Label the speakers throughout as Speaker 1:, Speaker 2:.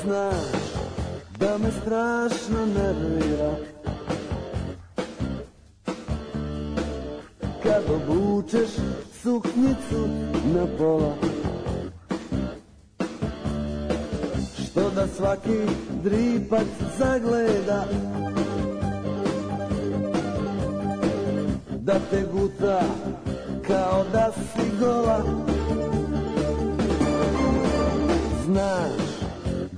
Speaker 1: Znaš da me strašno nervira kad obučeš suknjicu na pola, što da svaki dripac zagleda, da te guta kao da si gola. Znaš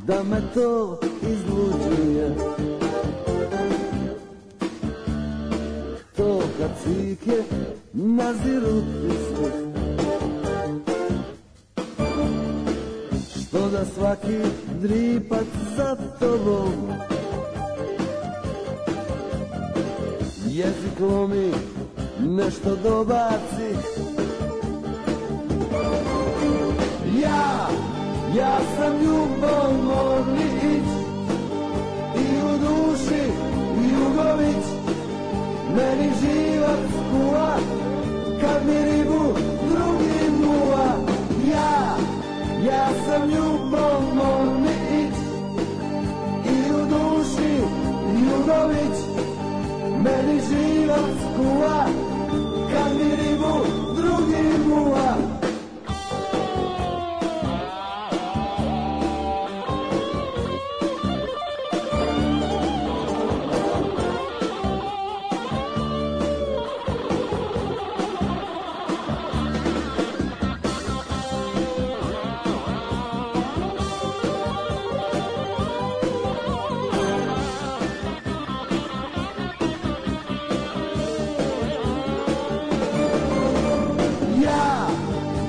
Speaker 1: da me to izluđuje, to kad cike naziru istih, što da svaki dripac za tobom jezik lomi, nešto dobaci. Ja sam ljubomorni ić i u duši Jugović, meni život skuva kad mi ribu drugi muva. Ja sam ljubomorni ić i u duši Jugović, meni život skuva kad mi ribu drugi muva.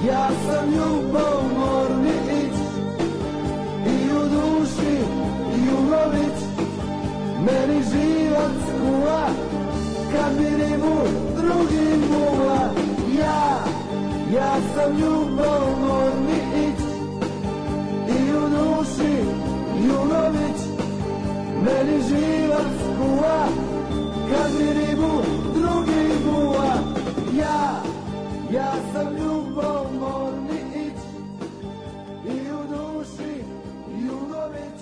Speaker 1: Ja sam ljubomorni ić i u duši Jugović, meni život skuva kad mi ribu drugi muva. Ja sam ljubomorni ić i u duši Jugović, meni život skuva kad mi ribu drugi muva. Ja sam ljubomorni ić i u duši Jugović,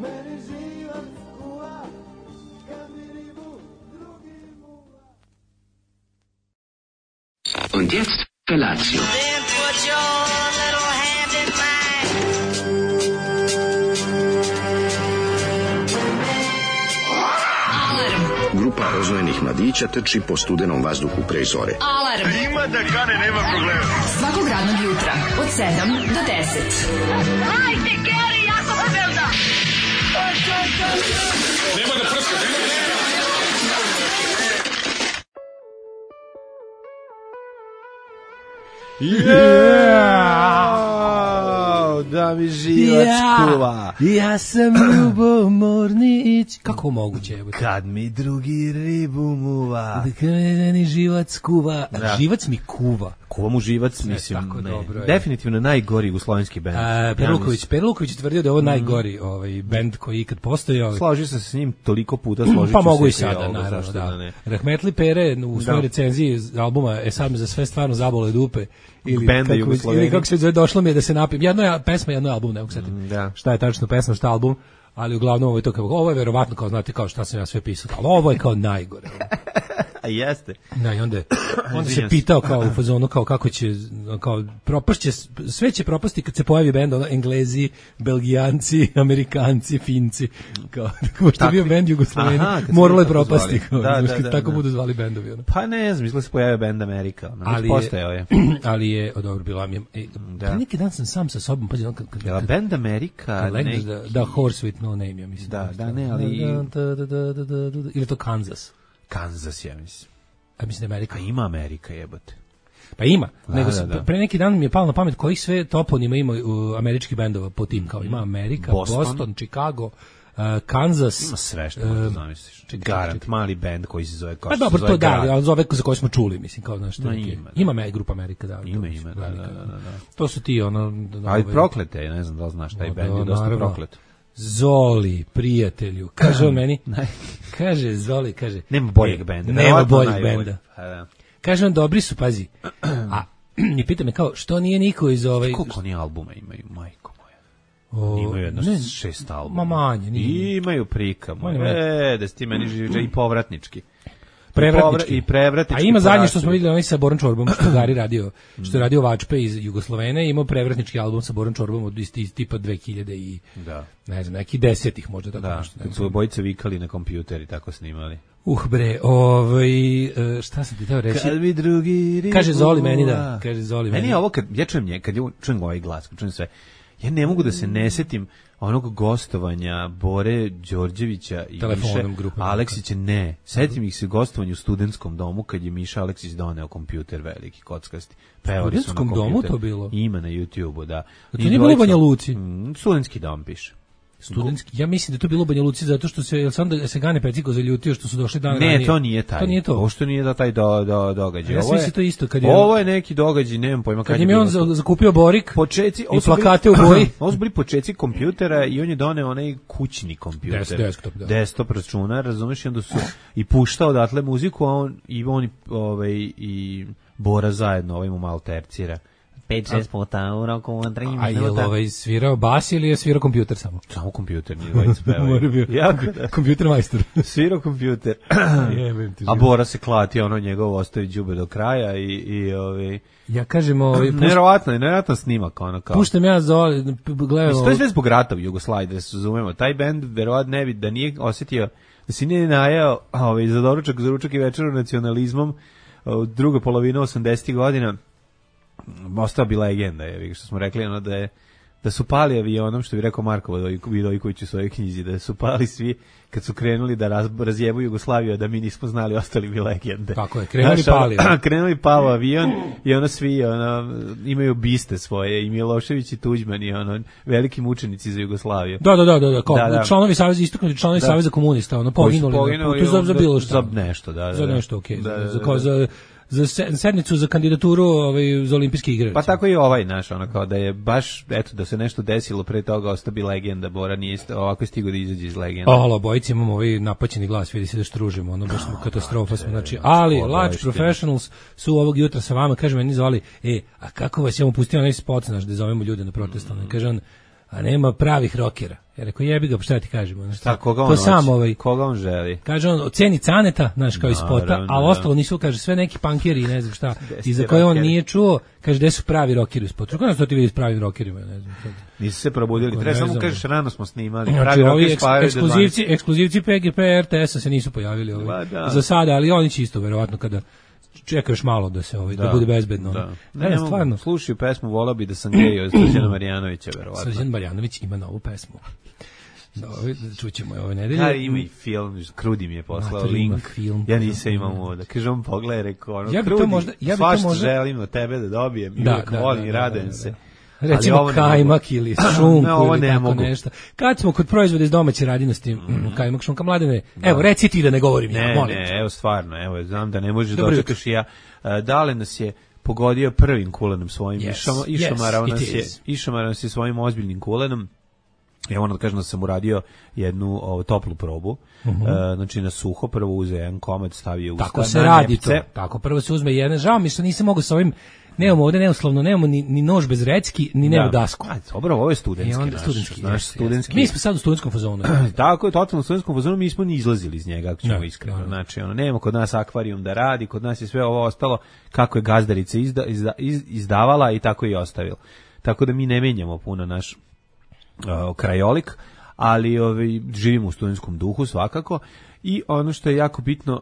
Speaker 1: meni život skuva kad mi ribu drugi muva.
Speaker 2: Und jetzt Felatio.
Speaker 3: Then put your little hand in mine.
Speaker 2: Grupa rozvojenih mladića trči po studenom vazduhu pre zore.
Speaker 4: Alarm.
Speaker 5: Ima da kane, nema problema.
Speaker 4: Svakog radnog jutra od 7 do 10.
Speaker 3: Hajde, Geri, jako se velda.
Speaker 5: Nema da prska, nema da prska.
Speaker 6: Da mi živac kuva.
Speaker 7: Ja sam ljubomornić. Kako moguće je?
Speaker 6: Kad mi drugi ribu muva.
Speaker 7: Kad mi živac kuva.
Speaker 6: Da.
Speaker 7: Živac mi kuva.
Speaker 6: Kuva mu živac, mislim,
Speaker 7: tako
Speaker 6: ne.
Speaker 7: dobro je.
Speaker 6: Definitivno najgori jugoslovenski bend.
Speaker 7: Per Luković tvrdio da je ovo najgori bend koji ikad postojao.
Speaker 6: Složio sam se s njim toliko puta, složit ću
Speaker 7: Pa mogu
Speaker 6: se
Speaker 7: i sada,
Speaker 6: ovo,
Speaker 7: naravno,
Speaker 6: zašto
Speaker 7: da.
Speaker 6: ne.
Speaker 7: Rahmetli Pere u svojoj recenziji albuma sad me za sve stvarno zabole dupe. Ili
Speaker 6: Benda Jugosloveni.
Speaker 7: kako se zove, došlo mi je da se napijem. Jedno je pesma, jedno je album, ne mogu setiti.
Speaker 6: Da.
Speaker 7: Šta je tačno pesma, šta album, ali uglavnom ovo je to kao, ovo je verovatno kao, znate, kao šta sam ja sve pisao, ali ovo je kao najgore.
Speaker 6: A jeste.
Speaker 7: Da, i onda se pitao kao u fazonu kao kako će, kao propašće, sve će propasti kad se pojavi bend, ono, Englezi, Belgijanci, Amerikanci, Finci, kao što je bio bend Jugosloveni, moralo je propasti, kao, tako budu zvali bendovi. Ono.
Speaker 6: Pa ne znam, mislim da se pojavio bend Amerika, postojao je.
Speaker 7: Ali je, dobro, bila mi je, neki dan sam sam sa sobom, pađe,
Speaker 6: kad bend Amerika,
Speaker 7: da, Horse with no name, ja mislim.
Speaker 6: Da, ne, ali...
Speaker 7: Ili to Kansas?
Speaker 6: Kansas, ja mislim.
Speaker 7: A mislim da Amerika.
Speaker 6: A ima Amerika, jebote.
Speaker 7: Pa ima, nego pre neki dan mi je palo na pamet kojih sve toponima ima američkih bendova po tim, kao ima Amerika, Boston, Chicago, Kansas.
Speaker 6: Ima sve što možda zamisliš. Garant, mali bend koji se zove kao
Speaker 7: što se zove. Pa dobro, to da, ali zove za koji smo čuli, mislim, kao znaš. Ima grupa Amerika, da.
Speaker 6: Ima, da.
Speaker 7: To su ti, ono...
Speaker 6: Ali proklete, ne znam da li znaš, taj bend je dosta proklet.
Speaker 7: Zoli, prijatelju, kaže on meni, kaže Zoli, kaže...
Speaker 6: Nema boljeg benda.
Speaker 7: Nema boljeg benda. Kaže on, dobri su, pazi. A i pita me kao, što nije niko iz
Speaker 6: Koliko oni albuma imaju, majko moja? Imaju jedno 6 albuma.
Speaker 7: Ma manje.
Speaker 6: I imaju prika. Da si ti meni živi i povratnički.
Speaker 7: Prevratnički.
Speaker 6: A
Speaker 7: ima zadnje što smo vidjeli onaj sa Boran Čorbom, što je Gari radio, što je radio Vačpe iz Jugoslovene, imao prevratnički album sa Boran Čorbom od tipa 2000 i ne znam, neki 10-ih možda tako nešto.
Speaker 6: Kad su obojice vikali na kompjuter i tako snimali.
Speaker 7: Bre, šta sam ti teo reći?
Speaker 6: Kad mi drugi
Speaker 7: kaže Zoli meni da, kaže Zoli meni.
Speaker 6: Meni je ovo kad ja čujem ovaj glas, kad čujem sve, ja ne mogu da se ne setim onog gostovanja Bore Đorđevića i Miše Aleksića, ne. Setim ih se gostovanja u studentskom domu kad je Miša Aleksić doneo kompjuter veliki, kockasti.
Speaker 7: U studentskom domu to bilo?
Speaker 6: Ima na YouTube-u, da.
Speaker 7: To nije bilo u Banja Luci?
Speaker 6: Studentski dom piše.
Speaker 7: Ja mislim da to bilo u Banja Luci zato što se Gane Peciko zaljutio što su došli dan ranije.
Speaker 6: Ne, to nije taj.
Speaker 7: To nije to.
Speaker 6: Pošto nije da taj događaj.
Speaker 7: Ja mislim to isto kad je.
Speaker 6: Ovo je neki događaj, nemam pojma
Speaker 7: kad je on zakupio Borik.
Speaker 6: Počeci
Speaker 7: i plakate u boji.
Speaker 6: Ovo su bili počeci kompjutera i on je doneo onaj kućni kompjuter. Desktop računar, razumeš, i onda su i puštao odatle muziku, a on i Bora zajedno, ovaj mu malo tercira. 5-6 puta u roku 3 minuta.
Speaker 7: A je svirao bas ili je svirao kompjuter samo?
Speaker 6: Samo kompjuter, nije dvojica pevaju.
Speaker 7: Kompjuter majstor.
Speaker 6: Svirao kompjuter. A Bora se klati, njegov ostavi đube do kraja i
Speaker 7: ja kažem,
Speaker 6: nevjerovatno snimak, ono kao.
Speaker 7: Puštam ja gledam.
Speaker 6: To je sve zbog rata u Jugoslaviji, da se razumemo. Taj bend verovatno ne bi, da nije osjetio, da si nije najao za doručak, za ručak i večeru nacionalizmom druga polovina 80-ih godina. Ostao bi legenda, što smo rekli, da su pali avionom, što bi rekao Marko Vidojković u svojoj knjizi, da su pali svi kad su krenuli da razjebu Jugoslaviju, da mi nismo znali, ostali bi legende.
Speaker 7: Kako je, krenuli
Speaker 6: pao avion i svi imaju biste svoje, i Milošević i Tuđman i veliki mučenici za Jugoslaviju.
Speaker 7: Da, kao članovi saveza, istaknuti članovi saveza komunista, poginuli za bilo što.
Speaker 6: Za nešto, da.
Speaker 7: Za nešto, okej. Za sednicu za kandidaturu za olimpijske igre.
Speaker 6: Pa tako i ovaj naš, kao da je baš, da se nešto desilo pre toga, ostao bi legenda, Bora nije ovako stigao da izađe iz legenda.
Speaker 7: Bojici imamo napaćeni glas, vidi se da štružimo, baš smo katastrofa smo, znači, ali Large Professionals su ovog jutra sa vama, kaže meni zvali, a kako vas je on pustio onaj spot, znaš, da zovemo ljude na protest, kaže on, a nema pravih rokera. Ja rekao, jebi ga, šta ti kažemo?
Speaker 6: Koga on želi?
Speaker 7: Kaže on, ceni Caneta, znaš, kao iz spota, ali ostalo nisu, kaže, sve neki pankeri i ne znam šta, i za koje on nije čuo, kaže, gde su pravi rokeri u spotu. Kako nas to ti vidi s pravim rokerima, ne znam.
Speaker 6: Nisu se probudili, treba samo kažeš, rano smo snimali.
Speaker 7: Znači, ovi ekskluzivci PGP RTS-a se nisu pojavili za sada, ali oni će isto, verovatno, kada čekaš malo da se da bude bezbedno.
Speaker 6: Ne, stvarno. Slušaju pesmu, volao bi da sam gejio Srđana Marjanovića, verovatno.
Speaker 7: Srđan Marjanović ima novu pesmu. Čućemo je ove nedelje.
Speaker 6: Ima i film, Krudi mi je poslao link. Ja nisam imao ovo da kažem, pogledaj, rekao, Krudi, svašta želim od tebe da dobijem i uvijek volim i radujem se.
Speaker 7: Recimo kajmak ili šunku ili tako nešto. Kad smo kod proizvoda iz domaće radinosti, kajmak, šunka, Mladene, evo, reci ti da ne govorim ja, molim.
Speaker 6: Ne, evo stvarno, evo, znam da ne možeš dočekaš i ja. Dale nas je pogodio prvim kulenom svojim, išamarao nas je svojim ozbiljnim kulenom. Ja moram da kažem da sam uradio jednu toplu probu, znači na suho, prvo uze jedan komad, stavio usta.
Speaker 7: Tako se radi to, tako prvo se uzme jedan, žao mi što nisam mogao sa ovim. Nemamo ovdje neuslovno, nemamo ni nož bez recki, ni nema dasku.
Speaker 6: Dobro, ovo je studentski naš studentski.
Speaker 7: Mi smo sad u studentskom fazonu.
Speaker 6: Tako je, totalno u studentskom fazonu, mi smo ni izlazili iz njega, ako ćemo iskreno. Znači, nema kod nas akvarijum da radi, kod nas je sve ovo ostalo kako je gazdarica izdavala i tako je i ostavila. Tako da mi ne menjamo puno naš krajolik, ali živimo u studentskom duhu svakako. I ono što je jako bitno,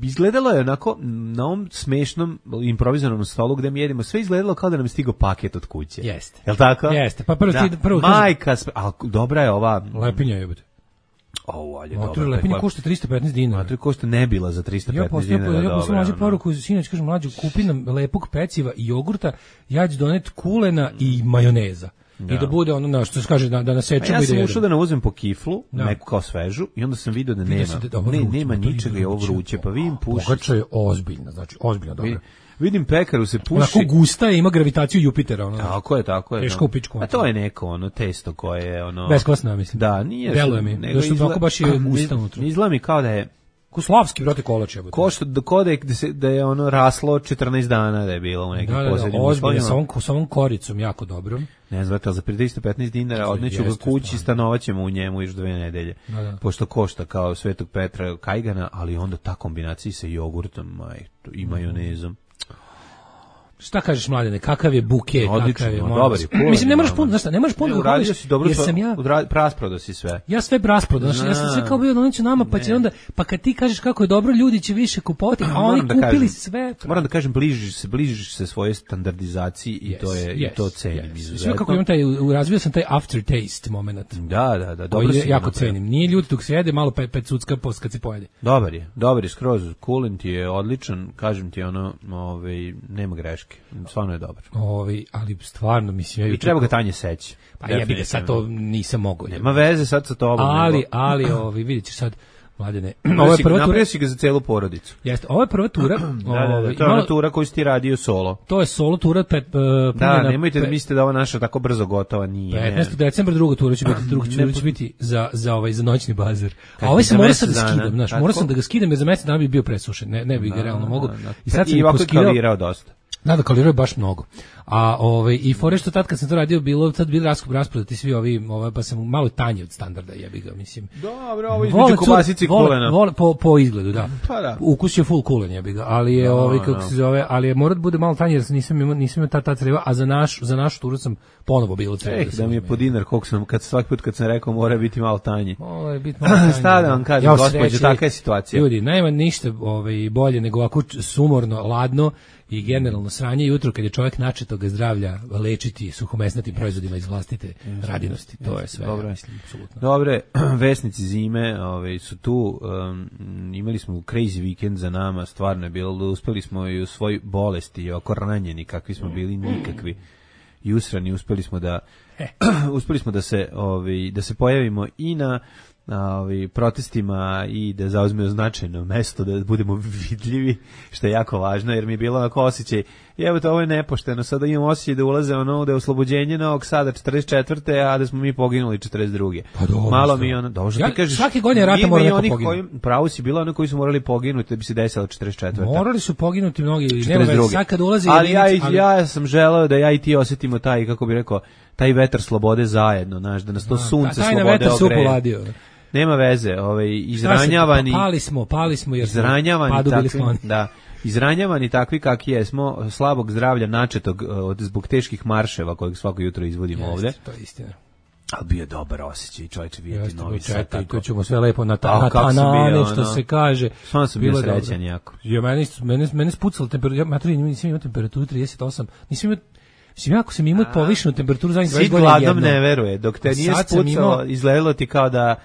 Speaker 6: izgledalo je onako na ovom smešnom improvizovanom stolu gde mi jedemo, sve izgledalo kao da nam je stigao paket od kuće.
Speaker 7: Jeste.
Speaker 6: Jel' tako?
Speaker 7: Jeste. Pa prvo
Speaker 6: majka, ali dobra je ova
Speaker 7: lepinja jebote.
Speaker 6: Dobra.
Speaker 7: Lepinja košta 315 dinara.
Speaker 6: To košta nebila za 315 dinara.
Speaker 7: Ja poslao mlađu poruku, sinoć kažem, mlađu, kupi nam lepog peciva i jogurta, ja ću doneti kulena i majoneza. I da bude ono što se kaže da nasečemo.
Speaker 6: Ja sam ušao da nauzem po kiflu, neku kao svežu, i onda sam vidio da nema ničega, je ovo vruće, pa vidim pušicu.
Speaker 7: Pogača je ozbiljna, znači ozbiljno dobro.
Speaker 6: Vidim pekaru se puši.
Speaker 7: Onako gusta je, ima gravitaciju Jupitera.
Speaker 6: Tako je.
Speaker 7: Teško u pičku.
Speaker 6: A to je neko testo koje je
Speaker 7: beskvasno, mislim.
Speaker 6: Da, nije.
Speaker 7: Deluje mi, zašto tako baš je gusta unutra.
Speaker 6: Izgleda mi kao da je
Speaker 7: Kuslavski, brate, kolač je.
Speaker 6: Košta da je ono raslo 14 dana da je bilo u nekim poslednjim
Speaker 7: uslovima. Sa ovom koricom jako dobro.
Speaker 6: Ne znam, za 315 dinara odneću ga kući i stanovaćemo u njemu još 2 nedelje. Pošto košta kao Svetog Petra kajgana, ali onda ta kombinacija sa jogurtom i majonezom.
Speaker 7: Šta kažeš, Mladene, kakav je buke,
Speaker 6: odlično, dobar je.
Speaker 7: Mislim, ne možeš puno, znaš šta, ne možeš puno
Speaker 6: uradio si dobro, rasprodao si sve.
Speaker 7: Ja sve rasprodao, ja sam sve kao bio doneću nama, pa će onda, pa kad ti kažeš kako je dobro, ljudi će više kupovati, a oni kupili sve.
Speaker 6: Moram da kažem, bližiš se svoje standardizaciji i to cenim izuzetno.
Speaker 7: Sve kako imam razvio sam taj aftertaste moment.
Speaker 6: Da, dobro si.
Speaker 7: Jako cenim. Nije ljudi dok se jede, malo pet sudska post kad se pojede.
Speaker 6: Dobar je skroz, coolant je odličan, kažem ti ono, nema greške. Stvarno je dobar.
Speaker 7: Ali stvarno mislim
Speaker 6: i treba ga tanje seći.
Speaker 7: Pa ja bih sad to nisam mogao.
Speaker 6: Nema veze sad sa tobom.
Speaker 7: Ali vidite sad, Mladene, ovo je prva
Speaker 6: tura. Si ga za celu porodicu.
Speaker 7: Jeste, ovo je prva tura.
Speaker 6: To je ona tura koju si ti radio solo.
Speaker 7: To je solo tura.
Speaker 6: Nemojte da mislite da ova naša tako brzo gotova nije.
Speaker 7: 15. decembra druga tura će biti, za noćni bazar. A ovaj se mora sad da skidam, znaš, mora sam da ga skidam jer za mesec dana bi bio presušen. Ne bi ga realno mogao.
Speaker 6: I sad sam poskidao dosta.
Speaker 7: Da, kalirao je baš mnogo. A i fore što tad kad sam to radio bili rasprodati svi ovi, pa sam malo tanje od standarda, jebi ga, mislim.
Speaker 6: Dobro, ovo između kobasice i kulena.
Speaker 7: Po izgledu, da.
Speaker 6: Pa da.
Speaker 7: Ukus je full kulen, jebi ga, ali je kako se zove, ali je mora da bude malo tanje jer nisam imao ta creva, a za našu turu sam ponovo bilo creva.
Speaker 6: Da mi je po dinar koliko sam svaki put kad sam rekao mora biti malo tanje.
Speaker 7: Mora biti malo tanje.
Speaker 6: Šta da vam kažem, gospođo, takva je situacija.
Speaker 7: Ljudi, nema ništa bolje nego ovako sumorno, ladno i generalno sranje jutro kad je čovjek načetoga zdravlja lečiti suhomesnatim proizvodima iz vlastite radinosti. To je sve,
Speaker 6: dobro,
Speaker 7: mislim, apsolutno.
Speaker 6: Dobre, vesnici zime su tu, imali smo crazy weekend za nama, stvarno je bilo, uspeli smo i u svoj bolesti, oko ranjeni, kakvi smo bili, nikakvi i usrani, uspeli smo da se pojavimo i na protestima i da zauzmemo značajno mesto, da budemo vidljivi, što je jako važno, jer mi je bilo onako osjećaj, evo to ovo je nepošteno, sada imam osjećaj da ulaze da je oslobođenje Novog Sada 44. a da smo mi poginuli 42.
Speaker 7: Pa dobro.
Speaker 6: Malo mi ono, ti kažeš,
Speaker 7: svake godine rata mora neko poginuti.
Speaker 6: Pravo si bilo oni koji su morali poginuti da bi se desilo 44.
Speaker 7: Morali su poginuti mnogi, nema veze, sad kad ulazi...
Speaker 6: Ali ja sam želeo da ja i ti osjetimo taj, kako bi rekao, taj vetar slobode zajedno, znaš, da nas to sunce slobode ogreje. Nema veze, izranjavani...
Speaker 7: Pali smo jer padu bili skloni.
Speaker 6: Da, izranjavani takvi kakvi jesmo, slabog zdravlja načetog zbog teških marševa kojeg svako jutro izvodimo ovde.
Speaker 7: To je istina.
Speaker 6: Ali bio je dobar osjećaj, čovječe, vidjeti Novi Sad.
Speaker 7: I to ćemo sve lepo na tanane, što se kaže.
Speaker 6: Stvarno sam bio srećan jako.
Speaker 7: Mene spucala temperatura, nisam imao temperaturu 38, nisam imao... Mislim, ako sam imao povišenu temperaturu zadnjih 20 godina jedno.
Speaker 6: Si gladom ne veruje, dok te nije spucalo, izgledalo ti kao da,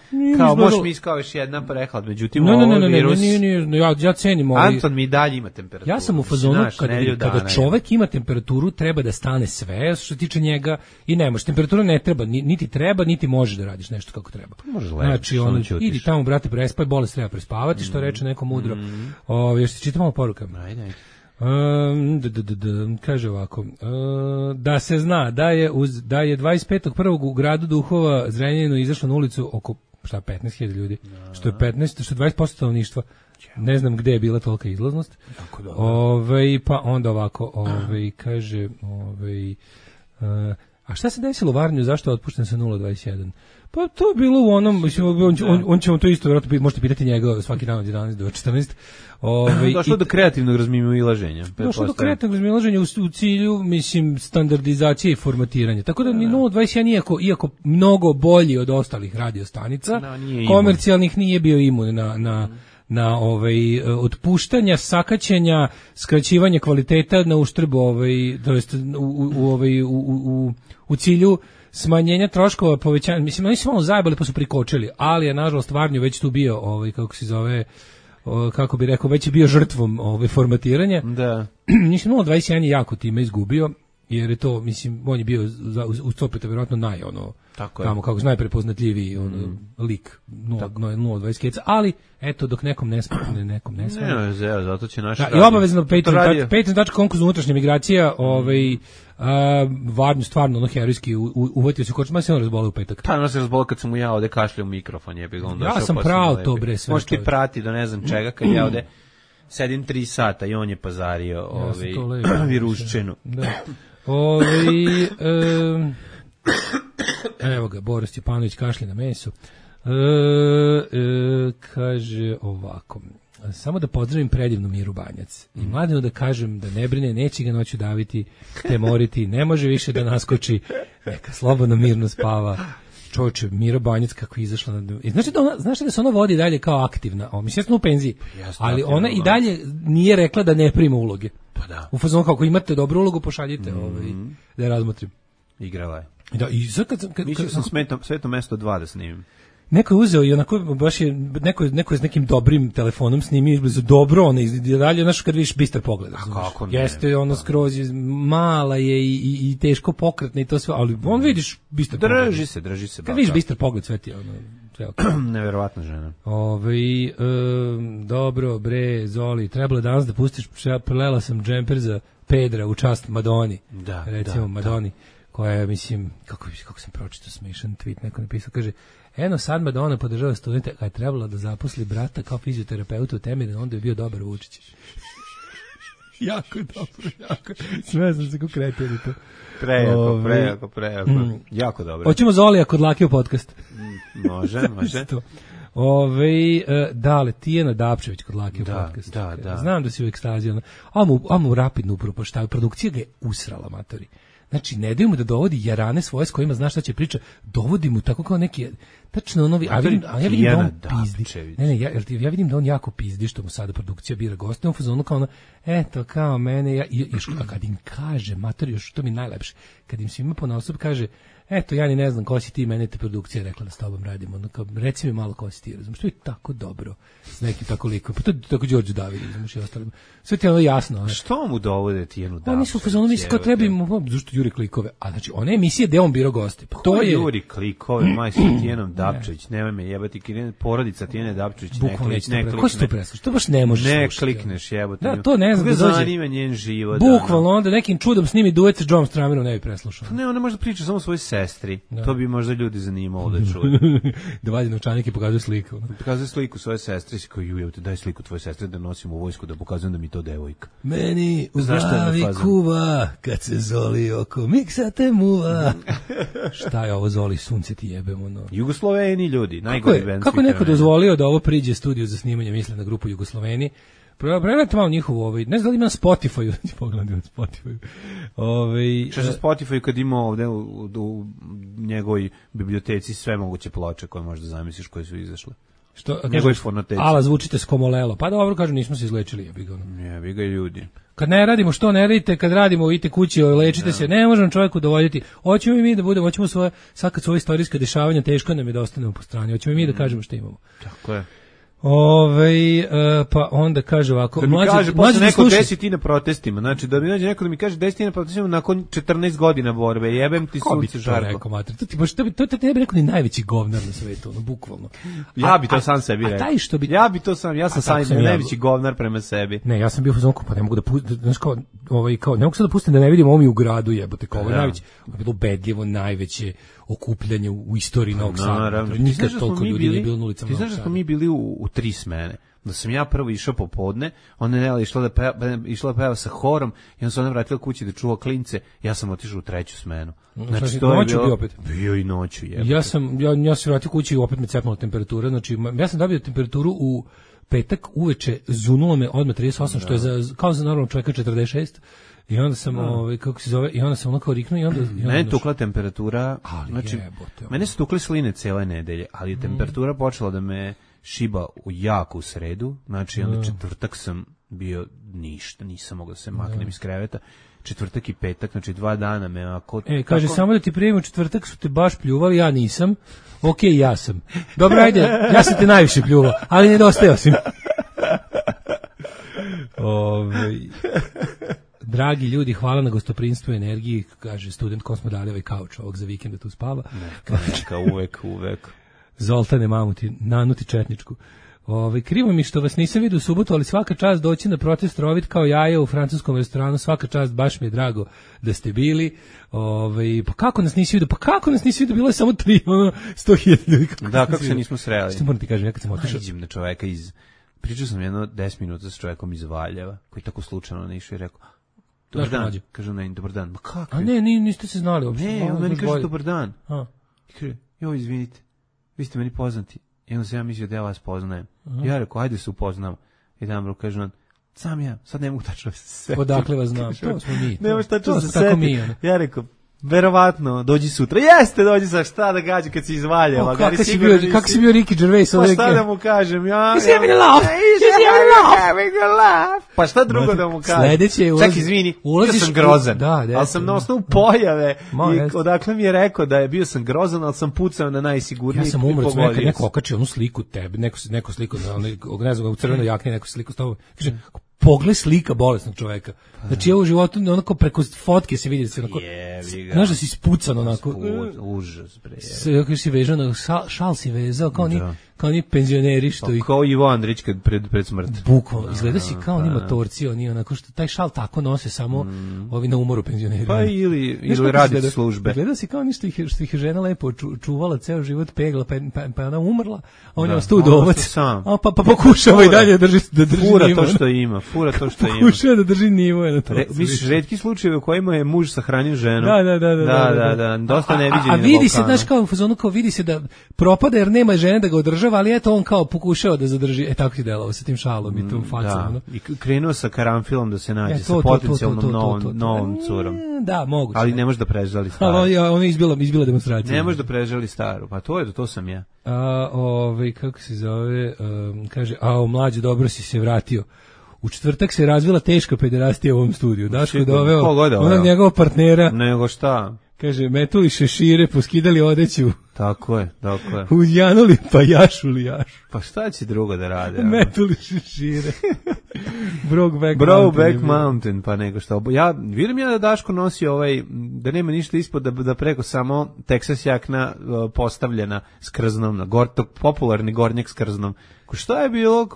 Speaker 6: možeš mi kao još jedna prehlad, međutim ovo virus...
Speaker 7: Ne, ja cenim ovo.
Speaker 6: Anton mi dalje ima temperaturu.
Speaker 7: Ja sam u fazonu, kada čovek ima temperaturu, treba da stane sve što se tiče njega i ne može. Temperatura ne treba, niti treba, niti može da radiš nešto kako treba. Znači, idi tamo, brate, prespaj, bolest treba prespavati, što reče neko mudro. Još se čita malo poruka.
Speaker 6: Ajde.
Speaker 7: Kaže ovako, da se zna da je 25.1. u gradu Duhova Zrenjaninu izašlo na ulicu oko 15.000 ljudi, što je 20% stanovništva. Ne znam gde je bila tolika izlaznost. Pa onda ovako, kaže, a šta se desilo u Varnju, zašto je otpušten sa 0.21? Pa to je bilo u onom, mislim, on će vam to isto vjerojatno možete pitati njega svaki dan od 11 do 14.
Speaker 6: Došlo do kreativnog razmimoilaženja.
Speaker 7: Došlo do kreativnog razmimoilaženja u cilju, mislim, standardizacije i formatiranja. Tako da ni 0.21, iako mnogo bolji od ostalih radiostanica, komercijalnih nije bio imun na otpuštanja, sakaćenja, skraćivanja kvaliteta na uštrb to jest u cilju smanjenja troškova, povećanja, mislim, oni su malo zajebali pa su prikočili, ali je nažalost Varnju već tu bio, kako se zove, kako bi rekao, već je bio žrtvom formatiranja.
Speaker 6: Da.
Speaker 7: Mislim, 0.21 je jako time izgubio jer je to, mislim, on je bio uz to vjerojatno
Speaker 6: tako je.
Speaker 7: tamo kako najprepoznatljiviji lik 0.20 keca, ali eto, dok nekom ne smije, nekom ne smije.
Speaker 6: Ne, zato će naš
Speaker 7: I obavezno Patreon.com kroz unutrašnja migracija, Varnju stvarno herojski uvatio se kočma, se on razbolio u petak.
Speaker 6: Pa, ono se razbolio kad sam mu ja ovde kašljao u mikrofon, je bilo onda.
Speaker 7: Ja sam pravo to, bre, sve.
Speaker 6: Možeš ti prati do ne znam čega, kad ja ovde sedim 3 sata i on je pazario viruščinu.
Speaker 7: Da. Evo ga, Boris Stjepanović kašlje na mesu. Kaže ovako: samo da pozdravim predivnu Miru Banjac i Mladenu da kažem da ne brine, neće ga noću daviti, te moriti, ne može više da naskoči, neka slobodno mirno spava. Čovječe, Mira Banjac kako je izašla na... Znaš da se ona vodi dalje kao aktivna, mislim da u penziji, ali ona i dalje nije rekla da ne prima uloge.
Speaker 6: Pa da.
Speaker 7: U fazonu kako imate dobru ulogu, pošaljite da je razmotrim.
Speaker 6: Igrala je.
Speaker 7: Da, i sad
Speaker 6: mislio sam Sveto mesto 2 da snimim.
Speaker 7: Neko je uzeo i onako baš je neko je s nekim dobrim telefonom snimio izblizu dobro, ona i dalje, znaš, kad vidiš bistar pogled. Jeste ono skroz mala je i teško pokretna i to sve, ali on vidiš bistar pogled.
Speaker 6: Drži se.
Speaker 7: Kad vidiš bistar pogled, sve ti je ono, sve okay.
Speaker 6: Neverovatna žena.
Speaker 7: Dobro, bre, Zoli, trebalo danas da pustiš, prelela sam džemper za Pedra u čast Madoni.
Speaker 6: Da,
Speaker 7: recimo Madoni, koja je, mislim, kako sam pročitao smešan tweet, neko napisao, kaže: eno sad Madonna podržava studente, kad je trebalo da zaposli brata kao fizioterapeuta u Temirinu, onda je bio dobar Vučić. Jako dobro, jako. Sve sam se kako kretili to.
Speaker 6: Prejako. Jako dobro.
Speaker 7: Hoćemo Zolija kod Lakio podcast.
Speaker 6: Može.
Speaker 7: Dale, Tijena Dapčević kod Lakio podcast.
Speaker 6: Da.
Speaker 7: Znam da si u ekstazi. Mu rapidno upropaštaju. Produkcija ga je usrala, matori. Znači, ne daju mu da dovodi jarane svoje s kojima znaš šta će priča, dovodi mu tako kao neki, tačno onovi, ja vidim da on pizdi. Ja vidim da on jako pizdi što mu sada produkcija bira goste, on fazonu kao ono, eto, kao mene, a kad im kaže, mater, još to mi najlepše, kad im svima ponaosob kaže, eto, ja ni ne znam ko si ti, mene te produkcija rekla da s tobom radimo, ono kao, reci mi malo ko si ti, razumiješ, to je tako dobro, s nekim tako likom, pa to je tako Đorđe David, razumiješ, i ostalim, sve ti je ono jasno.
Speaker 6: Što mu dovode Tijenu Dapčević?
Speaker 7: Oni su fazonu, misli, kao treba im, zašto juri klikove, a znači, one emisije gde on birao goste, pa to je...
Speaker 6: Juri klikove, maj s Tijenom Dapčević, nemoj me jebati, porodica Tijene Dapčević, ne klikneš.
Speaker 7: Ko si to preslušaš? To baš ne možeš slušati.
Speaker 6: Ne klikneš, jebati.
Speaker 7: Da, to ne znam da dođe.
Speaker 6: Zanima njen život.
Speaker 7: Bukvalno, onda nekim čudom snimi duet sa John Stramirom, ne bi preslušao.
Speaker 6: Ne, ona možda priča samo svojoj sestri. To bi možda ljudi zanimalo da čuje.
Speaker 7: Da vadi novčanik i pokazuje sliku.
Speaker 6: Pokazuje sliku svoje sestre, si kao, jujevte, daj sliku tvoje sestre da nosim u vojsku, da pokazujem da mi to devojka.
Speaker 7: Meni u glavi kuva, kad se Zoli oko miksa te muva. Šta je ovo, Zoli, sunce ti jebemo, no.
Speaker 6: Jugosloveni ljudi, najgori band.
Speaker 7: Kako neko dozvolio da ovo priđe studiju za snimanje, mislim na grupu Jugosloveni? Pregledajte malo njihovu, ne znam da li ima na Spotify, pogledajte na Spotify.
Speaker 6: Što na Spotify kad ima ovde u njegovoj biblioteci sve moguće ploče koje možda zamisliš koje su izašle. Njegovi fonoteci.
Speaker 7: Ala, zvučite skomolelo. Pa dobro, kažu, nismo se izlečili,
Speaker 6: jebi ga ljudi.
Speaker 7: Kad ne radimo, što ne radite, kad radimo, idite kući, lečite se, ne možemo čovjeku dovoditi. Hoćemo i mi da budemo, hoćemo svoje, sad kad su ove istorijske dešavanja, teško nam je da ostanemo po strani, hoćemo i mi da kažemo što imamo.
Speaker 6: Tako je.
Speaker 7: Pa onda kaže ovako,
Speaker 6: da mi kaže posle neko desi ti na protestima, znači da mi nađe neko da mi kaže desi ti na protestima nakon 14 godina borbe, jebem ti sunce žarko.
Speaker 7: To te ne bi rekao ni najveći govnar na svetu, ono, bukvalno.
Speaker 6: Ja bi to sam sebi rekao. Ja bi to sam, ja sam najveći govnar prema sebi.
Speaker 7: Ne, ja sam bio u zonku, pa ne mogu da pustim, znaš kao, ne mogu sad da pustim da ne vidim ovo mi u gradu, jebote, kao ovo je najveći, ovo je bilo ubedljivo najveće okupljanje u istoriji Novog Sada. Nikad toliko ljudi nije bilo na ulicama Novog Sada.
Speaker 6: Ti znaš da smo mi bili u 3 smene. Da sam ja prvo išao popodne, ona je išla da peva sa horom i onda se ona vratila kući da čuva klince, ja sam otišao u 3. smenu.
Speaker 7: Znači to je bilo,
Speaker 6: bio i noću.
Speaker 7: Ja sam vratio kući i opet me cepnula temperatura, znači ja sam dobio temperaturu u petak uveče, zunulo me odmah 38, što je kao za normalnog čovjeka 46. I onda sam, kako se zove, i onda sam onako riknuo i onda...
Speaker 6: Mene je tukla temperatura, znači, mene su tukli sline cijele nedelje, ali je temperatura počela da me šiba jako u sredu, znači onda četvrtak sam bio ništa, nisam mogao da se maknem iz kreveta, četvrtak i petak, znači 2 dana me ako...
Speaker 7: Kaže, samo da ti prijevim, u četvrtak su te baš pljuvali, ja nisam, okej, ja sam. Dobro, ajde, ja sam te najviše pljuvao, ali nedostajao si. Dragi ljudi, hvala na gostoprinstvu i energiji, kaže student kom smo dali ovaj kauč ovog za vikend da tu spava.
Speaker 6: Neka, uvek.
Speaker 7: Zoltane Mamuti, nanuti četničku. Krivo mi što vas nisam vidio u subotu, ali svaka čast doći na protest rovit kao jaja u francuskom restoranu, svaka čast, baš mi je drago da ste bili. Pa kako nas nisi vidio, bilo je samo 100.000 ljudi.
Speaker 6: Da, kako se nismo sreli.
Speaker 7: Što moram ti kažem, ja kad sam otišao.
Speaker 6: Nađem na čoveka pričao sam jedno 10 minuta sa čovekom iz Valjeva, koji tako slučajno ne išao i rekao, dobar dan, kažem na dobar dan. Ma kako?
Speaker 7: A ne, niste se znali uopšte.
Speaker 6: Ne, on meni kaže dobar dan. I kaže, joj, izvinite, vi ste meni poznati. I onda sam ja mislio da ja vas poznajem. Ja rekao, ajde se upoznam. I Damro kaže on, sam ja, sad ne mogu tačno se setiti.
Speaker 7: Odakle vas znam, to smo mi.
Speaker 6: Nemaš tačno se setiti. Ja rekao, verovatno, dođi sutra. Jeste, dođi sa šta da gađi kad si iz Valjeva.
Speaker 7: Kako si bio Ricky Gervais?
Speaker 6: Pa šta da mu kažem?
Speaker 7: He's having a laugh.
Speaker 6: Pa šta drugo da mu kažem?
Speaker 7: Sledeće je
Speaker 6: čak izvini, bio sam grozan. Ali sam na osnovu pojave i odakle mi je rekao da je bio sam grozan, ali sam pucao na najsigurniji.
Speaker 7: Ja sam umro, neko okačio onu sliku tebe, neko sliku, ne znam, u crvenoj jakni, neko sliku s tobom. Kaže, pogled slika bolesnog čoveka. Znači ja u životu onako preko fotke se vidi da se onako, znaš da si ispucan onako.
Speaker 6: Užas, bre.
Speaker 7: Kako si vezao, šal si vezao, kao ni penzioneri što ih...
Speaker 6: Kao Ivo Andrić pred smrt.
Speaker 7: Bukvalno, izgleda si kao oni motorci, oni onako što taj šal tako nose samo ovi na umoru penzioneri.
Speaker 6: Pa ili radi službe.
Speaker 7: Izgleda si kao ništa što ih je žena lepo čuvala ceo život, pegla, pa ona umrla, a on je ostao udovac. Pa pokušava i dalje da drži
Speaker 6: Fura to što ima.
Speaker 7: Pokušava da drži nivo.
Speaker 6: Misliš, retki slučajevi u kojima je muž sahranio ženu.
Speaker 7: Da.
Speaker 6: Dosta neviđeni.
Speaker 7: A vidi se, znaš, kao u fazonu, kao vidi se da propada jer nema žene da ga održava, ali eto on kao pokušao da zadrži. Tako ti delovao sa tim šalom i tom facom.
Speaker 6: I krenuo sa karanfilom da se nađe sa potencijalnom novom curom.
Speaker 7: Da, moguće.
Speaker 6: Ali ne može da prežali staru.
Speaker 7: Ono je izbila demonstracija.
Speaker 6: Ne može da prežali staru. Pa to sam ja.
Speaker 7: Kako se zove, kaže, mlađe, dobro si se vratio. U četvrtak se razvila teška pederastija u ovom studiju. Daško je doveo onog njegovog partnera.
Speaker 6: Nego šta?
Speaker 7: Kaže, metuli šešire, poskidali odeću.
Speaker 6: Tako je.
Speaker 7: Uzjanuli pa jašuli jašu.
Speaker 6: Pa šta će drugo da rade?
Speaker 7: Metuli šešire.
Speaker 6: Brokeback Mountain, pa nego šta. Vidim ja da Daško nosi da nema ništa ispod, da preko samo Texas jakna postavljena s krznom, popularni gornjak s krznom. Šta je bilo,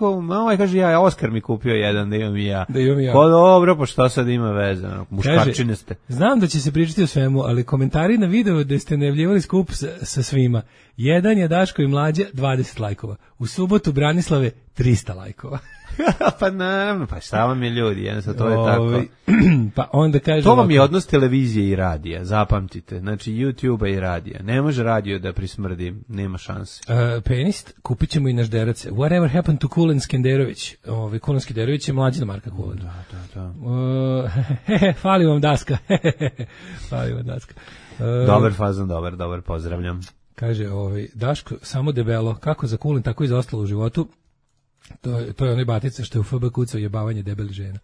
Speaker 6: kaže Oskar mi kupio jedan, da imam i ja. Pa dobro, pa šta sad ima veze, muškarčine ste.
Speaker 7: Znam da će se pričati o svemu, ali komentari na video da ste najavljivali skup sa svima. Jedan je Daško i Mlađe, 20 lajkova. U subotu Branislave, 300 lajkova.
Speaker 6: Pa naravno, pa šta vam je ljudi, jednostavno to je tako.
Speaker 7: Pa onda kaže
Speaker 6: to vam je odnos televizije i radija, zapamtite. Znači YouTube-a i radija. Ne može radio da prismrdi, nema šanse.
Speaker 7: Penist, kupit ćemo i naš derac. Whatever happened to Kulen Skenderović? Kulen Skenderović je mlađina Marka Kulen.
Speaker 6: Da.
Speaker 7: Fali vam daska.
Speaker 6: Dobar fazon, dobar, pozdravljam.
Speaker 7: Kaže, Daško, samo debelo, kako za Kulen, tako i za ostalo u životu. To je onaj batica što je u FB kucao jebavanje debeli žena.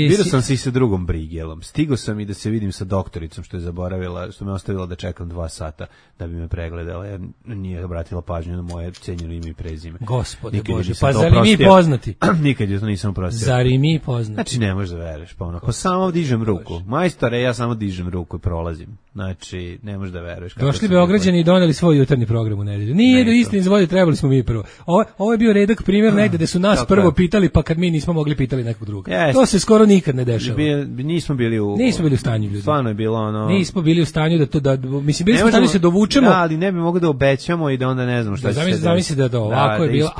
Speaker 6: Vidio sam se i sa drugom brigelom. Stigo sam i da se vidim sa doktoricom što je zaboravila, što me ostavila da čekam 2 sata da bi me pregledala, jer nije obratila pažnju na moje cenjeno ime i prezime.
Speaker 7: Gospode Bože, pa zar i mi poznati?
Speaker 6: Nikad je to nisam oprostio.
Speaker 7: Zar i mi poznati?
Speaker 6: Znači ne možeš da veruješ, pa samo dižem ruku. Majstore, ja samo dižem ruku i prolazim. Znači, ne možeš da veruješ.
Speaker 7: Došli Beograđani i doneli svoj jutarnji program u nedelju. Nije do istine izvolje, trebali smo mi prvo. Ovo je bio redak primjer negde da su nas prvo pitali, pa kad mi nismo mogli pitali nekog drugog. To se skoro nikad ne dešava.
Speaker 6: Nismo bili u stanju, ljudi. Stvarno je bilo ono.
Speaker 7: Nismo bili u stanju da mislim bili smo u stanju se dovučemo.
Speaker 6: Da, ali ne bi mogli da obećamo i da onda ne znamo šta će se desiti.
Speaker 7: Zamisli da ovako je bilo,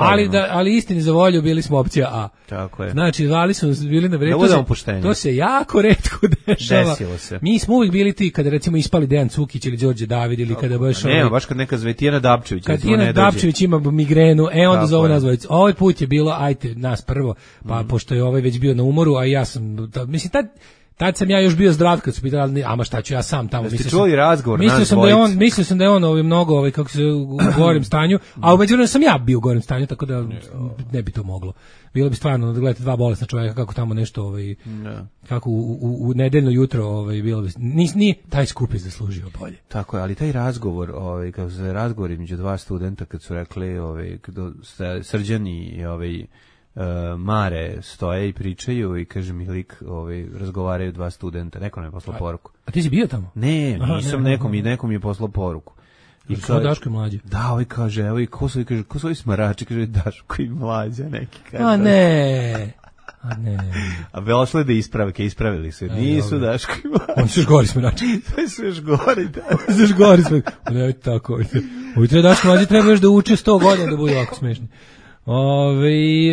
Speaker 7: ali istini za volju bili smo opcija A.
Speaker 6: Tako je.
Speaker 7: Znači, zvali smo bili na vreme. To se jako retko dešava.
Speaker 6: Desilo se.
Speaker 7: Mi smo uvijek bili ti kada recimo ispali Dejan Cukić ili Đorđe David ili kada
Speaker 6: baš kad neka Tijana Dapčević.
Speaker 7: Kad Tijana Dapčević ima migrenu, onda zove nas dvojicu. Ovaj put je bilo, ajte, nas prvo, pa pošto je ovaj već bio na umoru, a ja sam, mislim, tad sam ja još bio zdrav kad su pitali, ama šta ću ja sam tamo.
Speaker 6: Ste čuli razgovor?
Speaker 7: Mislio sam da je on mnogo, kako se u gorem stanju, a u međuvremenu sam ja bio u gorem stanju, tako da ne bi to moglo. Bilo bi stvarno da gledate 2 bolesna čovjeka kako tamo nešto kako u nedeljno jutro bilo bi nije taj skup je zaslužio bolje.
Speaker 6: Tako je, ali taj razgovor kako se razgovor između 2 studenta kad su rekli Srđan i Mare stoje i pričaju i kaže mi lik, razgovaraju dva studenta, neko nam je poslao poruku.
Speaker 7: A ti si bio tamo?
Speaker 6: Ne, nisam, nekom je poslao poruku.
Speaker 7: I kao Daško i Mlađe.
Speaker 6: Da, ovaj kaže, evo i ko su ovi smarači, kaže Daško i Mlađa neki. Kaže,
Speaker 7: a ne.
Speaker 6: A došle da ispravili su. Nisu Daško i Mlađa.
Speaker 7: Oni su još gori smarači.
Speaker 6: Oni su još gori, da.
Speaker 7: Oni su još gori smarači. Ne, tako. Ovi treba Daško i Mlađe treba još da uče 100 godina da budu ovako smešni.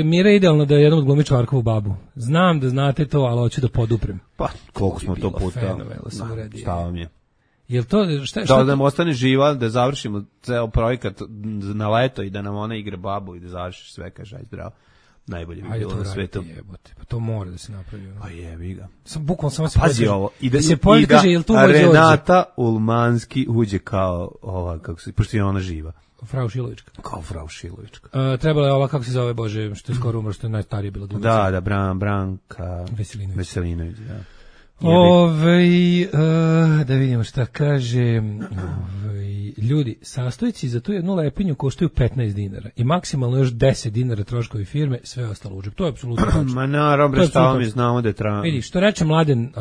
Speaker 7: Mira je idealno da jednom odglumi Čvarkovu babu. Znam da znate to, ali hoću da poduprem.
Speaker 6: Pa, koliko smo to puta. Šta vam je?
Speaker 7: Jel to
Speaker 6: da nam ostane živa, da završimo ceo projekat na leto i da nam ona igra babu i da završiš sve, kaže aj zdravo. Najbolje bi bilo na svetu.
Speaker 7: Pa to mora da se napravi.
Speaker 6: Pa jebi ga.
Speaker 7: Bukvalno samo se
Speaker 6: pazi ovo. I da
Speaker 7: se pojavi kaže jel tu
Speaker 6: Renata Ulmanski uđe kao ova kako se pošto je ona živa.
Speaker 7: Frau Šilovička.
Speaker 6: Kao Frau Šilovička.
Speaker 7: Trebala je ova kako se zove Bože, što je skoro umrla, što je najstarija bila
Speaker 6: glumica. Da, Branka Veselinović, da.
Speaker 7: Da vidimo šta kaže. Ljudi, sastojci za tu jednu lepinju koštaju 15 dinara i maksimalno još 10 dinara troškovi firme, sve ostalo uđe. To je apsolutno tačno.
Speaker 6: Ma naravno, šta mi znamo da je
Speaker 7: Vidi, što reče Mladen,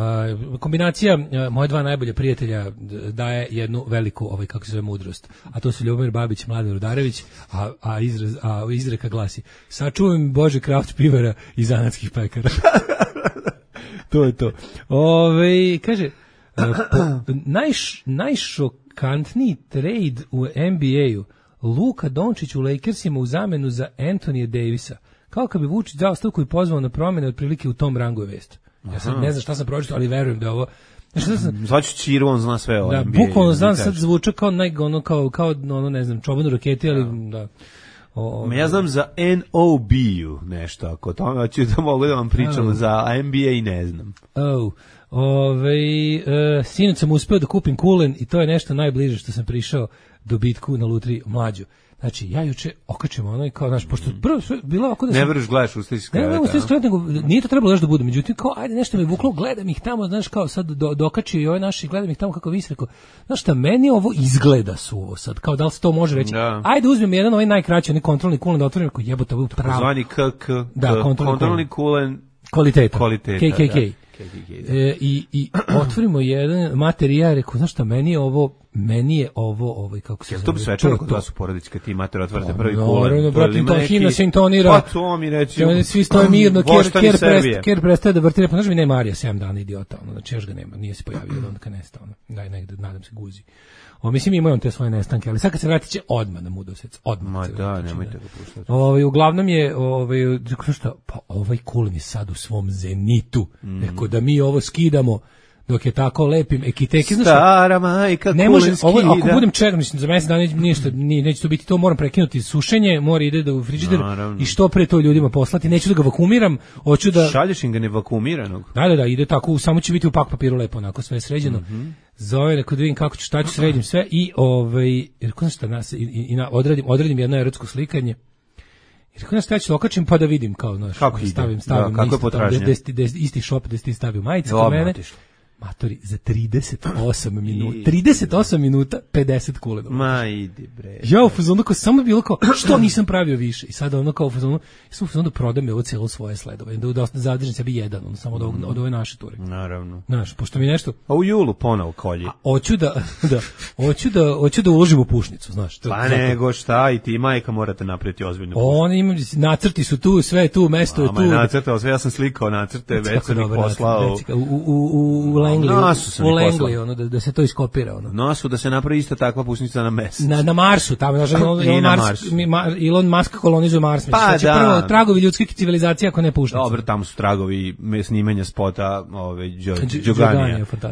Speaker 7: kombinacija moje dva najbolja prijatelja daje jednu veliku, kako se zove, mudrost. A to su Ljubomir Babić i Mladen Rudarević, a izreka glasi: sačuvaj mi Bože kraft pivara i zanatskih pekara. To je to. Kaže, najšokantniji trade u NBA-u, Luka Dončić u Lakersima u zamenu za Anthony Davisa. Kao kad bi Vučić dao stavku i pozvao na promjene, otprilike u tom rangu je vest. Ja sad ne znam šta sam pročitao, ali verujem da je ovo...
Speaker 6: Zvaću Čiru, on zna sve o NBA.
Speaker 7: Da, bukvalno znam, sad zvuča kao ne znam, čoban u raketi, ali da...
Speaker 6: Ja znam za NOB-u nešto, ako to ću da mogu da vam pričam za NBA i ne znam.
Speaker 7: Sinoć sam uspeo da kupim kulen i to je nešto najbliže što sam prišao dobitku na lutriji Mlađu. Znači, ja juče okačem ono i kao, znaš, pošto bilo ovako da sam...
Speaker 6: Ne vreš, gledaš u slici skreveta.
Speaker 7: Ne, u slici skreveta, nego nije to trebalo još da bude. Međutim, kao, ajde, nešto me vuklo, gledam ih tamo, znaš, kao sad dokačio i ovaj naši, gledam ih tamo kako vi se rekao, znaš šta, meni ovo izgleda suvo sad, kao da li se to može reći. Da. Ajde, uzmem jedan ovaj najkraći, onaj kontrolni kulen da otvorim, kao jebote, ovo je pravo.
Speaker 6: Zvani kontrolni kulen
Speaker 7: kvaliteta. KKK. I otvorimo jedan materijal, rekao, znaš šta, meni je ovo kako se zove.
Speaker 6: To bi svečano kod vas u porodici kad ti mater otvorite prvi kulen.
Speaker 7: Naravno, bratim, to himna se intonira.
Speaker 6: Pa to mi reći.
Speaker 7: Svi stoje mirno, Kjer prestaje da vrti, pa znaš mi ne Marija 7 dana idiota, znači još ga nema, nije se pojavio od onda kad nestao, daj negde, nadam se guzi. Mislim ima on te svoje nestanke, ali sad kad se vratit će odmah na Mudosec, odmah.
Speaker 6: Ma da, nemojte ga puštati.
Speaker 7: Uglavnom je, šta, pa ovaj kulen je sad u svom zenitu, neko da mi ovo skidamo, dok je tako lepim ekiteki.
Speaker 6: Stara majka
Speaker 7: ne može, ovo, ako budem čekao, mislim, za mesec dana neće to biti, to moram prekinuti sušenje, mora ide u frižider i što pre to ljudima poslati, neću da ga vakumiram, hoću da...
Speaker 6: Šalješ im ga nevakumiranog?
Speaker 7: Da, ide tako, samo će biti u pak papiru lepo, onako, sve sređeno. Zove, neko da vidim kako ću, šta ću, sredim sve i, jer ko šta, odradim jedno erotsko slikanje. Jer kako ja ću okačim pa da vidim, kao, znaš, stavim isti šop da ti stavio majice kod mene. Matori, za 38 minuta 50 kulenova.
Speaker 6: Ma idi bre.
Speaker 7: Ja u fazonu kao samo bilo kao što nisam pravio više i sada ono kao u fazonu da prodam ovo celo svoje sledove, da zadržim sebi jedan, ono samo od ove naše ture.
Speaker 6: Naravno.
Speaker 7: Znaš, pošto mi nešto
Speaker 6: a u julu ponovo kolji.
Speaker 7: Hoću da uložim u pušnicu, znaš.
Speaker 6: Pa nego šta, i ti majka morate napraviti ozbiljnu pušnicu.
Speaker 7: Oni imaju nacrti su tu, sve tu, mesto je tu.
Speaker 6: Ma nacrtao, sve ja sam slikao nacrte, već sam ih poslao.
Speaker 7: U Langley, ono, da se to iskopira. Ono.
Speaker 6: Nosu, da se napravi isto takva pušnica na Mesec.
Speaker 7: Na Marsu, tamo, Elon Musk kolonizuje Mars.
Speaker 6: Pa da.
Speaker 7: Prvo tragovi ljudskih civilizacija, ako ne pušnica.
Speaker 6: Dobro, tamo su tragovi snimanja spota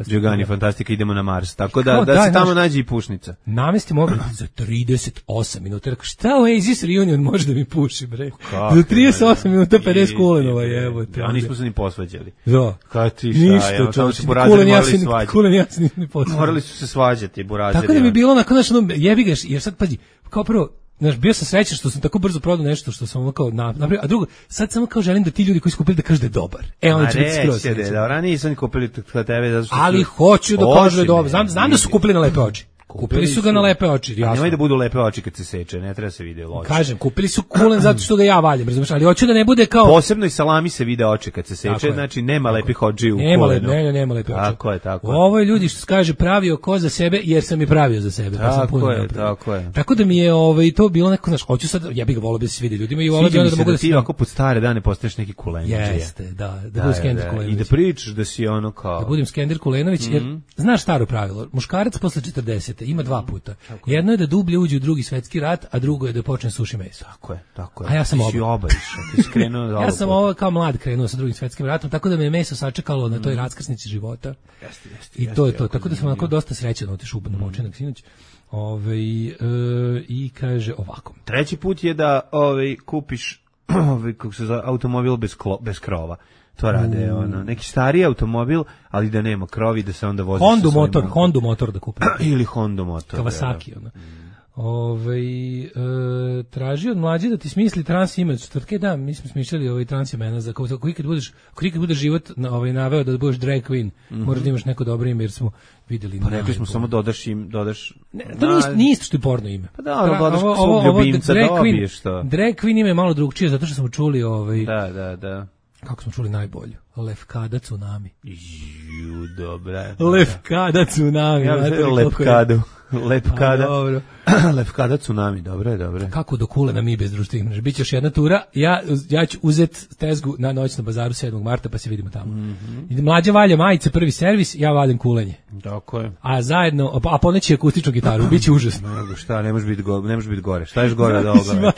Speaker 6: Đogani Fantastika, idemo na Mars. Tako da se tamo nađe i pušnica.
Speaker 7: Namestimo ovdje za 38 minuta. Šta Oasis Reunion može da mi puši, bre? Za 38 minuta 50 kulenova, jebote.
Speaker 6: A nismo se ni posvađali.
Speaker 7: Da.
Speaker 6: Kad ti šta, tamo se burazeri morali svađati. Morali su se svađati, burazeri.
Speaker 7: Tako da mi bilo onako, znaš, jebi ga, jer sad, pazi, kao prvo, znaš, bio sam srećan što sam tako brzo prodao nešto što sam kao napravio, a drugo, sad samo kao želim da ti ljudi koji su kupili da kažu da je dobar. Onda će biti skroz.
Speaker 6: Dobro, nisam kupili kod tebe zato što
Speaker 7: ali hoću da kažu da je dobar. Znam da su kupili na lepe oči. Kupili su ga na lepe oči, jasno.
Speaker 6: Nemoj da budu lepe oči kad se seče, ne treba se vide oči.
Speaker 7: Kažem, kupili su kulen zato što ga ja valjam, razumiješ, ali hoću da ne bude kao...
Speaker 6: Posebno i salami se vide oči kad se seče, znači nema lepih oči u kulenu.
Speaker 7: Nema lepih oči.
Speaker 6: Tako je.
Speaker 7: Ovo je ljudi što se kaže pravio ko za sebe, jer sam i pravio za sebe.
Speaker 6: Tako je.
Speaker 7: Tako da mi je to bilo neko, znaš, hoću sad, ja bih ga volio da se vidi ljudima i volio da mogu da
Speaker 6: ti ako pod stare dane postaješ neki Kulenović.
Speaker 7: Jeste, da budem Skender Kulenović.
Speaker 6: I da pričaš da si ono kao...
Speaker 7: Da budem Skender Kulenović, jer znaš staro pravilo, muškarac posle 40. ima 2 puta. Jedno je da dublje uđe u Drugi svetski rat, a drugo je da počne suši meso.
Speaker 6: Tako je.
Speaker 7: A ja sam
Speaker 6: oba.
Speaker 7: Ja sam ovo kao mlad krenuo sa Drugim svetskim ratom, tako da me meso sačekalo na toj raskrsnici života. I to je to. Tako da sam onako dosta srećan otišao na močinak sinoć. I kaže ovako.
Speaker 6: Treći put je da kupiš kako se zove, automobil bez krova. To rade neki stari automobil, ali da nema krovi, da se onda vozi
Speaker 7: Hondu motor da kupi.
Speaker 6: Ili Hondu motor.
Speaker 7: Kawasaki ona. Traži od mlađe da ti smisli trans ime od četvrtke, da, mi smo smišljali trans imena za ako ikad budeš život naveo da budeš drag queen, moraš da imaš neko dobro ime jer smo vidjeli.
Speaker 6: Pa rekli smo samo dodaš.
Speaker 7: Ne, to nije isto što je porno ime.
Speaker 6: Pa da, dodaš svog ljubimca, dobiješ to.
Speaker 7: Drag queen ime je malo drugčije, zato što smo čuli
Speaker 6: Da.
Speaker 7: Kako smo čuli najbolju? Lefkada tsunami.
Speaker 6: Dobra.
Speaker 7: Lefkada tsunami.
Speaker 6: Ja bih lepkadu. Lepkada.
Speaker 7: Dobro.
Speaker 6: Lefkada tsunami, dobro.
Speaker 7: Kako do Kulena mi bez društvenih mreža? Biće još jedna tura. Ja ću uzeti tezgu na noć na bazaru 7. marta pa se vidimo tamo. Mlađa valja majice, prvi servis, ja valjam kulenje.
Speaker 6: Tako je.
Speaker 7: A zajedno, a poneći akustičnu gitaru, biće užasno.
Speaker 6: Šta, ne može biti gore. Šta ješ gore od ovoga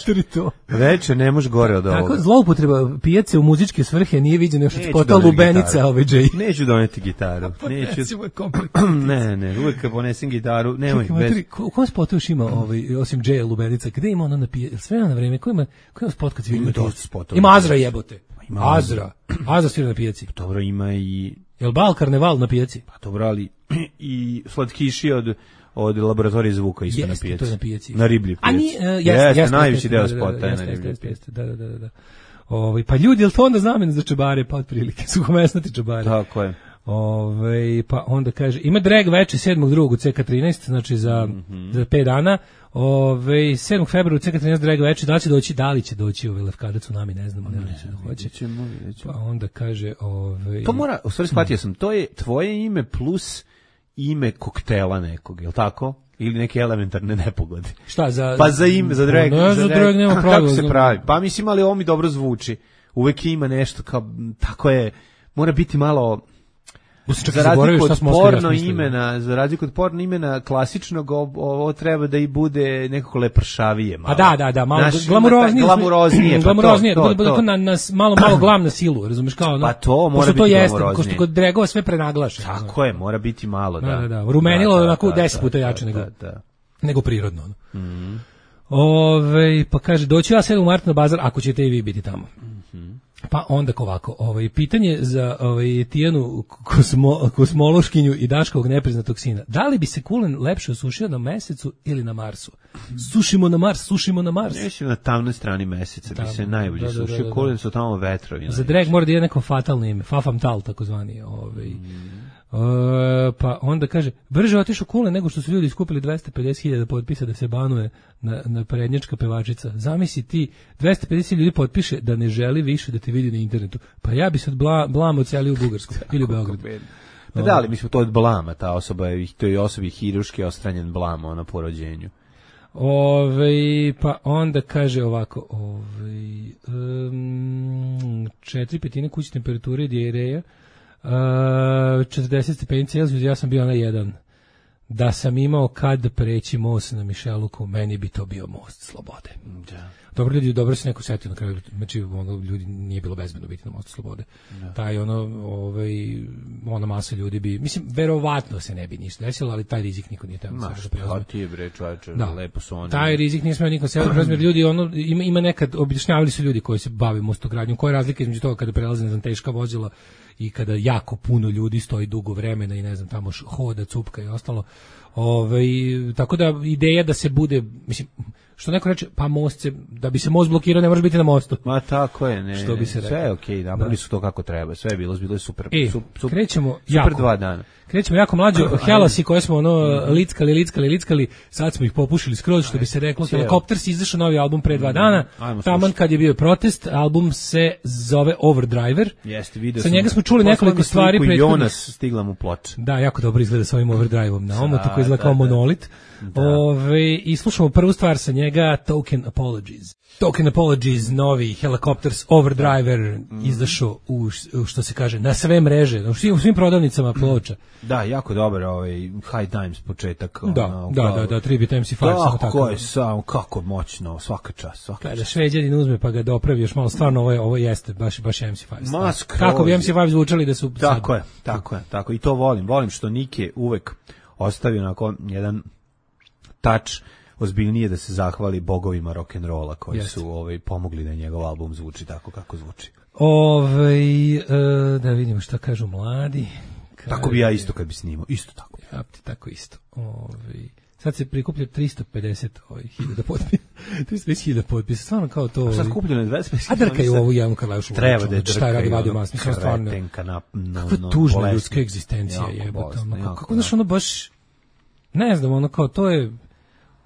Speaker 6: veče? Ne može gore od ovoga.
Speaker 7: Tako, zloupotreba pijace u muzičke svrhe nije viđena još od spota Lubenica Jay.
Speaker 6: Neću doneti gitaru. Ne, uvijek kad ponesem gitaru, nemoj.
Speaker 7: U kom spotu još ima osim Jay Lubenica? Gde ima ono na pijaci? Sve na vreme, ko ima spot kad se vidi na pijaci? Ima Azra jebote. Azra svira na pijaci.
Speaker 6: Dobro, ima i...
Speaker 7: Jel bal karneval na pijaci?
Speaker 6: Pa dobro, ali i slatkiši od laboratorije zvuka isto na pijaci.
Speaker 7: To je na pijaci.
Speaker 6: Na riblji pijaci.
Speaker 7: Jeste,
Speaker 6: najveći deo spota je na riblji pijaci.
Speaker 7: Da. Pa ljudi, jel to onda znameno za čabare, pa otprilike, suhomesnati čabare.
Speaker 6: Tako je.
Speaker 7: Pa onda kaže, ima drag veče 7.2. u CK13, znači za 5 dana. 7. februara u CK13 drag veče, da li će doći Lefkada tsunami, ne znam, ali hoće. Pa onda kaže,
Speaker 6: to mora, u stvari shvatio sam, to je tvoje ime plus ime koktela nekog, je li tako? Ili neke elementarne nepogode.
Speaker 7: Šta za...
Speaker 6: Pa za ime, za drag.
Speaker 7: Za drag nema pravila.
Speaker 6: Kako se pravi? Pa mislim, ali ovo mi dobro zvuči. Uvek ima nešto kao, tako je, mora biti malo... Za razliku od porno imena klasičnog, ovo treba da i bude nekako lepršavije malo.
Speaker 7: A da, malo glamuroznije, da bude malo glam na silu, razumeš, kao
Speaker 6: pa to mora biti glamuroznije.
Speaker 7: Ko što kod dragova sve prenaglaše.
Speaker 6: Tako je, mora biti malo,
Speaker 7: da. Rumenilo onako 10 puta jače nego prirodno. Pa kaže, doći ja 7. marta na bazar, ako ćete i vi biti tamo. Pa onda ovako, pitanje za Tijanu kosmološkinju i Daškovog nepriznatog sina. Da li bi se kulen lepše osušio na Mesecu ili na Marsu? Sušimo na Mars.
Speaker 6: Neće na tamnoj strani Meseca bi se najbolje sušio. Kulen su tamo vetrovi.
Speaker 7: Za drag mora da je neko fatalno ime, Fafamtal takozvani. Pa onda kaže, brže otišao Kulen nego što su ljudi skupili 250.000 potpisa da se banuje na prednjačka pevačica. Zamisli ti, 250 ljudi potpiše da ne želi više da te vidi na internetu. Pa ja bi se od blama odseli u Bugarsku ili u Beograd.
Speaker 6: Pa da, ali mi smo to od blama, ta osoba je, to je osobi hiruški ostranjen blam po rođenju.
Speaker 7: Pa onda kaže ovako, 4/5 kućne temperature i dijareja, 40 stepeni Celzijus, ja sam bio na 1. Da sam imao kad preći most na Mišeluku, meni bi to bio most slobode. Da. Dobro se neko setio na kraju, znači ljudi nije bilo bezbedno biti na mostu slobode. Da. Taj ona masa ljudi bi, mislim, verovatno se ne bi ništa desilo, ali taj rizik niko nije tamo da preuzme.
Speaker 6: Ti je bre čoveče, lepo su oni.
Speaker 7: Taj rizik nije smeo niko se preuzme, ljudi ima nekad objašnjavali su ljudi koji se bave mostogradnjom, koja je razlika između toga kada prelaze na teška vozila i kada jako puno ljudi stoji dugo vremena i ne znam tamo hoda, cupka i ostalo. Tako da ideja da se bude, mislim, što neko reče, pa most se, da bi se most blokirao, ne može biti na mostu.
Speaker 6: Ma tako je, ne.
Speaker 7: Što bi se rekao.
Speaker 6: Sve je okej, napravili su to kako treba. Sve je bilo super.
Speaker 7: Krećemo
Speaker 6: super 2 dana.
Speaker 7: Krećemo jako mlađo, helasi koje smo lickali, sad smo ih popušili skroz, što bi se reklo. Helicopters izašao novi album pre 2 dana. Taman kad je bio protest, album se zove Overdriver.
Speaker 6: Jeste, video
Speaker 7: sa njega smo čuli nekoliko stvari prethodnih.
Speaker 6: Jonas stigla mu ploča.
Speaker 7: Da, jako dobro izgleda sa ovim Overdriveom na omotu koji izgleda kao monolit. I slušamo prvu stvar sa njega, Token Apologies, novi Helicopters Overdriver izašao u što se kaže na sve mreže, u svim prodavnicama ploča.
Speaker 6: Da, jako dobar High Times početak.
Speaker 7: Da, Tribute MC5
Speaker 6: samo kako moćno, svaka čast.
Speaker 7: Kada Šveđanin uzme pa ga dopravi još malo, stvarno ovo jeste baš MC5. Kako bi MC5 zvučali da su
Speaker 6: tako. I to volim što Nike uvek ostavio onako jedan touch ozbiljnije da se zahvali bogovima rock'n'rolla koji su pomogli da njegov album zvuči tako kako zvuči.
Speaker 7: Da vidimo šta kažu mladi.
Speaker 6: Tako bi ja isto kad bi snimao, isto tako.
Speaker 7: Ja ti tako isto. Sad se prikuplja 350 hiljada potpisa. 350.000 potpisa, stvarno kao to.
Speaker 6: A sad kupljeno je 25.000.
Speaker 7: A drkaju ovu Jelenu Karleušu.
Speaker 6: Treba da je drkaju.
Speaker 7: Šta je radi vadio mas, mislim stvarno. Kakva tužna ljudska egzistencija jebote. Kako znaš ono baš, ne znam, ono kao to je.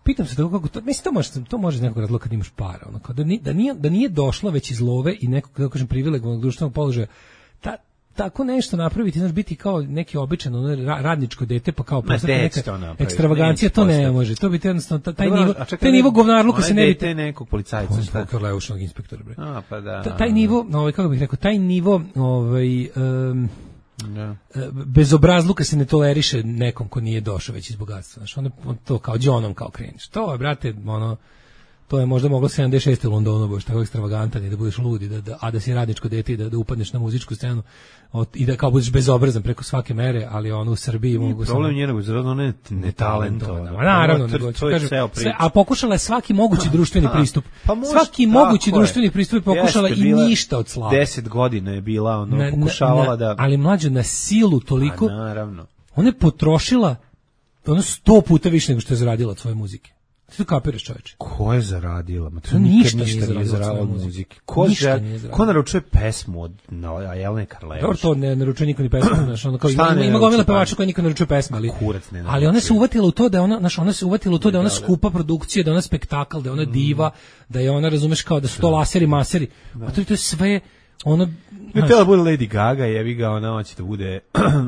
Speaker 7: Pitam se kako to, mislim to može iz nekog razloga kad imaš para, ono kao da nije došlo već iz love i nekog, da kažem, privilegovanog društvenog položaja. Tako nešto napraviti, znaš, biti kao neki običan radničko dete, pa kao neka ekstravagancija, to ne može. To bi jednostavno taj nivo govnarluka se ne bi
Speaker 6: te nekog policajca,
Speaker 7: šta Karleušnog inspektora, bre.
Speaker 6: Pa da.
Speaker 7: Taj nivo, kako bih rekao, taj nivo bezobrazluka se ne toleriše nekom ko nije došao već iz bogatstva. Znaš, on to kao džonom kao kreniš. To je, brate, to je možda moglo 76. u Londonu, baš tako ekstravagantan i da budeš ludi, a da si radničko dete i da upadneš na muzičku scenu i da kao budeš bezobrazan preko svake mere, ali u Srbiji mogu
Speaker 6: problem njenog je netalentovana.
Speaker 7: Naravno, a pokušala je svaki mogući društveni pristup. Svaki mogući društveni pristup je pokušala i ništa od slava.
Speaker 6: 10 godina je bila, pokušavala da...
Speaker 7: Ali mlađo na silu toliko...
Speaker 6: Naravno.
Speaker 7: Ona je potrošila 100 puta više nego što je zaradila od svoje muzike. Ti to kapiraš, čoveče?
Speaker 6: Ko je zaradila?
Speaker 7: Ništa
Speaker 6: nije zaradila od muzike. Ko naručuje pesmu od Jelene Karleuše?
Speaker 7: Dobro, to ne naručuje niko ni pesmu. Ima gomila pevača koji niko ne naručuje pesme, ali ona se uvatila u to da je ona skupa produkcija, da je ona spektakl, da je ona diva, da je ona, razumeš, kao da su to laseri, maseri. A to je sve...
Speaker 6: Ne tela bude Lady Gaga, jebi ga, ona hoće da bude,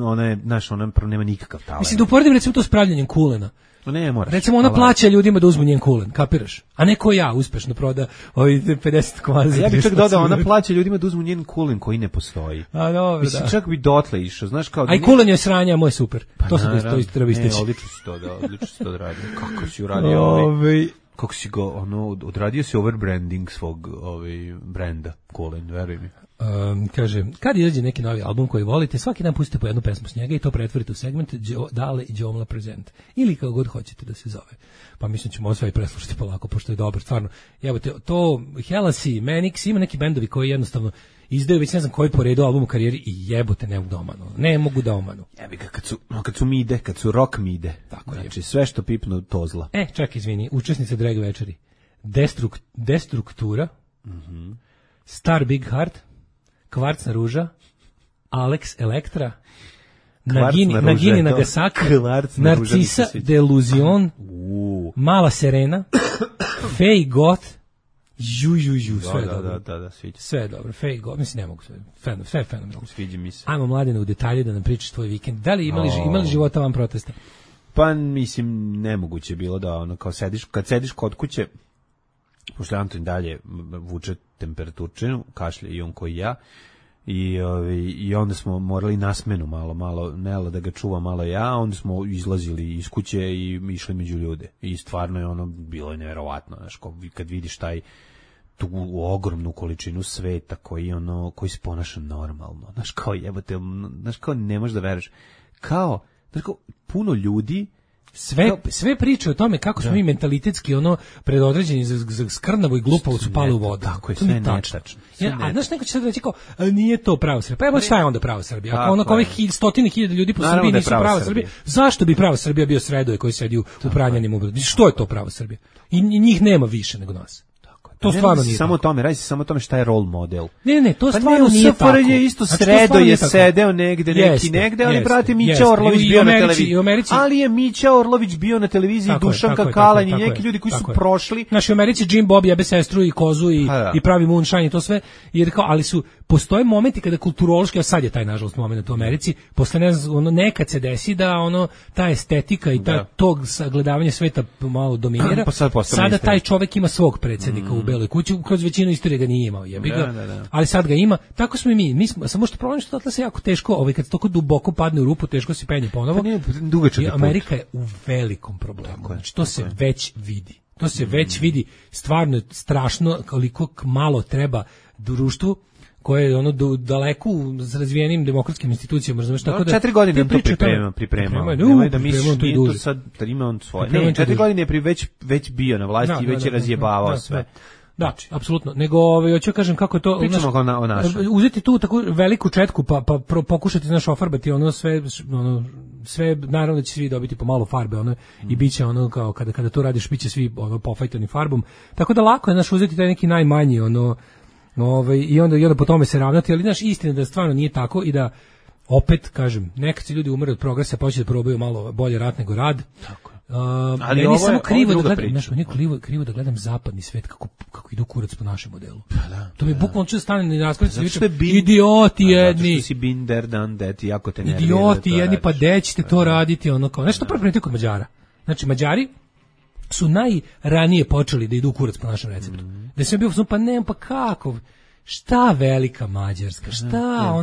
Speaker 6: ona je, znaš, ona nema nikakav talent.
Speaker 7: Mislim, da uporedim recimo to s pravljenjem kulena.
Speaker 6: Ne moraš.
Speaker 7: Recimo ona plaća ljudima da uzmu njen kulen, kapiraš? A ne ko ja uspešno proda 50 kvazi.
Speaker 6: Ja bih čak dodao, ona plaća ljudima da uzmu njen kulen koji ne postoji.
Speaker 7: A dobro,
Speaker 6: mislim, da. Čak bi dotle išao, znaš kao...
Speaker 7: Aj kulen je sranja, moj super.
Speaker 6: Pa
Speaker 7: to se to isto treba isteći.
Speaker 6: Odlično si to odradio. Kako si uradio kako si go, odradio si overbranding svog brenda, kulen, veruj mi.
Speaker 7: Kaže, kad izađe neki novi album koji volite, svaki dan pustite po jednu pesmu s njega i to pretvorite u segment Dale i Đomla Present. Ili kako god hoćete da se zove. Pa mislim ćemo sve i preslušati polako, pošto je dobro, stvarno. Jebote, to Helasi, Manix, ima neki bendovi koji jednostavno izdaju već ne znam koji po redu album u karijeri i jebote ne mogu da omanu.
Speaker 6: Jebi ga, kad su mide, kad su rock mide. Tako znači, sve što pipnu to zla.
Speaker 7: Čekaj, izvini, učesnice drag večeri. Destruktura, Star Big Heart, Kvarcna ruža, Alex Elektra, Nagini Nagasaki, Narcisa Deluzion, Mala Serena, Fej Goth, sve je dobro.
Speaker 6: Da, sviđa.
Speaker 7: Sve je dobro, Fej Goth, mislim ne mogu sve je fenomenalno.
Speaker 6: Sviđa mi se.
Speaker 7: Ajmo, Mladene, u detalje da nam pričaš tvoj vikend. Da li imali života van protesta?
Speaker 6: Pa mislim, nemoguće bilo da kao kad sediš kod kuće, pošto Anton dalje vuče temperaturčinu, kašlje i on koji ja, i onda smo morali na smenu malo Nela da ga čuva malo ja, onda smo izlazili iz kuće i išli među ljude. I stvarno je bilo je neverovatno, znaš, kad vidiš tu ogromnu količinu sveta koji se ponaša normalno, znaš, kao jebote, znaš, kao ne možeš da veruješ. Znaš, kao puno ljudi
Speaker 7: sve priče o tome kako smo mi mentalitetski ono predodređeni za skrnavo i glupavo su pali u vodu.
Speaker 6: Tako je, sve netačno.
Speaker 7: A znaš, neko će sad reći kao, nije to pravo Srbija. Pa evo šta je onda pravo Srbija? Ako ono ovih stotine hiljada ljudi po Srbiji nisu pravo Srbija, zašto bi pravo Srbija bio Sredoje koji sedi u Pranjanima u Beogradu? Što je to pravo Srbija? I njih nema više nego nas. To stvarno nije
Speaker 6: samo tome, radi se samo o tome šta je role model.
Speaker 7: Ne, to stvarno nije tako.
Speaker 6: Pa je isto Sredo je sedeo negde, neki negde, ali brate Mića Orlović bio na televiziji. Ali je Mića Orlović bio na televiziji, Dušanka Kalanj i neki ljudi koji su prošli.
Speaker 7: Naši u Americi Jim Bob jebe sestru i kozu i pravi moonshine i to sve, jer kao, ali postoje momenti kada kulturološki, a sad je taj nažalost moment u Americi, posle nekad se desi da ta estetika i tog sagledavanja sveta malo dominira. Sada taj čovek ima svog predsjednika u Beloj kući, kroz većinu istorije ga nije imao, jebi ga. Ali sad ga ima. Tako smo i mi smo samo što problem što Atlas je jako teško, kad toliko duboko padne u rupu, teško se penje ponovo. I Amerika je u velikom problemu. Znači to se već vidi. To se već vidi, stvarno strašno koliko malo treba društvu koje je daleko s razvijenim demokratskim institucijama, razumeš, tako da
Speaker 6: 4 godine to pripremao. Nemoj da misliš to sad ima on svoje. Ne, 4 godine je već bio na vlasti i već je razjebavao sve.
Speaker 7: Da, apsolutno. Nego hoću kažem kako je to,
Speaker 6: o našem.
Speaker 7: Uzeti tu takvu veliku četku pa pokušati ofarbati sve naravno da će svi dobiti po malo farbe i biće kao kada to radiš biće svi pofajtani farbom. Tako da lako je uzeti taj neki najmanji i onda po tome se ravnati, ali istina da stvarno nije tako i da opet kažem, nekad se ljudi umre od progresa, pa hoće da probaju malo bolje rat nego rad. Tako je. Ali meni samo krivo da gledam, krivo da gledam zapadni svet kako idu kurac po našem modelu. To mi bukvalno će stane na raspravi idioti jedni.
Speaker 6: Zato što si binder dan deti, jako te nervira.
Speaker 7: Idioti jedni, pa gde ćete to raditi, kao nešto prvo primetite kod Mađara. Znači Mađari su najranije počeli da idu kurac po našem receptu. Da sam bio pa ne, pa kako? Šta velika Mađarska? Šta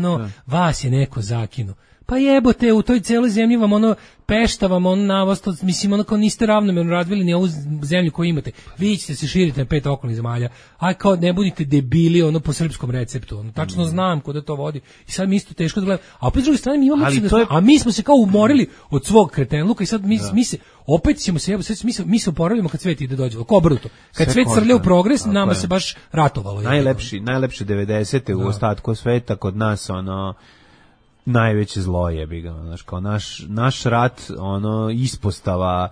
Speaker 7: vas je neko zakinuo? Pa jebote, u toj celoj zemlji vam pešta vam na vas, mislim kao niste ravnomerno razvili ni ovu zemlju koju imate. Vi ćete se širiti na 5 okolnih zemalja. Aj kao ne budite debili po srpskom receptu. Tačno znam kuda to vodi. I sad mi isto teško da gledamo. A opet s druge strane mi imamo a mi smo se kao umorili od svog kretenluka i sad mi se opet ćemo se mi se oporavimo kad svet ide dođe. Kao obrnuto. Kad svet srlja u progres, nama se baš ratovalo.
Speaker 6: Najlepše 90-te u ostatku sveta kod nas najveće zlo jebi ga, kao naš rat, ispostava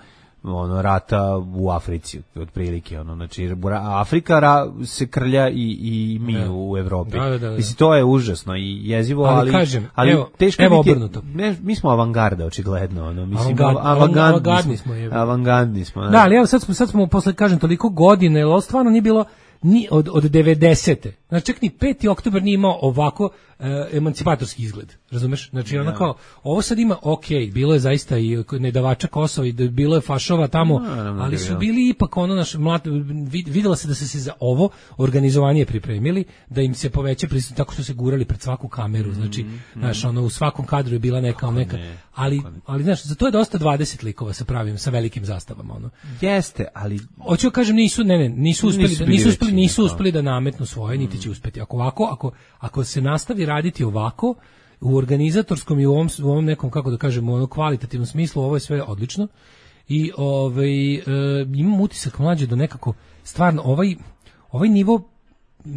Speaker 6: rata u Africi, otprilike, znači Afrika se krlja i mi u Evropi. Mislim, to je užasno i jezivo, ali teško biti, mi smo avangarda, očigledno, mislim, avangardni smo.
Speaker 7: Da, ali evo sad smo posle, kažem, toliko godine, jer ovo stvarno nije bilo ni od 90-te. Znači, čak ni 5. oktobar nije imao ovako emancipatorski izgled, razumeš? Znači, kao, ovo sad ima, bilo je zaista i nedavača Kosova i bilo je fašova tamo, ali su bili ipak vidjela se da se za ovo organizovanje pripremili, da im se poveća prisutnost tako što se gurali pred svaku kameru, znači, znaš, u svakom kadru je bila neka, ali znaš, za to je dosta 20 likova sa pravim, sa velikim zastavama,
Speaker 6: Jeste, ali
Speaker 7: hoću da kažem, nisu uspeli da nametnu svoje, niti će uspeti. Ako se nastavi raditi ovako, u organizatorskom i u ovom nekom, kako da kažemo, kvalitativnom smislu, ovo je sve odlično. I imam utisak mlađe do nekako, stvarno, ovaj nivo,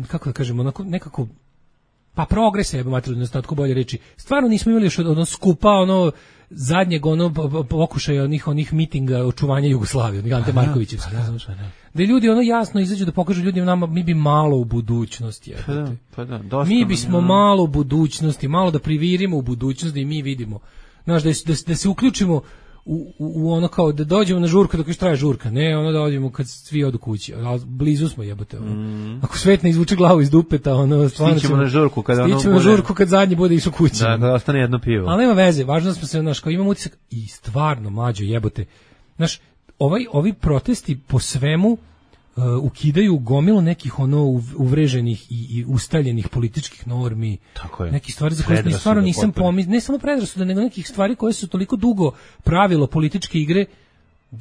Speaker 7: kako da kažemo, nekako, pa progresa, jebe materijalno, tako bolje reći, stvarno nismo imali još skupa, zadnjeg pokušaja onih mitinga očuvanja Jugoslavije, Ante Markovićevski, da ljudi jasno izađu da pokažu ljudima nama, mi bi malo u budućnosti, mi bismo malo u budućnosti, malo da privirimo u budućnosti i mi vidimo, znaš, da se uključimo u kao da dođemo na žurku dok još traje žurka, ne da dođemo kad svi odu kući, ali blizu smo jebote. Ako svet ne izvuče glavu iz dupeta, stvarno
Speaker 6: stićemo na žurku
Speaker 7: kad zadnji bude išao kući.
Speaker 6: Da ostane jedno pivo.
Speaker 7: Ali nema veze, važno smo se, kao imamo utisak i stvarno mlađo jebote. Znaš, ovi protesti po svemu ukidaju gomilu nekih uvreženih i ustaljenih političkih normi, neki stvari za koje stvarno nisam pomislio, ne samo predrasuda, nego nekih stvari koje su toliko dugo pravilo političke igre,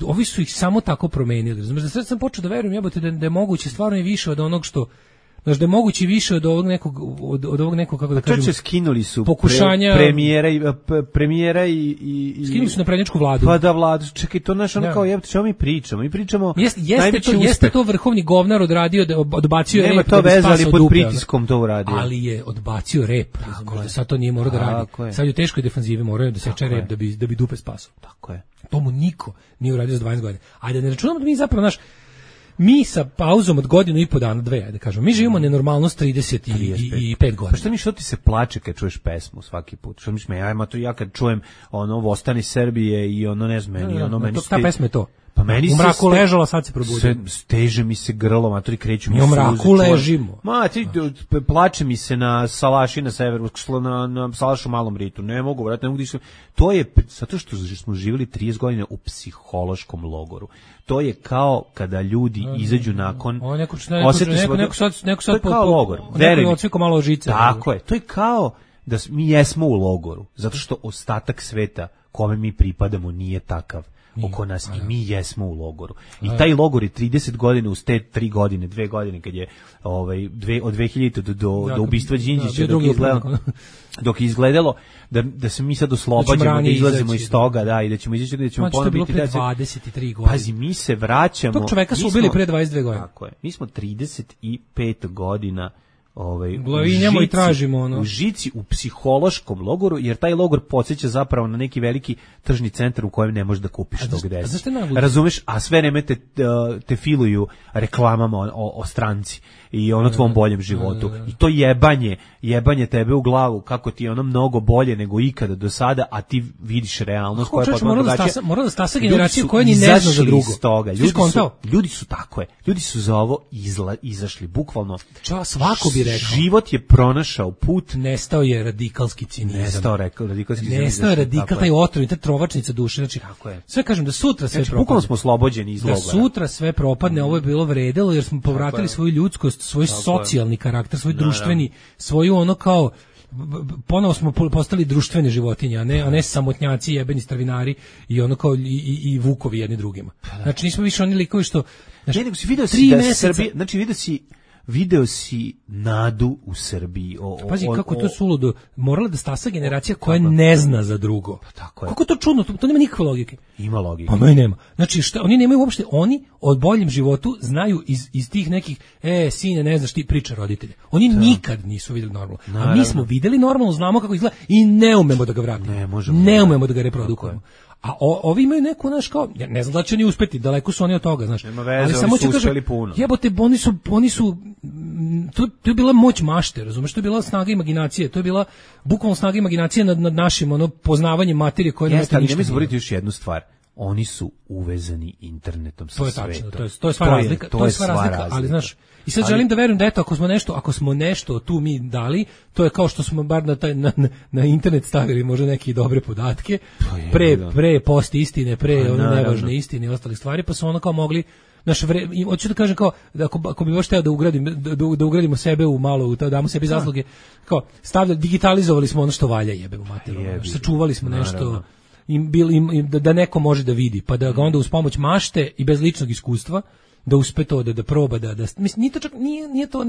Speaker 7: ovi su ih samo tako promenili. Znači, da sad sam počeo da verujem, jebote, da je moguće stvarno i više od onog što Znaš da je moguće više od ovog nekog od ovog nekog kako da kažem.
Speaker 6: Čoče skinuli su
Speaker 7: pokušanja
Speaker 6: premijera i
Speaker 7: skinuli su naprednjačku vladu.
Speaker 6: Pa da vladu, čekaj, to naš ono kao jebote, čemu mi pričamo? Mi pričamo
Speaker 7: jeste to vrhovni govnar odradio da odbacio rep.
Speaker 6: Nema to veze, ali pod pritiskom to uradio.
Speaker 7: Ali je odbacio rep. Možda sad to nije morao da radi. Sad je u teškoj defanzivi morao da seče rep da bi dupe spasao.
Speaker 6: Tako je.
Speaker 7: To mu niko nije uradio za 12 godina. Ajde, ne računamo da mi zapravo mi sa pauzom od godinu i po dana, dve, ajde kažemo, mi živimo nenormalnost 35 godina.
Speaker 6: Pa što ti se plače kad čuješ pesmu svaki put? Što mi ja kad čujem ono Vostani Srbije i ono ne znam, meni
Speaker 7: ta pesma je to.
Speaker 6: Pa meni
Speaker 7: u mraku ležala, sad se probudio.
Speaker 6: Steže mi se grlo, matori kreću mi
Speaker 7: u mraku ležimo.
Speaker 6: Plače mi se na salaši na severu, na salašu Malom Ritu. Ne mogu, vratno, ne mogu dišati. To je zato što smo živjeli 30 godina u psihološkom logoru. To je kao kada ljudi izađu nakon
Speaker 7: neko sad
Speaker 6: kao logor.
Speaker 7: Neko odsviko malo žice.
Speaker 6: Tako je. To je kao da mi jesmo u logoru, zato što ostatak sveta kome mi pripadamo nije takav oko nas i mi jesmo u logoru. I taj logor je 30 godina uz te 3 godine, 2 godine kad je od 2000 do ubistva Đinđića dok je izgledalo da se mi sad oslobađamo, da izlazimo iz toga, da, i da ćemo izaći, da ćemo ponovno biti
Speaker 7: 23 godine.
Speaker 6: Pazi, mi se vraćamo.
Speaker 7: Tog čoveka su ubili pre 22 godine.
Speaker 6: Tako je. Mi smo 35 godina
Speaker 7: glavinjamo i tražimo ono.
Speaker 6: U žici, u psihološkom logoru, jer taj logor podsjeća zapravo na neki veliki tržni centar u kojem ne možeš da kupiš to gde si. Razumeš? A sve vreme te filuju reklamama o stranci i ono tvom boljem životu. I to jebanje tebe u glavu kako ti je ono mnogo bolje nego ikada do sada, a ti vidiš realnost koja je potpuno drugačija.
Speaker 7: Mora da stasa generacija koja ni ne zna za drugo.
Speaker 6: Ljudi su tako je. Ljudi su za ovo izašli bukvalno.
Speaker 7: Svako bi rekao.
Speaker 6: Život je pronašao put.
Speaker 7: Nestao je radikalski cinizam.
Speaker 6: Nestao
Speaker 7: je radikal, taj otrov, ta trovačnica duše. Znači, sve kažem da sutra sve propadne.
Speaker 6: Bukvalno smo oslobođeni iz logora.
Speaker 7: Da sutra sve propadne, ovo je bilo vredelo jer smo povratili svoju ljudskost, svoj socijalni karakter, svoj društveni, svoju ono kao ponovo smo postali društvene životinje, a ne samotnjaci, jebeni stravinari i ono kao i vukovi jedni drugima. Znači nismo više oni likovi što
Speaker 6: nego si video si da Srbija, znači video si nadu u Srbiji.
Speaker 7: Pazi kako to suludo. Morala da stasa generacija koja ne zna za drugo.
Speaker 6: Tako je.
Speaker 7: Kako to čudno, to nema nikakve logike.
Speaker 6: Ima logike.
Speaker 7: Pa nema. Znači oni nemaju uopšte, oni o boljem životu znaju iz tih nekih sine, ne znaš ti priča roditelja. Oni nikad nisu videli normalno. A mi smo videli normalno, znamo kako izgleda i ne umemo da ga vratimo. Ne umemo da ga reprodukujemo. A ovi imaju neku, znaš, kao, ne znam da će oni uspeti, daleko su oni od toga, znaš.
Speaker 6: Nema veze, ali samo ću kažem,
Speaker 7: jebote, oni su, to je bila moć mašte, razumeš, to je bila snaga imaginacije, to je bila bukvalno snaga imaginacije nad našim, poznavanjem materije koje ne mete ništa.
Speaker 6: Nemoj zaboraviti još jednu stvar. Oni su uvezani internetom sa svetom.
Speaker 7: To je tačno, to je sva razlika, ali znaš, i sad želim da verujem da eto, ako smo nešto tu mi dali, to je kao što smo bar na internet stavili možda neke dobre podatke, pre post istine, pre nevažne istine i ostale stvari, pa su ono kao mogli hoću da kažem kao da ako bi baš hteo da ugradimo sebe u malo, da damo sebi zasluge, kao digitalizovali smo ono što valja, jebemo materiju, sačuvali smo nešto da neko može da vidi, pa da ga onda uz pomoć mašte i bez ličnog iskustva da uspe to da proba da mislim nije to čak nije to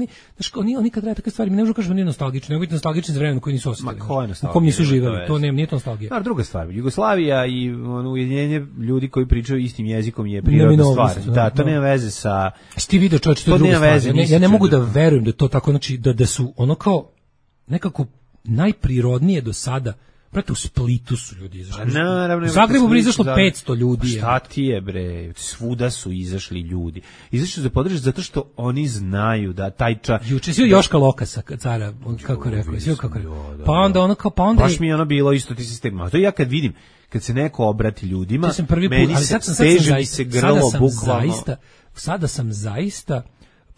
Speaker 7: oni kad rade takve stvari mi ne možemo kažemo nije nostalgično, nego biti nostalgični za vreme koji nisu osjetili. U kom nisu živeli, to nije to nostalgija.
Speaker 6: A druga stvar, Jugoslavija i ujedinjenje ljudi koji pričaju istim jezikom je prirodna stvar. Da, to nema veze sa.
Speaker 7: Ti video čovječe, to je druga stvar. Ja ne mogu da verujem da to tako, znači da su ono kao nekako najprirodnije do sada. Prate, u Splitu su ljudi izašli. U Zagrebu bi izašlo 500 ljudi.
Speaker 6: Šta ti je, bre? Svuda su izašli ljudi. Izašli su za podršku zato što oni znaju da taj
Speaker 7: Juče si Joška Lokasa, cara, kako rekao. Pa onda
Speaker 6: baš mi je ono bilo isto ti sistema. To ja kad vidim, kad se neko obrati ljudima, meni se steže mi se grlo bukvalno.
Speaker 7: Sada sam zaista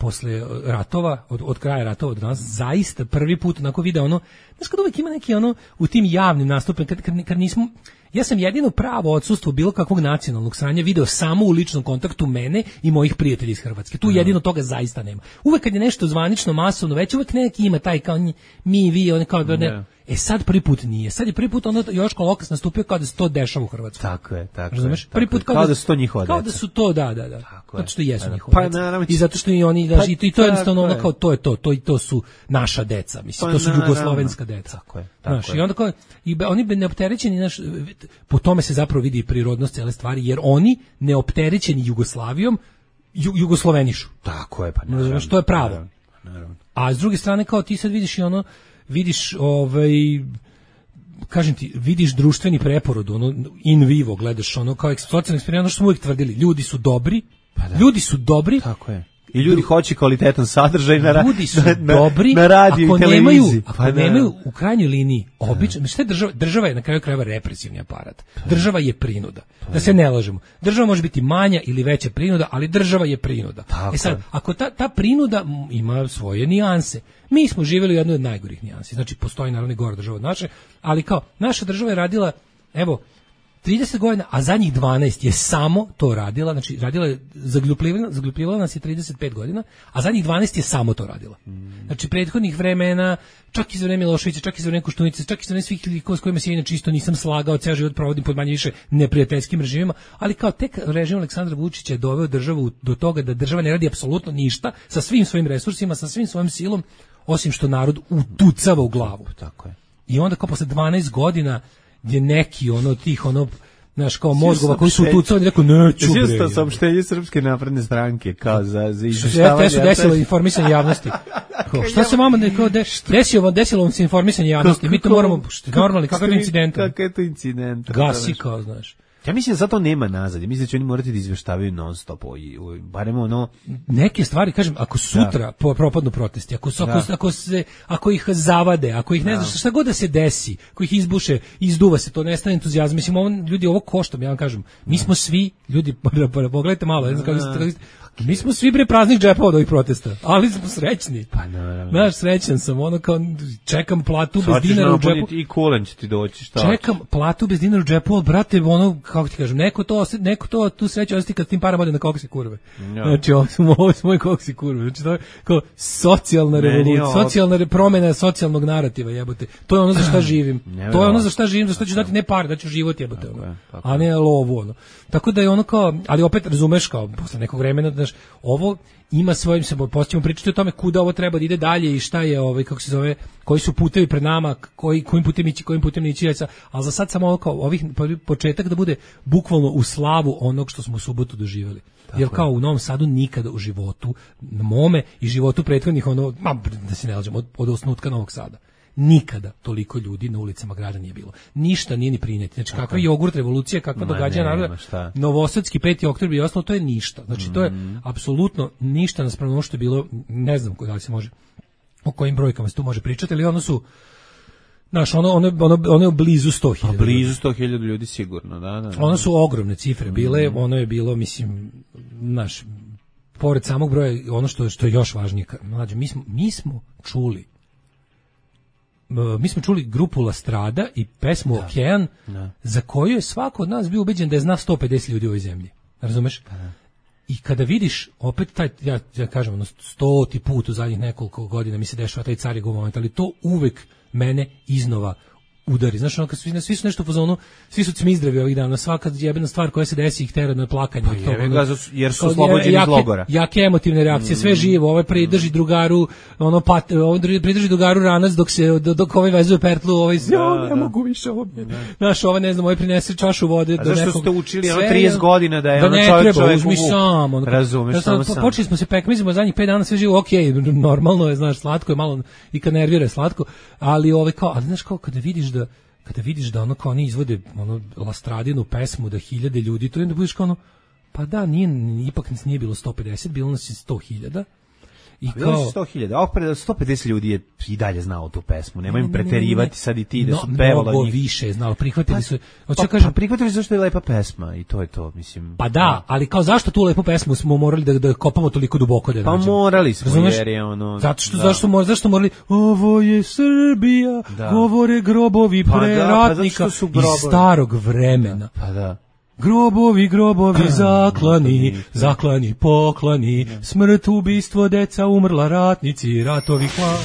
Speaker 7: posle ratova, od kraja ratova do danas, zaista prvi put onako video ono, znaš kad uvijek ima neki ono, u tim javnim nastupima, kad nismo, ja sam jedino pravo odsustvo bilo kakvog nacionalnog sranja video samo u ličnom kontaktu mene i mojih prijatelja iz Hrvatske. Tu jedino toga zaista nema. Uvek kad je nešto zvanično, masovno, već uvek neki ima taj kao mi, vi, oni kao ne. Sad prvi put nije. Sad je prvi put ono Joško Lokas nastupio kao da se to dešava u Hrvatskoj.
Speaker 6: Tako je.
Speaker 7: Razumeš? Prvi put
Speaker 6: kao da su to njihova deca.
Speaker 7: Kao da su to, da. Zato što jesu njihova
Speaker 6: pa,
Speaker 7: deca.
Speaker 6: Naravno,
Speaker 7: i zato što i oni, i to je jednostavno ono kao to su naša deca, mislim, to su jugoslovenska deca.
Speaker 6: Tako je.
Speaker 7: Znaš, i onda kao, oni neopterećeni, po tome se zapravo vidi prirodnost cele stvari, jer oni neopterećeni Jugoslavijom jugoslovenišu.
Speaker 6: Tako je, pa
Speaker 7: naravno. Što je pravo.
Speaker 6: Naravno.
Speaker 7: A s druge strane, kao ti sad vidiš i ono, kažem ti, vidiš društveni preporod, ono, in vivo, gledaš ono, kao socijalni eksperiment, ono što smo uvijek tvrdili, ljudi su dobri.
Speaker 6: Tako je. I ljudi hoće kvalitetan sadržaj na
Speaker 7: ljudi su dobri,
Speaker 6: na radiju i televiziji.
Speaker 7: Ako nemaju u krajnjoj liniji obično, šta je država je na kraju krajeva represivni aparat. Država je prinuda. Da se ne lažemo. Država može biti manja ili veća prinuda, ali država je prinuda. Sad, ako ta prinuda ima svoje nijanse, mi smo živjeli u jednoj od najgorih nijansi. Znači, postoji naravno i gora država od naše, ali kao, naša država je radila, 30 godina, a zadnjih 12 je samo to radila, znači radila je, zagljupljivala nas je 35 godina, a zadnjih 12 je samo to radila. Znači, prethodnih vremena, čak i za vreme Miloševića, čak i za vreme Koštunice, čak i za vreme svih ljudi s kojima se inače isto nisam slagao, ceo život provodim pod manje više neprijateljskim režimima, ali kao tek režim Aleksandra Vučića je doveo državu do toga da država ne radi apsolutno ništa sa svim svojim resursima, sa svim svojim silom, osim što narod utucava u glavu.
Speaker 6: Tako je.
Speaker 7: I onda kao posle 12 godina gdje neki tih znaš, kao mozgova koji su utucali, rekao, neću bre.
Speaker 6: Svijesto saopštenje Srpske napredne stranke, kao za izveštavanje.
Speaker 7: Te su desilo informisanje javnosti. Šta se vama desilo vam se informisanje javnosti? Mi to moramo, normalni, kakav je incident?
Speaker 6: Kakav je to incident?
Speaker 7: Gasi kao, znaš.
Speaker 6: Ja mislim da zato nema nazad. Mislim da će oni morati da izveštavaju non stop. Barem ono...
Speaker 7: Neke stvari, kažem, ako sutra propadnu protesti, ako ih zavade, ako ih ne znaš, šta god da se desi, ako ih izbuše, izduva se, to nestane entuzijazam. Mislim, ljudi, ovo košta, ja vam kažem. Mi smo svi, ljudi, pogledajte malo, ne znam kako se... Mi smo svi bre praznih džepova od ovih protesta, ali smo srećni.
Speaker 6: Pa naravno.
Speaker 7: Znaš, srećan sam, kao čekam platu bez dinara u džepu.
Speaker 6: I kulen će ti doći, šta?
Speaker 7: Čekam platu bez dinara u džepu, ali brate, kako ti kažem, neko to tu sreću osjeti kad s tim parama ode na koksi kurve. Znači, ovo su moji koksi kurve. Znači, to je kao socijalna revolucija, socijalna promjena socijalnog narativa, jebote. To je ono za šta živim. To je ono za šta živim, za što ću dati ne pare, da ću život, jebote. A ne lovu, Tako da je ono kao, ali opet razumeš kao, posle nekog vremena, znaš, ovo ima svojim se počnemo pričati o tome kuda ovo treba da ide dalje i šta je kako se zove, koji su putevi pred nama, kojim putem ići, ali za sad samo kao početak da bude bukvalno u slavu onog što smo u subotu doživjeli. Jer kao u Novom Sadu nikada u životu, na mome i životu prethodnih da se ne lažemo, od osnutka Novog Sada. Nikada toliko ljudi na ulicama grada nije bilo. Ništa nije ni prineti. Znači, kakva jogurt revolucija, kakva događanja naroda, Novosadski 5. oktobar i ostalo, to je ništa. Znači, to je apsolutno ništa naspram ono što je bilo, ne znam da li se može, o kojim brojkama se tu može pričati, ali ono su, znaš, ono je blizu 100.000.
Speaker 6: Blizu 100.000 ljudi sigurno, da.
Speaker 7: Ono su ogromne cifre bile, ono je bilo, mislim, znaš, pored samog broja, ono što je još važnije, mlađe, mi smo čuli grupu La Strada i pesmu Okean, za koju je svako od nas bio ubeđen da je zna 150 ljudi u ovoj zemlji. Razumeš? I kada vidiš, opet taj, ja kažem, 100. put u zadnjih nekoliko godina mi se dešava taj Car je go moment, ali to uvek mene iznova udari. Znaš, kad svi su nešto u fazonu, svi su cmizdravi ovih dana, svaka jebena stvar koja se desi ih tera na plakanje.
Speaker 6: Jer su oslobođeni iz logora.
Speaker 7: Jake emotivne reakcije, sve živo, ovaj pridrži drugaru, pridrži drugaru ranac dok ovaj vezuje pertlu, ne mogu više ovo. Znaš, ovaj ne znam, ovaj prinese čašu vode do nekog.
Speaker 6: A zašto ste učili 30 godina da je ono čovjek
Speaker 7: uzmi samo.
Speaker 6: Razumeš, samo sam.
Speaker 7: Počeli smo se pekmizimo zadnjih 5 dana, sve živo, okej, normalno je, znaš, slatko je malo i kad nervira slatko, ali ali znaš kao kada vidiš da ono kao oni izvode Lastradinu pesmu da 1000 ljudi, to onda budeš kao pa da, ipak nas nije bilo 150, bilo nas je 100.000. I
Speaker 6: kao 100.000, a opred 150 ljudi je i dalje znao tu pesmu. Nemoj im preterivati sad i ti da su pevalo
Speaker 7: mnogo više znalo, prihvatili su.
Speaker 6: Prihvatili su zašto je lepa pesma i to je to, mislim.
Speaker 7: Pa da, ali kao zašto tu lepu pesmu smo morali da kopamo toliko duboko da nađemo?
Speaker 6: Pa morali smo, jer je ono.
Speaker 7: Zašto morali? Ovo je Srbija, govore grobovi preratnika iz starog vremena.
Speaker 6: Pa da.
Speaker 7: Grobovi, zaklani, poklani, smrt, ubistvo, deca umrla, ratnici, ratovi, hvala.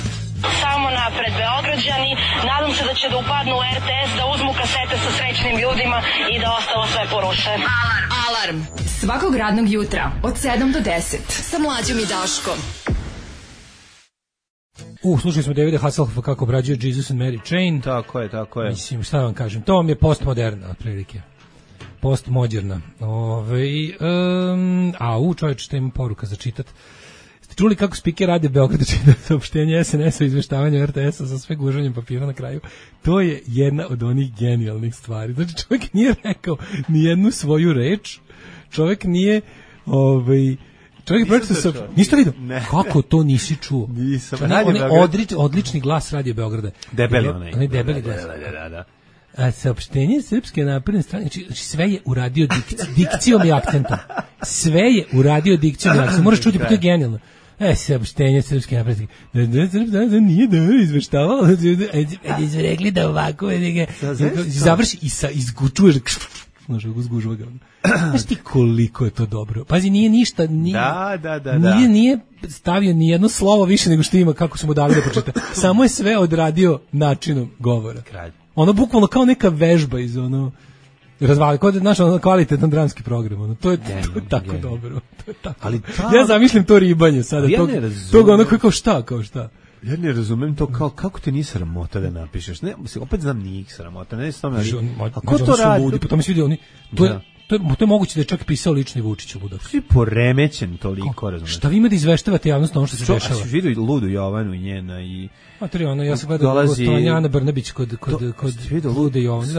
Speaker 3: Samo napred, Beograđani,
Speaker 8: Nadam se da će da upadnu u RTS, da uzmu kasete sa srećnim ljudima i da ostalo sve poruše.
Speaker 4: Alarm. Svakog radnog jutra od 7 do 10. Sa Mlađom i Daškom.
Speaker 7: Slušali smo Davida Hasselhoffa kako obrađuje Jesus and Mary Chain.
Speaker 6: Tako je, tako je.
Speaker 7: Mislim, šta vam kažem, to vam je postmoderna, otprilike. Postmoderna. Čovječ, šta ima poruka za čitat. Ste čuli kako spiker radi Beograda čita saopštenje SNS-a o izveštavanju RTS-a sa sve gužanjem papira na kraju? To je jedna od onih genijalnih stvari. Znači, čovjek nije rekao ni jednu svoju reč, čovjek nije... Čovjek pročitao niste vidio? Kako to nisi čuo?
Speaker 6: Nisam.
Speaker 7: Odlični glas Radio Beograda.
Speaker 6: Debeli onaj.
Speaker 7: Debeli glas.
Speaker 6: Da.
Speaker 7: A saopštenje Srpske napredne strane, znači sve je uradio dikcijom i akcentom. Sve je uradio dikcijom i akcentom. Moraš čuti, pa to je genijalno. Saopštenje Srpske napredne strane nije da izveštavalo. Rekli da ovako završi i izgučuješ može ga zgužva ga. Znaš ti koliko je to dobro. Pazi, nije ništa, nije stavio ni jedno slovo više nego što ima kako su mu dali da pročita. Samo je sve odradio načinom govora. Kralj. Ono bukvalno kao neka vežba iz razvali, kao da je kvalitetan dramski program. To je tako dobro. To je tako. Ali ja zamišljam to ribanje sada. Tog ono kao šta.
Speaker 6: Ja ne razumem to kako te nije sramota da napišeš. Ne, opet znam nije ih sramota. Ne znam, a ko to radi?
Speaker 7: Pa to mi se vidi oni. To je moguće da je čak pisao lični Vučić u Budak.
Speaker 6: Svi poremećen toliko, razumeš.
Speaker 7: Šta vi ima da izveštavate javnost ono što se dešava?
Speaker 6: Što vidio Ludu Jovanu i njena i
Speaker 7: ja sam gledao gostovanje Ana Brnabić kod Lude Jovane.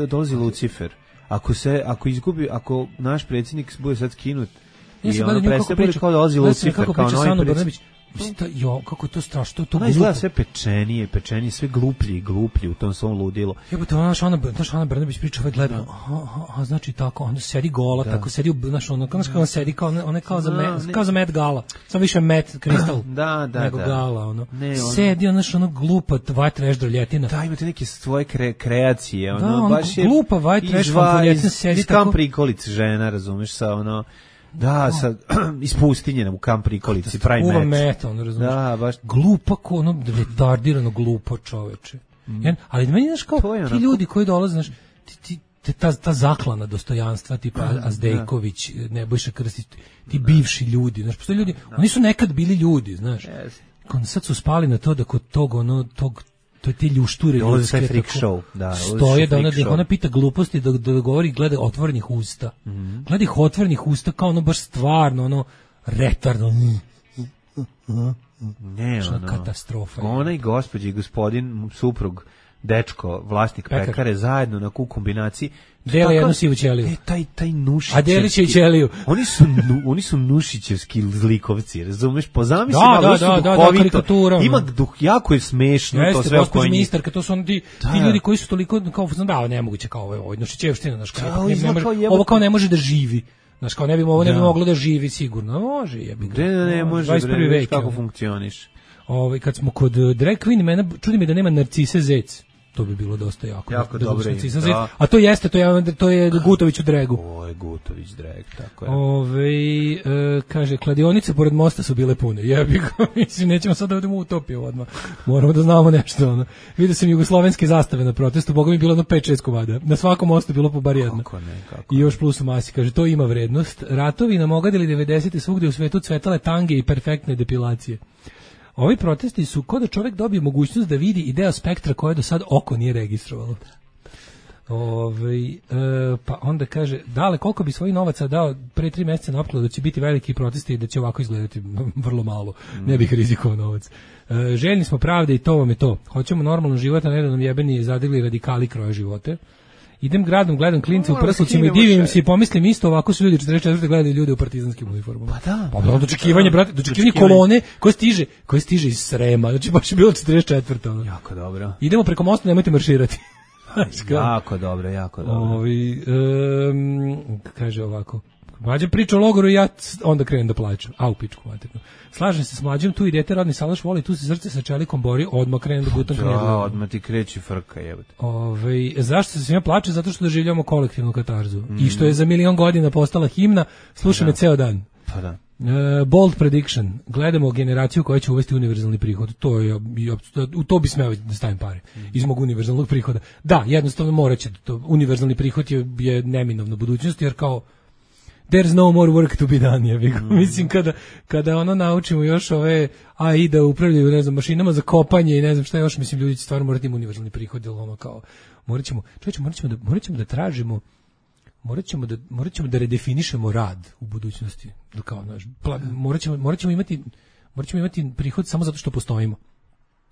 Speaker 6: Dolazi Lucifer. Ako naš predsjednik bude sad skinut i
Speaker 7: ono
Speaker 6: predstavlja kao dolazi Lucifer kao novi predsjednik.
Speaker 7: Kako je to strašno, to
Speaker 6: izgleda sve pečenije, sve gluplji u tom svom ludilu.
Speaker 7: Jebote, naš Ana Brnabić priča, gleda, znači tako, onda sedi gola, tako sedi, znaš, on sedi kao za Met Gala, samo više Met Kristal nego Gala, sedi, glupa white trash droljetina.
Speaker 6: Da, imate neke svoje kreacije,
Speaker 7: baš je glupa white trash droljetina, sedi tako.
Speaker 6: Iz kam prikolice žena, razumeš, sa iz pustinje u kamp prikolici, pravi met.
Speaker 7: Met, razumiješ. Da, baš. Glupa, retardirano glupo čoveče. Ali meni, znaš, kao ti ljudi koji dolaze, znaš, ta zaklana dostojanstva, tipa Azdejković, Nebojša Krstić, ti bivši ljudi, znaš, postoji ljudi, oni su nekad bili ljudi, znaš. Sad su spali na to da kod tog to je te ljušture ljudske
Speaker 6: tako
Speaker 7: stoje da ona pita gluposti da govori gleda otvorenih usta. Gleda ih otvorenih usta kao baš stvarno retardno.
Speaker 6: Ne,
Speaker 7: katastrofa.
Speaker 6: Ona i gospođa i gospodin suprug dečko, vlasnik pekare zajedno na kombinaciji
Speaker 7: dele jednu sivu ćeliju.
Speaker 6: Taj Nušićevski.
Speaker 7: A deli će i ćeliju.
Speaker 6: Oni su Nušićevski zlikovci, razumeš? Pozamisli
Speaker 7: karikatura.
Speaker 6: Ima jako je smešno to sve oko njih.
Speaker 7: Ministarka, to su oni ti ljudi koji su toliko kao nemoguće kao ovo Nušićevština, znaš, ovo kao ne može da živi. Znaš, kao ne bi moglo da živi sigurno. Može, jebi ga.
Speaker 6: Ne može, bre, kako funkcioniš.
Speaker 7: Kad smo kod drag queen, čudi me da nema Narcise Zec. To bi bilo dosta jako dobro. A to je Gutović u dregu.
Speaker 6: Ovo je Gutović dreg, tako je.
Speaker 7: Kaže, kladionice pored mosta su bile pune. Jebi ga, mislim, nećemo sad da odemo u utopiju odmah. Moramo da znamo nešto. Vidio sam jugoslovenske zastave na protestu, boga mi bilo 5-6 komada. Na svakom mostu bilo po bar jedna. I još plus u masi, kaže, to ima vrednost. Ratovi nam ogadili 90. svugdje u svetu cvetale tange i perfektne depilacije. Ovi protesti su kao da čovjek dobije mogućnost da vidi i deo spektra koje do sad oko nije registrovalo. Pa onda kaže, dale, koliko bi svojih novaca dao pre 3 mjeseca na opkladu da će biti veliki protesti i da će ovako izgledati vrlo malo. Ne bih rizikovao novac. Željni smo pravde i to vam je to. Hoćemo normalno život, a ne da nam jebeni zadigli radikali kroje živote. Idem gradom, gledam klince u prslucima i divim se i pomislim isto, ovako su ljudi 44. gledali ljude u partizanskim uniformama.
Speaker 6: Pa da.
Speaker 7: Pa dočekivanje, brate, dočekivanje kolone koje stiže iz Srema, znači baš je bilo 44.
Speaker 6: Jako dobro.
Speaker 7: Idemo preko mosta, nemojte marširati.
Speaker 6: Jako dobro.
Speaker 7: Kaže ovako. Mlađa priča o logoru i ja onda krenem da plaćam. U pičku maternu. Slažem se s Mlađom, tu idete rodni salaš voli, tu se srce sa čelikom bori, odmah krenem da gutam knjedlu.
Speaker 6: Da, odmah ti kreći frka, jebate.
Speaker 7: Zašto se svima plače? Zato što doživljamo kolektivnu katarzu. I što je za 1.000.000 godina postala himna, sluša me ceo dan.
Speaker 6: Pa da.
Speaker 7: Bold prediction. Gledamo generaciju koja će uvesti univerzalni prihod. U to bi smeo da stavim pare. Iz mog univerzalnog prihoda. Da, jednostavno morat će. Univerzalni prihod je neminovna budućnost, jer kao there's no more work to be done. Mislim, kada ono naučimo još ove AI da upravljaju, ne znam, mašinama za kopanje i ne znam šta još, mislim, ljudi će stvarno morati imati univerzalni prihod, jer ono kao, morat ćemo da tražimo, morat ćemo da redefinišemo rad u budućnosti. Kao, morat ćemo imati prihod samo zato što postojimo.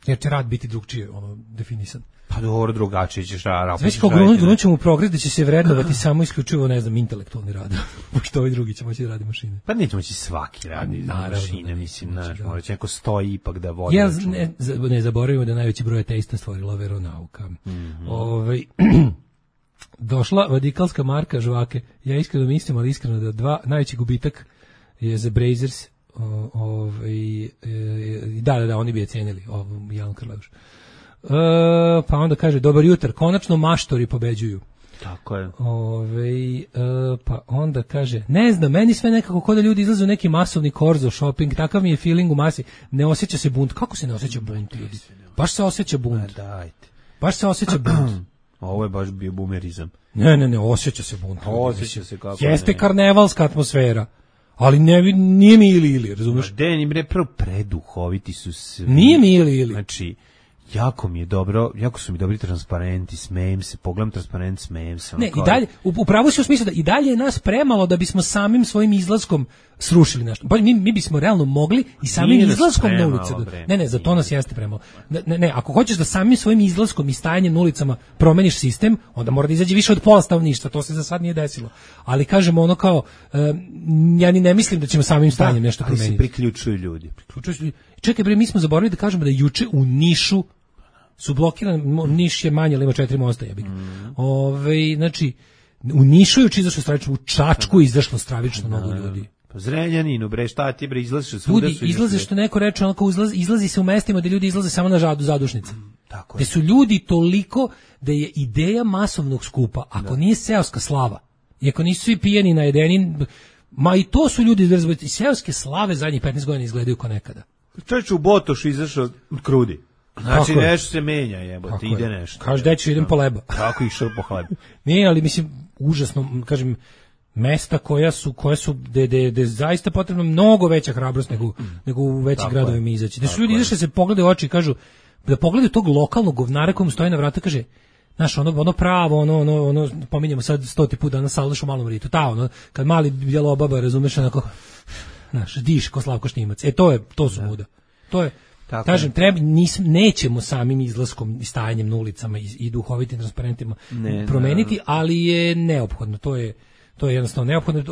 Speaker 7: Jer će rad biti drugčije definisan.
Speaker 6: Pa dobro, drugačije ćeš raditi.
Speaker 7: Znači, kao grunut ćemo u progres da će se vrednovati samo isključivo, ne znam, intelektualni rad. Pošto ovi drugi će moći da radi mašine.
Speaker 6: Pa neće moći svaki radi mašine, mislim, morat će neko stoji ipak da vodi.
Speaker 7: Ne zaboravimo da najveći broj ateista stvorila veronauka. Došla vadikalska marka žvake. Ja iskreno mislim, ali iskreno da najveći gubitak je za Brazers. Da, oni bi je cijenili, Jan Krleuš. Pa onda kaže, dobar jutar, konačno maštori pobeđuju.
Speaker 6: Tako je.
Speaker 7: Pa onda kaže, ne znam, meni sve nekako kod da ljudi izlaze u neki masovni korzo shopping, takav mi je feeling u masi, ne osjeća se bunt. Kako se ne osjeća bunt, ljudi? Baš se osjeća bunt.
Speaker 6: Dajte.
Speaker 7: Baš se osjeća bunt.
Speaker 6: Ovo je baš bio bumerizam.
Speaker 7: Ne, osjeća se bunt.
Speaker 6: Osjeća se kako
Speaker 7: jeste karnevalska atmosfera. Ali nije mi ili, razumiješ?
Speaker 6: Deni bre, preduhoviti su svi.
Speaker 7: Nije mi ili.
Speaker 6: Znači, jako su mi dobri transparenti, smejem se, pogledam transparent, smejem se.
Speaker 7: Ne, i dalje, upravo si u smislu da i dalje je nas premalo da bismo samim svojim izlaskom srušili nešto. Mi bismo realno mogli i samim izlaskom na ulice. Ne, za to nas jeste premalo. Ne, ako hoćeš da samim svojim izlaskom i stajanjem na ulicama promeniš sistem, onda mora da izađe više od pola stanovništva, to se za sad nije desilo. Ali kažemo ono kao, ja ni ne mislim da ćemo samim stajanjem nešto promeniti.
Speaker 6: Ali se priključuju ljudi.
Speaker 7: Čekaj bre, mi smo zaboravili da kažemo da juče u Nišu su blokirani, Niš je manje, ali ima 4 mosta, jebik. Znači, u Nišu je izašlo stravično, u Čačku je izašlo stravično mnogo ljudi.
Speaker 6: Pa Zrenjaninu, bre, šta ti bre, izlaziš svuda.
Speaker 7: Ljudi izlaze, što neko reče, onako izlazi se u mestima gde ljudi izlaze samo na zadušnice. Tako je. Gde su ljudi toliko da je ideja masovnog skupa, ako nije seoska slava, i ako nisu svi pijeni najedeni, ma i to su ljudi izrazili, i seoske slave zadnjih 15 godina izgledaju kao nekada.
Speaker 6: Čovječ u Botošu izašao krudi. Znači nešto se menja, jebote, ide nešto.
Speaker 7: Kaže, deću, idem po leba.
Speaker 6: Kako išao po hleba?
Speaker 7: Nije, ali mislim, užasno, kažem, mesta koja su gde zaista potrebno mnogo veća hrabrost nego u većim gradovima izaći. Da su ljudi izašli se pogledaju u oči i kažu, da pogledaju tog lokalnog govnara kojem stoji na vrata, kaže, znaš, ono pravo, ono, pominjamo sad 100 put danas Salaš u Malom Ritu, kad mali bjelobaba, razumeš, onako, znaš, diš ko Slavko Štimac. To su muda. To je, tako kažem, nećemo samim izlaskom i stajanjem na ulicama i duhovitim transparentima promeniti, ali je neophodno, to je jednostavno neophodno.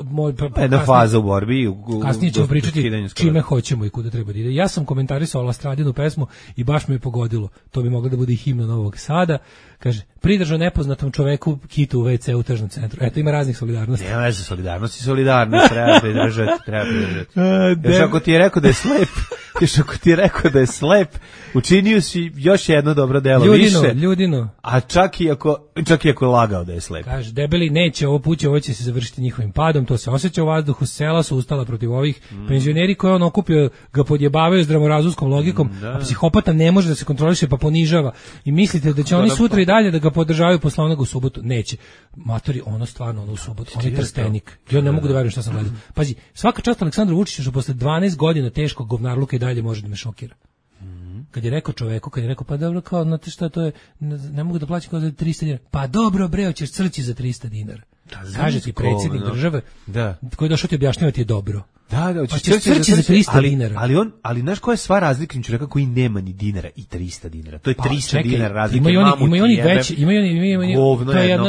Speaker 6: Jedna faza u borbi.
Speaker 7: Kasnije ćemo pričati čime hoćemo i kuda treba da ide. Ja sam komentarisao Lastradinu pesmu i baš me je pogodilo. To bi moglo da bude i himna Novog Sada. Kaže, pridržao nepoznatom čoveku kitu u WC u tržnom centru. Eto, ima raznih solidarnosti.
Speaker 6: Nema veze, solidarnost, treba pridržati. Još ako ti je rekao da je slep, učinio si još jedno dobro delo više.
Speaker 7: Ljudino.
Speaker 6: A čak i ako je lagao da je slep.
Speaker 7: Kaže, debeli neće ovo će se završiti njihovim padom, to se osjeća u vazduhu, sela su ustala protiv ovih penzioneri koje on okupio, ga podjebavaju zdravorazumskom logikom, a psihopata ne može da se kontroliše pa ponižava. I mislite da će oni sutra i dalje da ga podržavaju posle onoga u subotu? Neće. Matori, ono u subotu, on je Trstenik. Ja ne mogu da verujem šta sam gledao. Pazi, svaka čast Aleksandru Vučiću što posle 12 godina teškog govnarluka i dalje može da me šokira. Kad je rekao čoveku, pa dobro, kao, znate šta, to je, ne mogu da plaćam kao za 300 dinara. Pa dobro, bre, hoćeš crći za 300 dinara. Kaže ti predsjednik države, koji je došao ti objašnjavati je dobro.
Speaker 6: Hoćeš
Speaker 7: crći za 300 dinara.
Speaker 6: Ali znaš koja je sva razlika čovjeka koji nema ni dinara i 300 dinara? To je 300 dinara razlike.
Speaker 7: Imaju oni veći,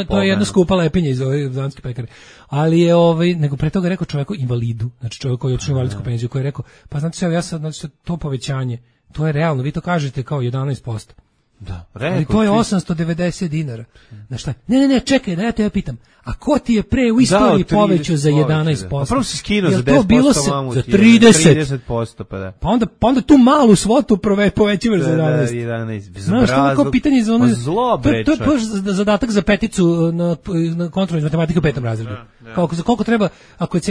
Speaker 7: to je jedna skupa lepinja iz ove Danske pekare. Ali je nego pre toga rekao čovjeku invalidu, znači čovjek koji je otišao u invalidsku penziju, koji je rekao, pa znate sve, ja sad, znači to povećanje, to je realno, vi to kažete kao 11%.
Speaker 6: Da,
Speaker 7: ali to je 890 dinara. Znaš šta? Ne, čekaj, da ja te pitam. A ko ti je pre u istoriji povećao za 11%?
Speaker 6: Pa prvo si skinuo za 10%,
Speaker 7: za 30%,
Speaker 6: pa da.
Speaker 7: Pa onda tu malu svotu povećavaš za 11.
Speaker 6: 11.
Speaker 7: Znaš, to pitanje za ono...
Speaker 6: Zlo, bre,
Speaker 7: to je zadatak za peticu na kontrolu iz matematike u 5. razredu. Koliko treba, ako je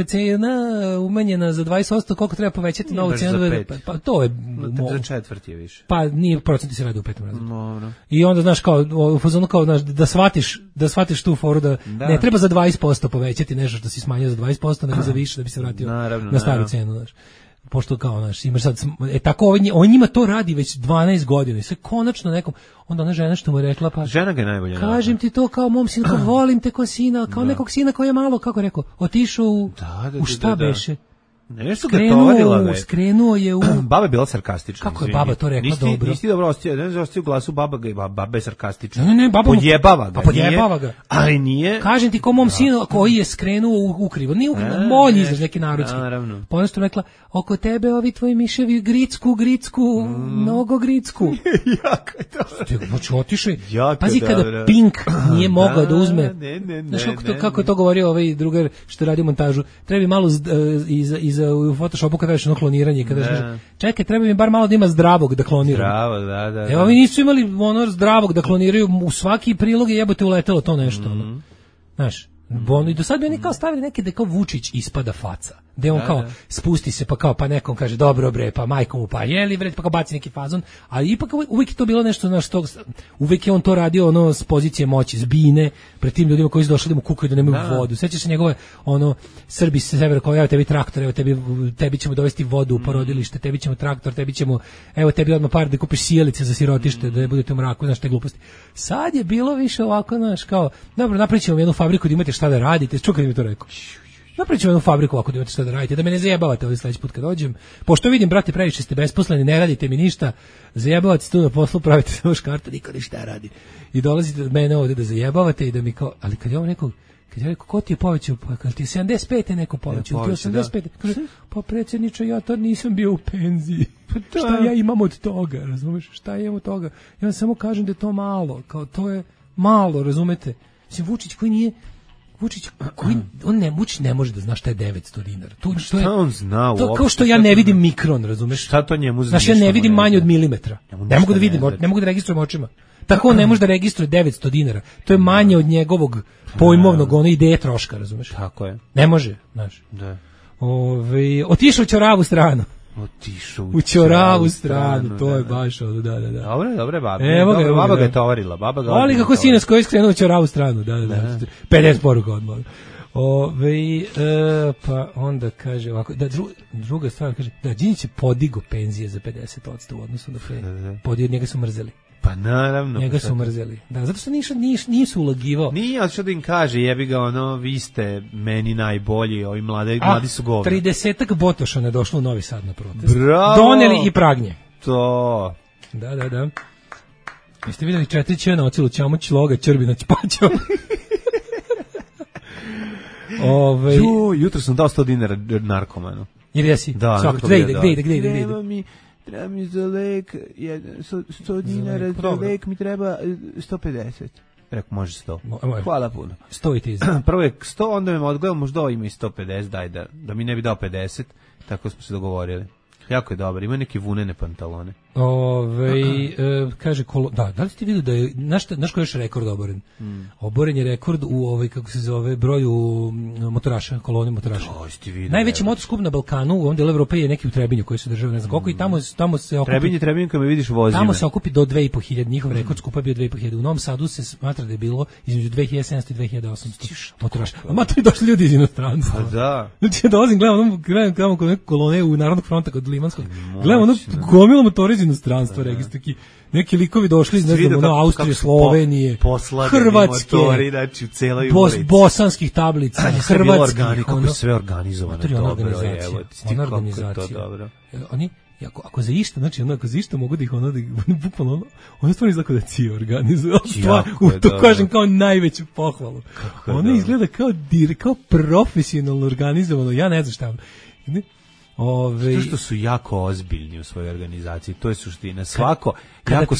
Speaker 7: cena umanjena za 20%, koliko treba povećati novu cenu? Pa to je...
Speaker 6: Za četvrt je više.
Speaker 7: Pa nije, procenti se radi u 5. razredu.
Speaker 6: Dobro.
Speaker 7: I onda, znaš, kao, u fazonu kao, znaš, da shvatiš tu foru da ne treba za 20% povećati nešto što si smanjio za 20%, nego za više da bi se vratio na staru cenu, znaš. Pošto kao, znaš, imaš sad, tako on njima to radi već 12 godina i sve konačno nekom, onda ona žena što mu je rekla, pa
Speaker 6: žena ga je najbolje.
Speaker 7: Kažem ti to kao mom sinu, kao volim te kao sina, kao nekog sina koji je malo, kako rekao, otišao u šta beše?
Speaker 6: Nešto ga tovarila već.
Speaker 7: Skrenuo je u...
Speaker 6: Baba je bila sarkastična.
Speaker 7: Kako je baba to rekla dobro?
Speaker 6: Nisi dobro ostio, ne ostio u glasu baba je sarkastična.
Speaker 7: Ne, baba
Speaker 6: podjebava ga.
Speaker 7: Pa podjebava ga.
Speaker 6: Ali nije.
Speaker 7: Kažem ti ko mom sinu koji je skrenuo u krivo. Nije ukrivo, molj izraz neki narodski.
Speaker 6: Naravno.
Speaker 7: Pa ona što rekla, oko tebe ovi tvoji miševi gricku, mnogo gricku.
Speaker 6: Jako je dobro.
Speaker 7: Znači otišli. Pazi kada Pink nije mogao da uzme. Znaš kako je to govorio ovaj drugar što radi montažu. Treba malo u Photoshopu kada radiš ono kloniranje, kada kaže, čekaj, treba mi bar malo da ima zdravog da kloniram.
Speaker 6: Zdravo, da.
Speaker 7: Evo, ovi nisu imali ono zdravog da kloniraju, u svaki prilog je jebote uletelo to nešto. Znaš, i do sad bi oni kao stavili neke da kao Vučić ispada faca. Gde on kao spusti se pa nekom kaže dobro bre, pa majkom mu pa jeli bre, pa kao baci neki fazon, ali ipak uvijek je to bilo nešto na što uvijek je on to radio ono s pozicije moći, zbine pred tim ljudima koji su došli da mu kukaju da nemaju vodu. Sećaš se njegove ono Srbi sa severa kao evo tebi traktor, evo tebi ćemo dovesti vodu u porodilište, tebi ćemo traktor, evo tebi odmah par da kupiš sijalice za sirotište da ne budete u mraku, znaš te gluposti. Sad je bilo više ovako, znaš, kao dobro, napravićemo jednu fabriku da imate šta da radite. Čuo kad mi to rekao. Napravit ću jednu fabriku ako da imate šta da radite, da me ne zajebavate ovaj sledeći put kad dođem. Pošto vidim, brate, previše ste besposleni, ne radite mi ništa, zajebavate tu na poslu, pravite samo škarta, niko ništa radi. I dolazite od mene ovde da zajebavate i da mi kao, ali kad je ovo nekog, kad je rekao, ko ti je povećao, pa kad ti je 75. neko povećao, ti je 85. Kaže, pa predsjedniče, ja tad nisam bio u penziji. Šta ja imam od toga, razumeš? Šta ja imam od toga? Ja samo kažem da je to malo, kao to je malo, razumete? Mislim, Vučić koji Vučić ne može da zna šta je 900 dinara.
Speaker 6: Šta on zna uopšte?
Speaker 7: To kao što ja ne vidim mikron, razumeš?
Speaker 6: Šta to njemu
Speaker 7: znaš, ja ne vidim manje od milimetra. Ne mogu da vidim, ne mogu da registrujem očima. Tako on ne može da registruje 900 dinara. To je manje od njegovog pojmovnog ideje troška, razumeš?
Speaker 6: Tako je.
Speaker 7: Ne može, znaš.
Speaker 6: Da.
Speaker 7: Otišao u ćoravu stranu.
Speaker 6: Otišao
Speaker 7: u ćoravu stranu, to je baš ono, da.
Speaker 6: Dobre, baba ga je tovarila.
Speaker 7: Ali kako sinac koji je skrenuo u ćoravu stranu, da. 50 poruka odmah. Pa onda kaže ovako, da druga stvar kaže, da Đinđić je podigo penzije za 50% u odnosu na pre. Podio, njega su mrzeli.
Speaker 6: Pa naravno.
Speaker 7: Njega su mrzeli. Da, zato što nisu ulagivao.
Speaker 6: Nije, ali što da im kaže, jebi ga ono, vi ste meni najbolji, ovi mladi su govna.
Speaker 7: 30-ak Botošana je došlo u Novi Sad na protest.
Speaker 6: Bravo!
Speaker 7: Doneli i pragnje.
Speaker 6: To.
Speaker 7: Da. Jeste vidjeli 4 će na ocilu Ćamoć, Loga, Ćrbina, Ćpaćo.
Speaker 6: Jutro sam dao 100 dinara narkomanu.
Speaker 7: Ili jesi?
Speaker 6: Da.
Speaker 7: Svako, gde ide?
Speaker 6: Treba mi za lek 100 dinara, za lek mi treba 150. Rekao, može 100. Hvala puno.
Speaker 7: 100 i ti
Speaker 6: prvo je 100, onda me odgledao, možda ima i 150, daj da mi ne bi dao 50, tako smo se dogovorili. Jako je dobar, ima neke vunene pantalone.
Speaker 7: Kaže da li ste vidio da je naš ko je još rekord oboren? Oboren je rekord u kako se zove broju motoraša, kolone motoraša. Najveći motoskup na Balkanu, u ovom delu Evrope je neki u Trebinju koji se država, ne znam koliko, i tamo se okupi.
Speaker 6: Trebinju kad me vidiš vozime.
Speaker 7: Tamo se okupi do 2.500, njihov rekord skupa je bio 2.500. U Novom Sadu se smatra da je bilo između 2.700 i 2.800 motoraša. A to došli ljudi iz inostranstva.
Speaker 6: Pa da.
Speaker 7: Znači dolazim, gledam kod neke kolone u Narodnog fronta kod Limanskog. Gledam ono gomilo motora iz inostranstva, neki likovi došli iz, ne znam, Austrije, Slovenije, Hrvatske,
Speaker 6: motori, znači u celoj
Speaker 7: bosanskih tablica, hrvatskih.
Speaker 6: Kako je sve organizovano.
Speaker 7: Ona organizacija. Oni, ako za išta, znači ako za išta mogu da ih bukvalno ono stvarno izgleda da ci organizuju. To kažem kao najveću pohvalu. Ono izgleda kao profesionalno organizovano, ja ne znam šta.
Speaker 6: Zato što su jako ozbiljni u svojoj organizaciji, to je suština. Svako jako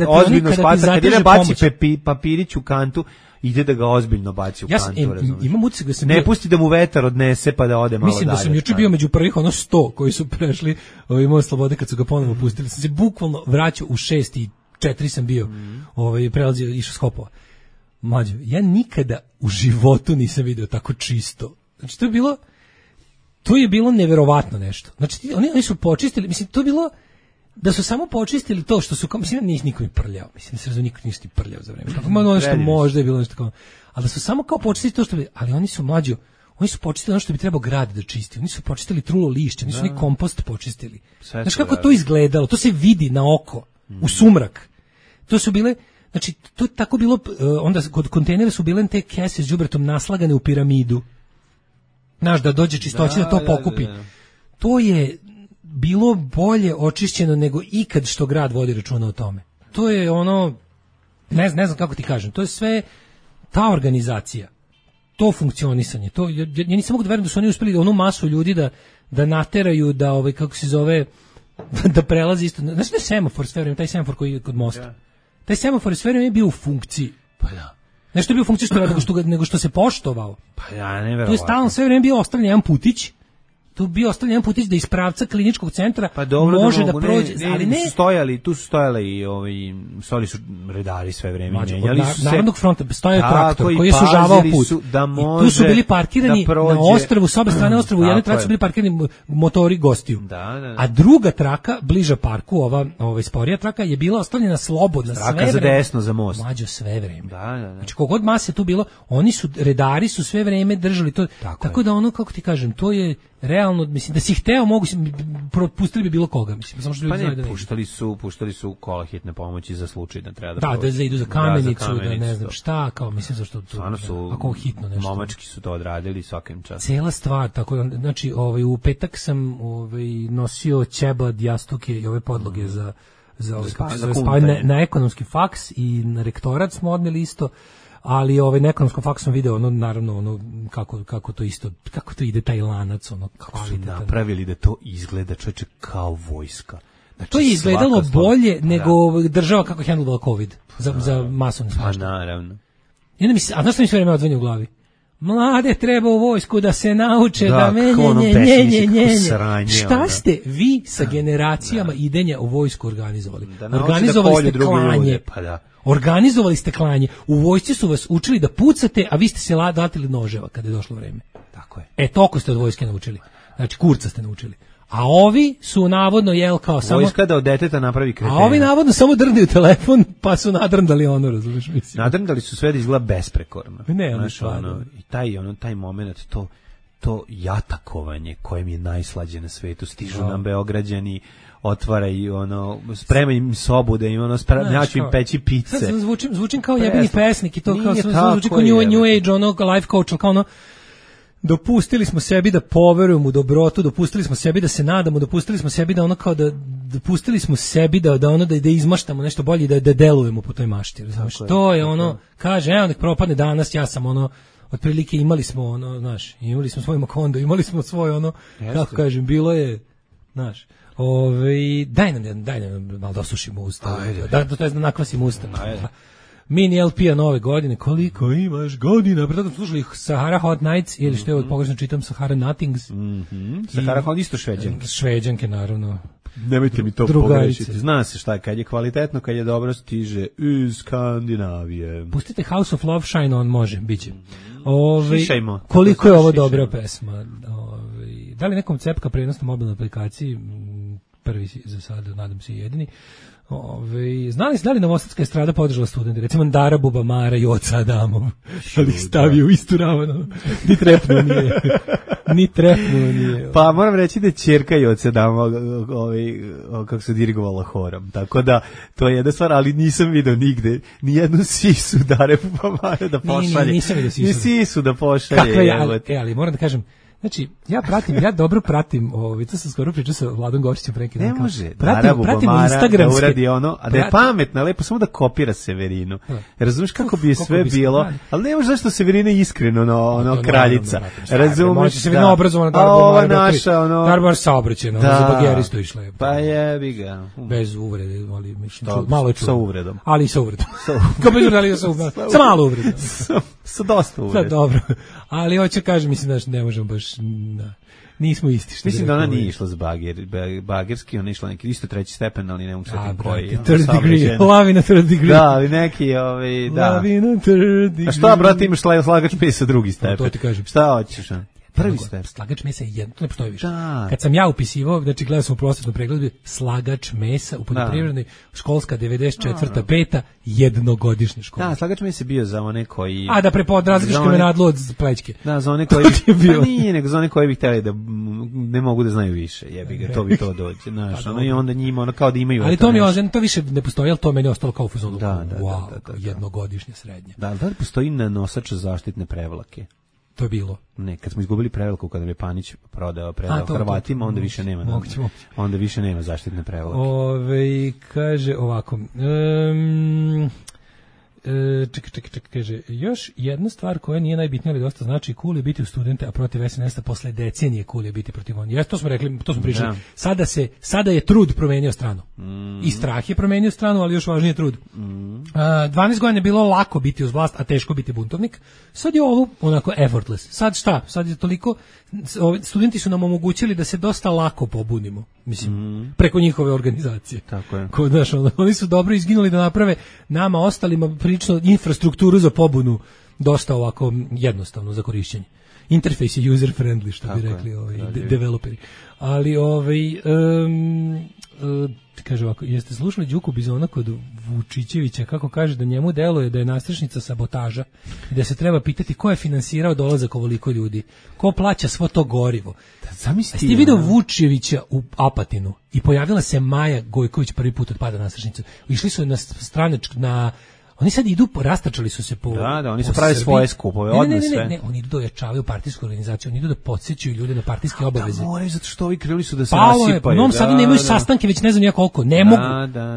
Speaker 6: ozbiljno shvata, kad ide baci papirić u kantu, ide da ga ozbiljno baci u kantu, razumiješ?
Speaker 7: Imam utisak da sam
Speaker 6: ne pusti da mu vetar odnese pa da ode malo dalje.
Speaker 7: Mislim da sam juče bio među prvih 100 koji su prešli imao slobode kad su ga ponovo pustili. Sam se bukvalno vraćao u 6:04 sam bio, prelazio, išao s Hopova. Mlađo, ja nikada u životu nisam video tako čisto. Znači, to je bilo neverovatno nešto. Znači, oni su počistili, mislim, to je bilo, da su samo počistili to što su, mislim, nisi niko mi prljao, mislim, da se razumije, niko nisi prljao za vreme. Kako malo nešto možda je bilo nešto kao, ali da su samo kao počistili to što bi, ali oni su mlađo, oni su počistili ono što bi trebao grad da čisti, oni su počistili trulo lišće, oni su ni kompost počistili. Znaš kako to izgledalo, to se vidi na oko, u sumrak. To su bile, znači, to je tako bilo, onda kod kontejnera su bile te kese s đubretom naslagane u piramidu. Znaš, da dođe čistoća da to pokupi. Da. To je bilo bolje očišćeno nego ikad što grad vodi računa o tome. To je ono, ne znam kako ti kažem, to je sve ta organizacija, to funkcionisanje, to, ja nisam mogu da verujem da su oni uspeli onu masu ljudi da nateraju, da kako se zove, da prelazi isto. Znaš da je semafor sve vreme, taj semafor koji je kod mosta. Ja. Taj semafor sve vreme je bio u funkciji.
Speaker 6: Pa da.
Speaker 7: Nešto je bio u funkciji nego što se poštovao.
Speaker 6: Pa ja, neverovatno.
Speaker 7: To je stalno sve vreme bio ostavljen jedan putić. Tu bio ostavljen jedan putić da iz pravca kliničkog centra
Speaker 6: pa dobro,
Speaker 7: može da prođe. Ali ne.
Speaker 6: Tu su stojali i stoli su redari sve vreme.
Speaker 7: Narodnog fronta stojao traktor koji je sužavao put. I tu su bili parkirani na ostrvu, s obe strane ostrvu, u jednoj traci su bili parkirani motori gostiju.
Speaker 6: Da.
Speaker 7: A druga traka, bliža parku, ova sporija traka, je bila ostavljena slobodna sve vreme.
Speaker 6: Traka za desno, za most.
Speaker 7: Mlađo sve vreme.
Speaker 6: Da.
Speaker 7: Znači, kogod mase tu bilo, redari su sve vreme držali to. Tako da ono, kako ti kažem, to je realno, mislim, da si hteo, propustili bi bilo koga, mislim, samo što ljudi znaju da ne.
Speaker 6: Puštali su kola hitne pomoći za slučaj da treba da
Speaker 7: da idu za kamenicu, da ne znam šta, kao, mislim, zašto to, ako hitno nešto.
Speaker 6: Momački su to odradili svakim časom.
Speaker 7: Cela stvar, tako, znači, u petak sam nosio ćebad, jastuke i ove podloge za spavanje na ekonomski faks i na rektorat smo odneli isto. Ali na ekonomskom faksu sam video naravno kako to isto, kako to ide taj lanac,
Speaker 6: kako su napravili da to izgleda, čoveče, kao vojska.
Speaker 7: Znači, to je izgledalo bolje nego država kako handlovala COVID za masovno svašta.
Speaker 6: Pa naravno.
Speaker 7: A znaš što mi sve vreme odzvanja u glavi? Mlade treba u vojsku da se nauče da menje. Šta ste vi sa generacijama idenja u vojsku organizovali? Organizovali ste klanje. Organizovali ste klanje. U vojsci su vas učili da pucate, a vi ste se datili noževa kada je došlo vreme.
Speaker 6: Tako je.
Speaker 7: Toliko ste od vojske naučili. Znači, kurca ste naučili. A ovi su navodno kao samo...
Speaker 6: Vojska da od deteta napravi kretena.
Speaker 7: A ovi navodno samo drndaju telefon, pa su nadrndali razumiješ, mislim.
Speaker 6: Nadrndali su sve da izgleda besprekorno.
Speaker 7: Ne,
Speaker 6: i taj moment, to jatakovanje kojem je najslađe na svetu, stižu nam Beograđani, otvaraju spremaju im sobu da im naću im peći pice.
Speaker 7: Sad zvučim kao jebeni pesnik i to kao zvuči kao new age, life coach, kao dopustili smo sebi da poverujemo u dobrotu, dopustili smo sebi da se nadamo, dopustili smo sebi da dopustili smo sebi da izmaštamo nešto bolje i da delujemo po toj mašti, razumiješ? To je kaže, evo nek propadne danas, ja sam otprilike imali smo imali smo svoj Makondo, imali smo svoj kako kažem, bilo je, znaš, daj nam malo da osušimo usta, to je da nakvasimo usta. Mini LP-a nove godine, koliko imaš godina, preto slušali Sahara Hot Nights, ili što je pogrešno čitam, Sahara Nothings.
Speaker 6: Sahara Hot isto šveđanke.
Speaker 7: Šveđanke, naravno.
Speaker 6: Nemojte mi to pogrešiti. Zna se šta je, kad je kvalitetno, kad je dobro, stiže iz Skandinavije.
Speaker 7: Pustite House of Love, Shine On, može, bit će. Koliko je ovo dobra pesma. Da li nekom cepka prenos na mobilnoj aplikaciji, prvi za sada, nadam se jedini. Da li novosadska estrada podržala studente, recimo Dara Bubamara i Oca Adamov, ali stavio u istu ravno, ni trepnuo nije.
Speaker 6: Pa moram reći da je ćerka i Oca Adamov kako se dirigovala horom, tako da to je jedna stvar, ali nisam vidio nigde nijednu sisu Dare Bubamara da pošalje.
Speaker 7: Nisam vidio sisu.
Speaker 6: Ni sisu da pošalje.
Speaker 7: Ali moram da kažem, Znači, ja dobro pratim, to sam skoro pričao sa Vladom Gošićem pre neki dan.
Speaker 6: Ne može,
Speaker 7: pratim Instagramske.
Speaker 6: Da uradi ono, a da je pametna, lepo samo da kopira Severinu. Razumeš kako bi je sve bilo, ali ne može zašto Severina je iskreno ono kraljica. Razumeš?
Speaker 7: Može Severina obrazovana Darbar saobraćena, za bageristu išla je.
Speaker 6: Pa jebi ga.
Speaker 7: Bez uvrede, ali mislim, malo je čuo.
Speaker 6: Sa uvredom.
Speaker 7: Ali sa uvredom. Kao bez uvrede, sa malo uvredom.
Speaker 6: Sa dosta uvrede.
Speaker 7: Dobro. Ali hoće kažem, mislim da ne možemo baš, nismo isti.
Speaker 6: Mislim da ona nije išla s bagerski, ona je išla neki isto treći stepen, ali ne mogu setim koji.
Speaker 7: Third degree, love in a third degree.
Speaker 6: Da, ali neki, da.
Speaker 7: Love in a third degree.
Speaker 6: A šta, brate, imaš slagač mesa drugi stepen?
Speaker 7: To ti kažem.
Speaker 6: Šta hoćeš? Prvi stepen.
Speaker 7: Slagač mesa je jedno, to ne postoji više.
Speaker 6: Da.
Speaker 7: Kad sam ja upisivao, znači gledao sam u prosvetnom pregledu, slagač mesa u poljoprivrednoj, školska 94. 5. jednogodišnja škola.
Speaker 6: Da, slagač mesa je bio za one koji...
Speaker 7: A da različiš kamenadlu od plećke.
Speaker 6: Da, za one koji... Pa nije, nego za one koji bi htjeli da ne mogu da znaju više, jebi ga, to bi to dođe, znaš, i onda njima, ono kao da imaju...
Speaker 7: Ali to mi je, to više ne postoji, ali to meni je ostalo kao u fuzonu. Da, jednogodišnje srednje.
Speaker 6: Da li postoji nanosač zaštitne prevlake?
Speaker 7: To je bilo.
Speaker 6: Ne, kad smo izgubili prevlaku, kada je Panić predao Hrvatima, onda više nema. Onda više nema zaštitne prevlake.
Speaker 7: Kaže ovako. Čekaj, kaže, još jedna stvar koja nije najbitnija, ali dosta znači, cool je biti u studente, a protiv SNS-a posle decenije cool je biti protiv on. To smo rekli, to smo pričali. Sada je trud promenio stranu. I strah je promenio stranu, ali još važnije trud. 12 godina je bilo lako biti uz vlast, a teško biti buntovnik. Sad je ovo onako effortless. Sad šta? Sad je toliko, studenti su nam omogućili da se dosta lako pobunimo. Mislim, preko njihove organizacije.
Speaker 6: Tako je.
Speaker 7: Znaš, oni su dobro izginuli da naprave nama ostalima prilično infrastrukturu za pobunu dosta ovako jednostavno za korišćenje. Interfejs je user friendly, što bi rekli developeri. Ali kaže ovako, jeste slušali Đuku Bizona kod Vučićevića kako kaže da njemu deluje da je nastrešnica sabotaža i da se treba pitati ko je finansirao dolazak ovoliko ljudi, ko plaća svo to gorivo. Jeste ti vidio Vučićevića u Apatinu i pojavila se Maja Gojković prvi put od pada nastrešnice. Išli su na oni sad idu, rastačali su se po...
Speaker 6: Da, oni su pravi svoje skupove, odne sve.
Speaker 7: Ne, oni idu da ojačavaju partijsku organizaciju, oni idu da podsjećaju ljude na partijske obaveze.
Speaker 6: Da, moraju, zato što ovi krenuli su da se rasipaju.
Speaker 7: U Novom Sadu nemaju sastanke, već ne znam ja koliko, ne mogu.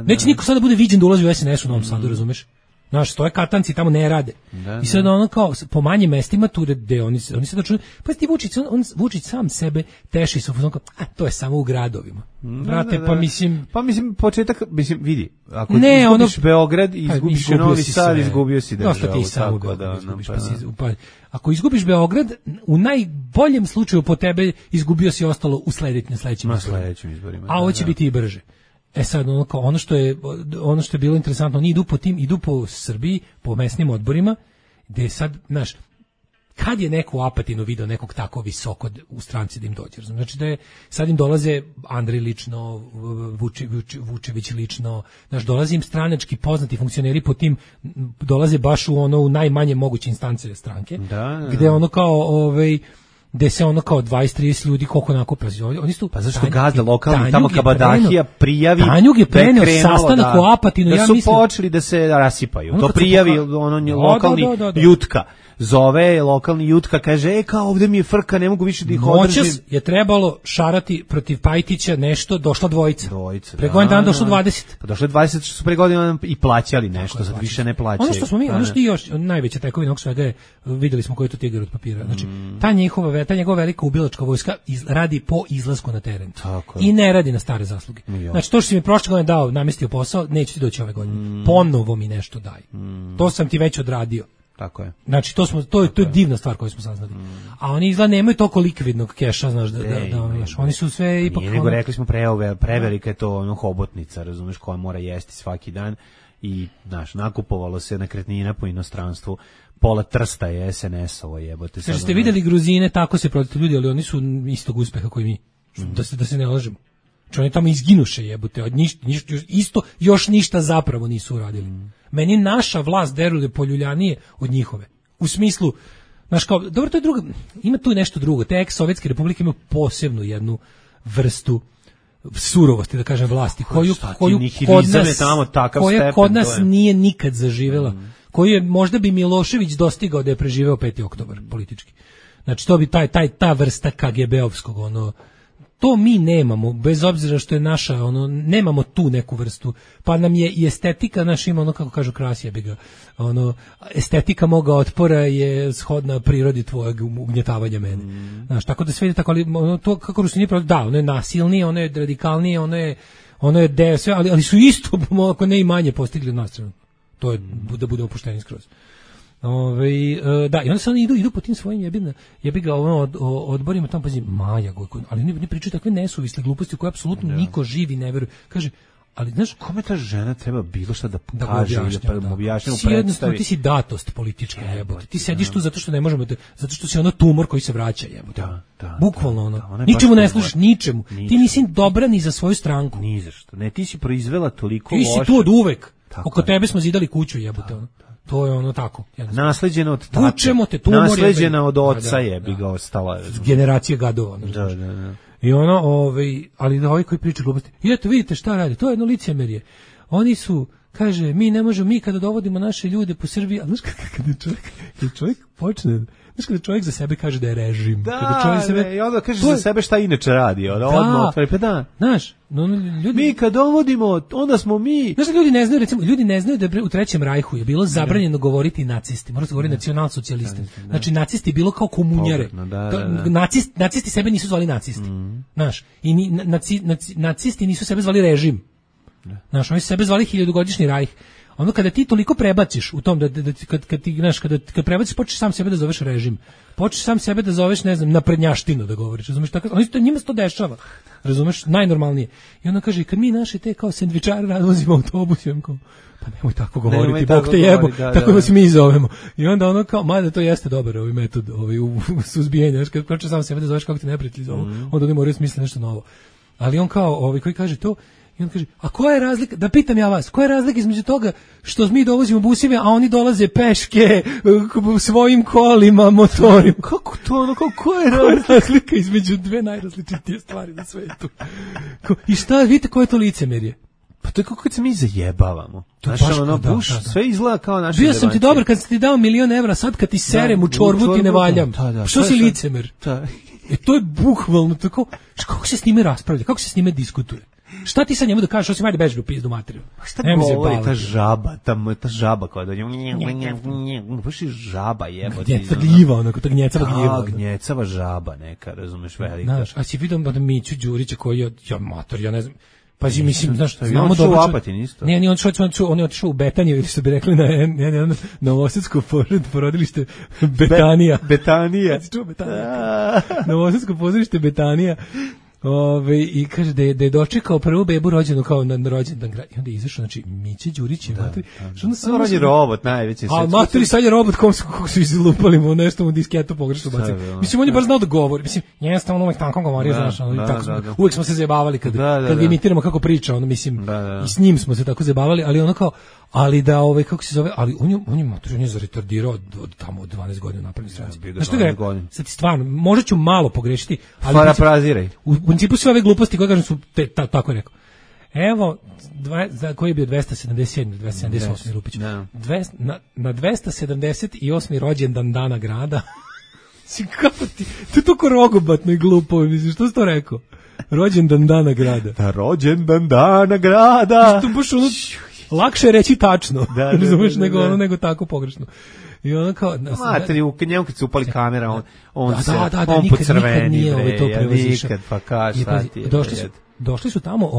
Speaker 7: Neće niko sada bude viđen da ulazi u SNS u Novom Sadu, razumeš? Znaš, stoje katanci, tamo ne rade. I sad ono kao, po manjim mestima tu gde oni sad računaju, pa ti Vučić sam sebe teši sa fuzon, to je samo u gradovima. Brate, pa mislim, početak, vidi, ako izgubiš Beograd, izgubiš Novi Sad, izgubio si državu. Ako izgubiš Beograd, u najboljem slučaju po tebe izgubio si ostalo u sledećim izborima. A ovo će biti i brže. Sad ono što je bilo interesantno, oni idu po Srbiji, po mesnim odborima, gde sad, znaš, kad je neko u Apatinu video nekog tako visoko u stranci da im dođe, znači da je, sad im dolaze Andrej lično, Vučević lično, znaš, dolaze im stranački poznati funkcioneri po tim, dolaze baš u najmanje moguće instance stranke, gde ono kao, gde se ono kao 20-30 ljudi koliko nakupe. Oni su,
Speaker 6: pa zašto gazda lokalni tamo Kabadahija prijavi
Speaker 7: Tanjug je preneo sastanak u Apatinu,
Speaker 6: da su počeli da se rasipaju. To prijavi lokalni Jutka. Zove lokalni Jutka, kaže, kao ovde mi je frka, ne mogu više da ih održim.
Speaker 7: Noćas je trebalo šarati protiv Pajtića nešto, došla dvojica. Pre godin dana došlo 20.
Speaker 6: Pa došlo 20 što su pre godina i plaćali nešto, sad više ne plaćaju.
Speaker 7: Ono što još najveća tekovina ovog svega je, videli smo koji je to tigar od papira. Znači, ta njegova velika ubilačka vojska radi po izlasku na teren. I ne radi na stare zasluge. Znači, to što si mi prošle godine dao, namestio posao, neće ti doći ove godine. Ponovo mi nešto daj. To sam ti već odradio.
Speaker 6: Tako je.
Speaker 7: Znači to je divna stvar koju smo saznali. A oni izgleda nemaju toliko likvidnog keša, znaš, oni su sve ipak...
Speaker 6: Nego rekli smo prevelika je to hobotnica, razumeš, koja mora jesti svaki dan i, znaš, nakupovalo se nekretnina po inostranstvu, pola Trsta je SNS-ovo jebote.
Speaker 7: Znači ste vidjeli Gruzine, tako se protiv ljudi, ali oni su istog uspeha koji mi, da se ne lažemo. Oni tamo izginuše jebote, još ništa zapravo nisu uradili. Meni naša vlast deruje poljuljanije od njihove. U smislu, znaš kao, dobro, to je drugo, ima tu nešto drugo. Te ex-sovjetske republike imaju posebnu jednu vrstu surovosti, da kažem, vlasti, koju kod nas nije nikad zaživjela, koju je možda bi Milošević dostigao da je preživeo 5. oktobar politički. Znači to bi ta vrsta KGB-ovskog ono, to mi nemamo, bez obzira što je naša, ono, nemamo tu neku vrstu, pa nam je i estetika naša ima ono, kako kažu Krasija bi ga, ono, estetika moga otpora je shodna prirodi tvojeg ugnjetavanja mene. Znaš, tako da sve ide tako, ali ono, to kako Rusini pravi, da, ono je nasilnije, ono je radikalnije, ono je deo, sve, ali su isto, ako ne i manje postigli na stranu. To je, da bude opušteni skroz. Da, i onda se oni idu po tim svojim jebiga odborima, tamo pazi Maja Gojković, ali ne pričaju takve nesuvisle gluposti koje apsolutno niko živi ne veruje. Kaže, ali znaš,
Speaker 6: kome ta žena treba bilo šta da kaže, da mu objašnja,
Speaker 7: jednostavno ti si datost politička, jebote. Ti sediš tu zato što ne možemo zato što si ono tumor koji se vraća, jebote. Bukvalno ono. Ničemu ne služiš, ničemu. Ti nisi dobra ni za svoju stranku.
Speaker 6: Ni za što. Ne, ti si proizvela toliko loše.
Speaker 7: Ti si tu od uvek. Oko tebe smo zidali kuću, jebote, ono. To je ono tako.
Speaker 6: Nasleđeno od tate. Nasleđena od oca bi ga ostala.
Speaker 7: Generacije gadova.
Speaker 6: Da.
Speaker 7: I ono, ali da ovi koji pričaju gluposti. I eto, vidite šta radi. To je jedno licemerje. Oni su, kaže, mi ne možemo, mi kada dovodimo naše ljude po Srbiji, a znaš kada čovjek počne, znaš kada čovjek za sebe kaže da je režim.
Speaker 6: I onda kaže za sebe šta inače radi.
Speaker 7: Znaš, ljudi...
Speaker 6: Mi kad dovodimo, onda smo mi...
Speaker 7: Znaš da ljudi ne znaju da u Trećem rajhu je bilo zabranjeno govoriti nacisti, mora se govoriti nacionalsocijalisti. Znači nacisti bilo kao komunjare. Nacisti sebe nisu zvali nacisti. Znaš, i nacisti nisu sebe zvali režim. Znaš, oni su sebe zvali hiljadugodišnji rajh. Ono kada ti toliko prebaciš u tom kad prebaciš, počneš sam sebe da zoveš režim. Počneš sam sebe da zoveš, ne znam, naprednjaštinu da govoriš. Razumeš, tako njima se to dešava. Razumeš, najnormalnije. I onda kaže, kad mi naše te kao sendvičare razvozimo autobusima, kao, pa nemoj tako govoriti, Bog te jebo, tako da se mi zovemo. I onda ono kao, mada to jeste dobar ovaj metod u suzbijenju, znaš, kad počneš sam sebe da zoveš kako ti neprijatelji zovu, onda oni moraju smisliti nešto novo. Ali on kao, koji kaže to, i on kaže, a koja je razlika, da pitam ja vas, koja je razlika između toga što mi dovozimo buseve, a oni dolaze peške, svojim kolima, motorima?
Speaker 6: Kako to, ono, koja je
Speaker 7: razlika između dve najrazličitije stvari na svetu? I šta, vidite koje je to licemerje?
Speaker 6: Pa to je kako kad se mi zajebavamo. Sve izgleda kao naše
Speaker 7: Bio sam ti dobar kad sam ti dao 1.000.000 evra, sad kad ti serem u čorbu ti ne valjam. Što si licemer? To je bukvalno tako, kako se s njime raspravlja, kako se s njime diskutuje? Šta ti sad njemu da kažeš, osim ajde beži u pizdu materiju?
Speaker 6: Šta govori ta žaba koja da baš je žaba jebote.
Speaker 7: Gnjecava, onako, ta gnjecava gljiva.
Speaker 6: Gnjecava žaba neka, razumeš, velika.
Speaker 7: Znaš, a si vidio Miću Đurića koji je, ja ne znam, pa mislim, znaš,
Speaker 6: znamo dobro. On Apatin isto.
Speaker 7: Ne, on je otišao u Betaniju, ili što bi rekli na novosadsko porodilište Betanija.
Speaker 6: Betanija.
Speaker 7: Novosadsko pozorište Betanija. I kaže da je dočekao prvu bebu rođenu kao na rođendan grad. I onda je izašao, znači, Miće Đurić je materi.
Speaker 6: On je robot, najveći.
Speaker 7: A materi sad je robot, kako su izlupali mu nešto u disketu pogrešno bacili. Mislim, on je bar znao da govori. Mislim, jeste on uvek tako govorio, znaš, uvek smo se zajebavali kad ga imitiramo kako priča, ono, mislim, i s njim smo se tako zajebavali, ali ono kao, ali da, kako se zove, ali on je zaretardirao tamo od 12 godina napravni stranci. Znaš što ga, sad stvarno, možda ću malo pogrešiti, ali
Speaker 6: parapraziraj.
Speaker 7: U principu sve ove gluposti koje kažem su tako je rekao. Evo, koji je bio 277, 278. Lupić. Na 278. rođendan dana grada. Kako ti, to je toliko rogobatno i glupo, mislim, što si to rekao? Rođendan dana grada.
Speaker 6: Da, rođendan dana grada.
Speaker 7: Što baš ono, lakše je reći tačno, razumeš, nego tako pogrešno. I ono kao...
Speaker 6: Materi, u njemu kad se upali kamera, on
Speaker 7: po crveni,
Speaker 6: nikad, pa kaži, šta ti je.
Speaker 7: Došli su tamo,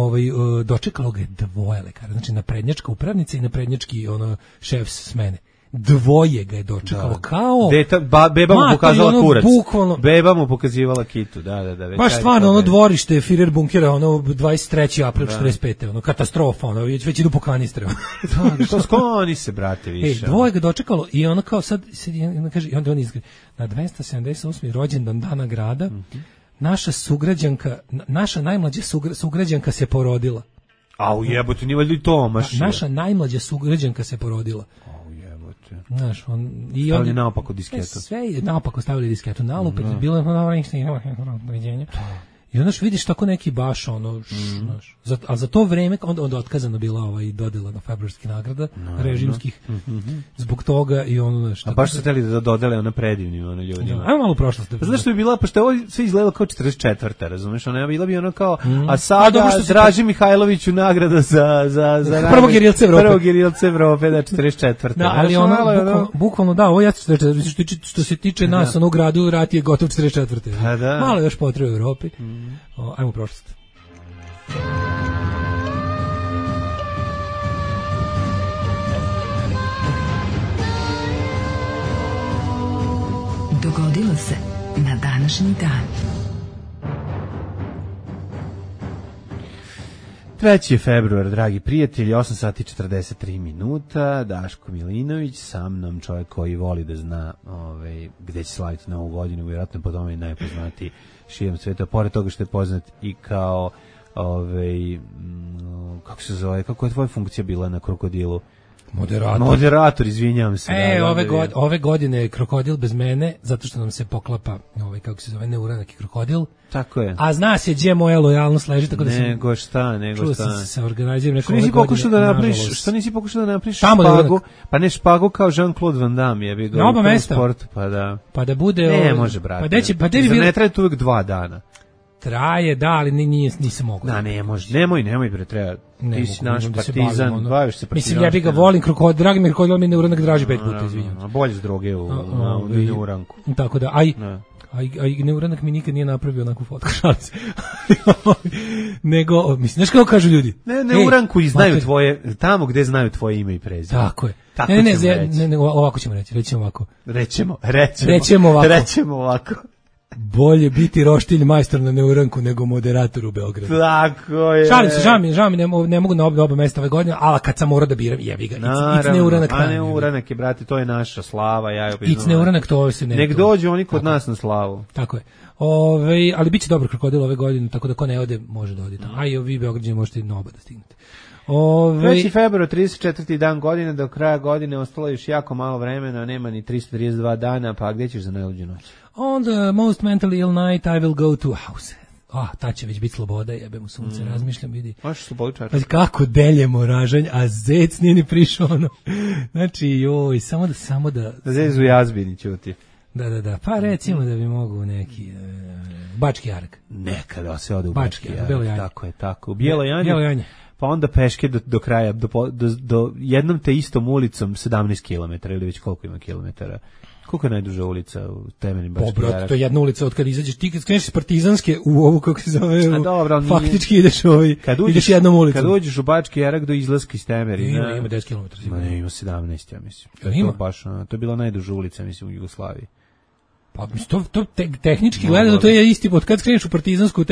Speaker 7: dočekalo ga je dvoje lekara, znači naprednjačka upravnica i naprednjački šef smene. Dvoje ga je dočekalo, kao...
Speaker 6: Beba mu pokazala kurac. Beba mu pokazivala kitu, da.
Speaker 7: Baš stvarno, ono dvorište Führer bunkera, ono 23. april 45. Ono katastrofa, ono već idu po kanistre.
Speaker 6: Skloni se, brate, više.
Speaker 7: Dvoje ga dočekalo i ono kao sad kaže, i onda on izgleda, na 278. rođendan dana grada, naša najmlađa sugrađanka se porodila.
Speaker 6: Au jebote, nije valjda i Tomaš.
Speaker 7: Naša najmlađa sugrađanka se porodila. Znaš,
Speaker 6: stavili naopako disketu.
Speaker 7: Sve je naopako stavili disketu, nalupet, bilo je doviđenja. I onda vidiš tako neki baš ono, znaš, a za to vreme onda otkazano bila dodela na februarskih nagrada režimskih zbog toga i ono nešto.
Speaker 6: A baš su hteli da dodele ona predivnim ono ljudima.
Speaker 7: Ajmo malo u prošlost.
Speaker 6: Znaš što bi bila, pošto ovo sve izgledalo kao 44. razumeš, ona bila bi ono kao, a sada Draži Mihajloviću nagrada za
Speaker 7: prvog gerilca Evrope.
Speaker 6: Prvog gerilca Evrope, da 44.
Speaker 7: Da, ali ono, bukvalno da, ovo jeste 44. Što se tiče nas, ono u gradu, rat je gotov 44.
Speaker 6: Da.
Speaker 7: Malo još potrebe u Evropi. Ajmo u prošlost.
Speaker 4: Dogodilo se na današnji dan.
Speaker 6: 3. februar, dragi prijatelji, 8 sati 43 minuta, Daško Milinović, sa mnom čovjek koji voli da zna gde će slaviti Novu godinu, vjerojatno po tome je najpoznatiji širom sveta, pored toga što je poznat i kao, kako se zove, kako je tvoja funkcija bila na Krokodilu? Moderator, izvinjavam se.
Speaker 7: Ove godine je Krokodil bez mene, zato što nam se poklapa, kako se zove, Neuranak i Krokodil.
Speaker 6: Tako je.
Speaker 7: A zna se gdje moja lojalnost leži, tako da sam...
Speaker 6: Nego šta.
Speaker 7: Čuo sam se organiziram neko
Speaker 6: ove godine, što nisi pokušao da napraviš špagu? Pa ne špagu kao Jean-Claude Van Damme, je bi ga
Speaker 7: na oba mesta.
Speaker 6: Sportu, pa da.
Speaker 7: Pa da bude...
Speaker 6: Ne, može, brate. Ne traje tu uvijek 2 dana.
Speaker 7: Traje, da, ali nisam mogu.
Speaker 6: Da, ne može. Nemoj bre, treba. Ti si naš partizan, baviš se partizanom.
Speaker 7: Mislim, ja bih ga volim, dragi mi Krokodil, mi Neuranak draži 5 puta, izvinjam.
Speaker 6: Bolje s droge u Neuranku.
Speaker 7: Tako da, a Neuranak mi nikad nije napravio onakvu fotku, šalim se. Nego, mislim, znaš kako kažu ljudi?
Speaker 6: Neuranku i znaju tvoje, tamo gde znaju tvoje ime i prezime.
Speaker 7: Tako je. Ne, ovako ćemo reći, rećemo ovako. Bolje biti roštilj majstor na Neuranku nego moderator u Beogradu.
Speaker 6: Tako je.
Speaker 7: Šalim se, žao mi, ne mogu na oba mesta ove godine, ali kad sam morao da biram, jebi ga. It's Neuranak.
Speaker 6: A Neuranak je, brate, to je naša slava.
Speaker 7: It's Neuranak, to se ne...
Speaker 6: Nek dođu oni kod nas na slavu.
Speaker 7: Tako je. Ali bit će dobro Krokodil ove godine, tako da ko ne ode, može da ode tamo. A i vi Beograđani možete i na oba da stignete.
Speaker 6: 3. februar, 34. dan godine, do kraja godine ostalo još jako malo vremena, nema ni 332 dana, pa gdje ćeš za najluđu noć?
Speaker 7: On the most mentally ill night I will go to house. Ta će već biti sloboda, jebe mu sunce, razmišljam, vidi.
Speaker 6: Možeš slobodičar.
Speaker 7: Kako deljemo ražanj, a zec nije ni prišao, ono. Znači, samo da...
Speaker 6: Zec u jazbini ćuti.
Speaker 7: Da, pa recimo da bi mogu neki... Bački Jarak.
Speaker 6: Nekada se ode u Bački Jarak.
Speaker 7: Bijelo Janje.
Speaker 6: Tako je, tako. U Bijelo Janje. Pa onda peške do kraja, do jednom te istom ulicom 17 km, ili već koliko ima kilometara. Koliko je najduža ulica u temeljnim Bački Jarak?
Speaker 7: To je jedna ulica od kada izađeš, ti kad kreneš iz Partizanske u ovu, kako se zove, faktički ideš ideš jednom ulicom.
Speaker 6: Kad uđeš u Bački Jarak do izlaska iz Temerina...
Speaker 7: Ima 10 km.
Speaker 6: Ima 17, ja mislim. To je bila najduža ulica, mislim, u Jugoslaviji.
Speaker 7: Pa to tehnički gledano, to je isti od kad skreneš u Partizansku,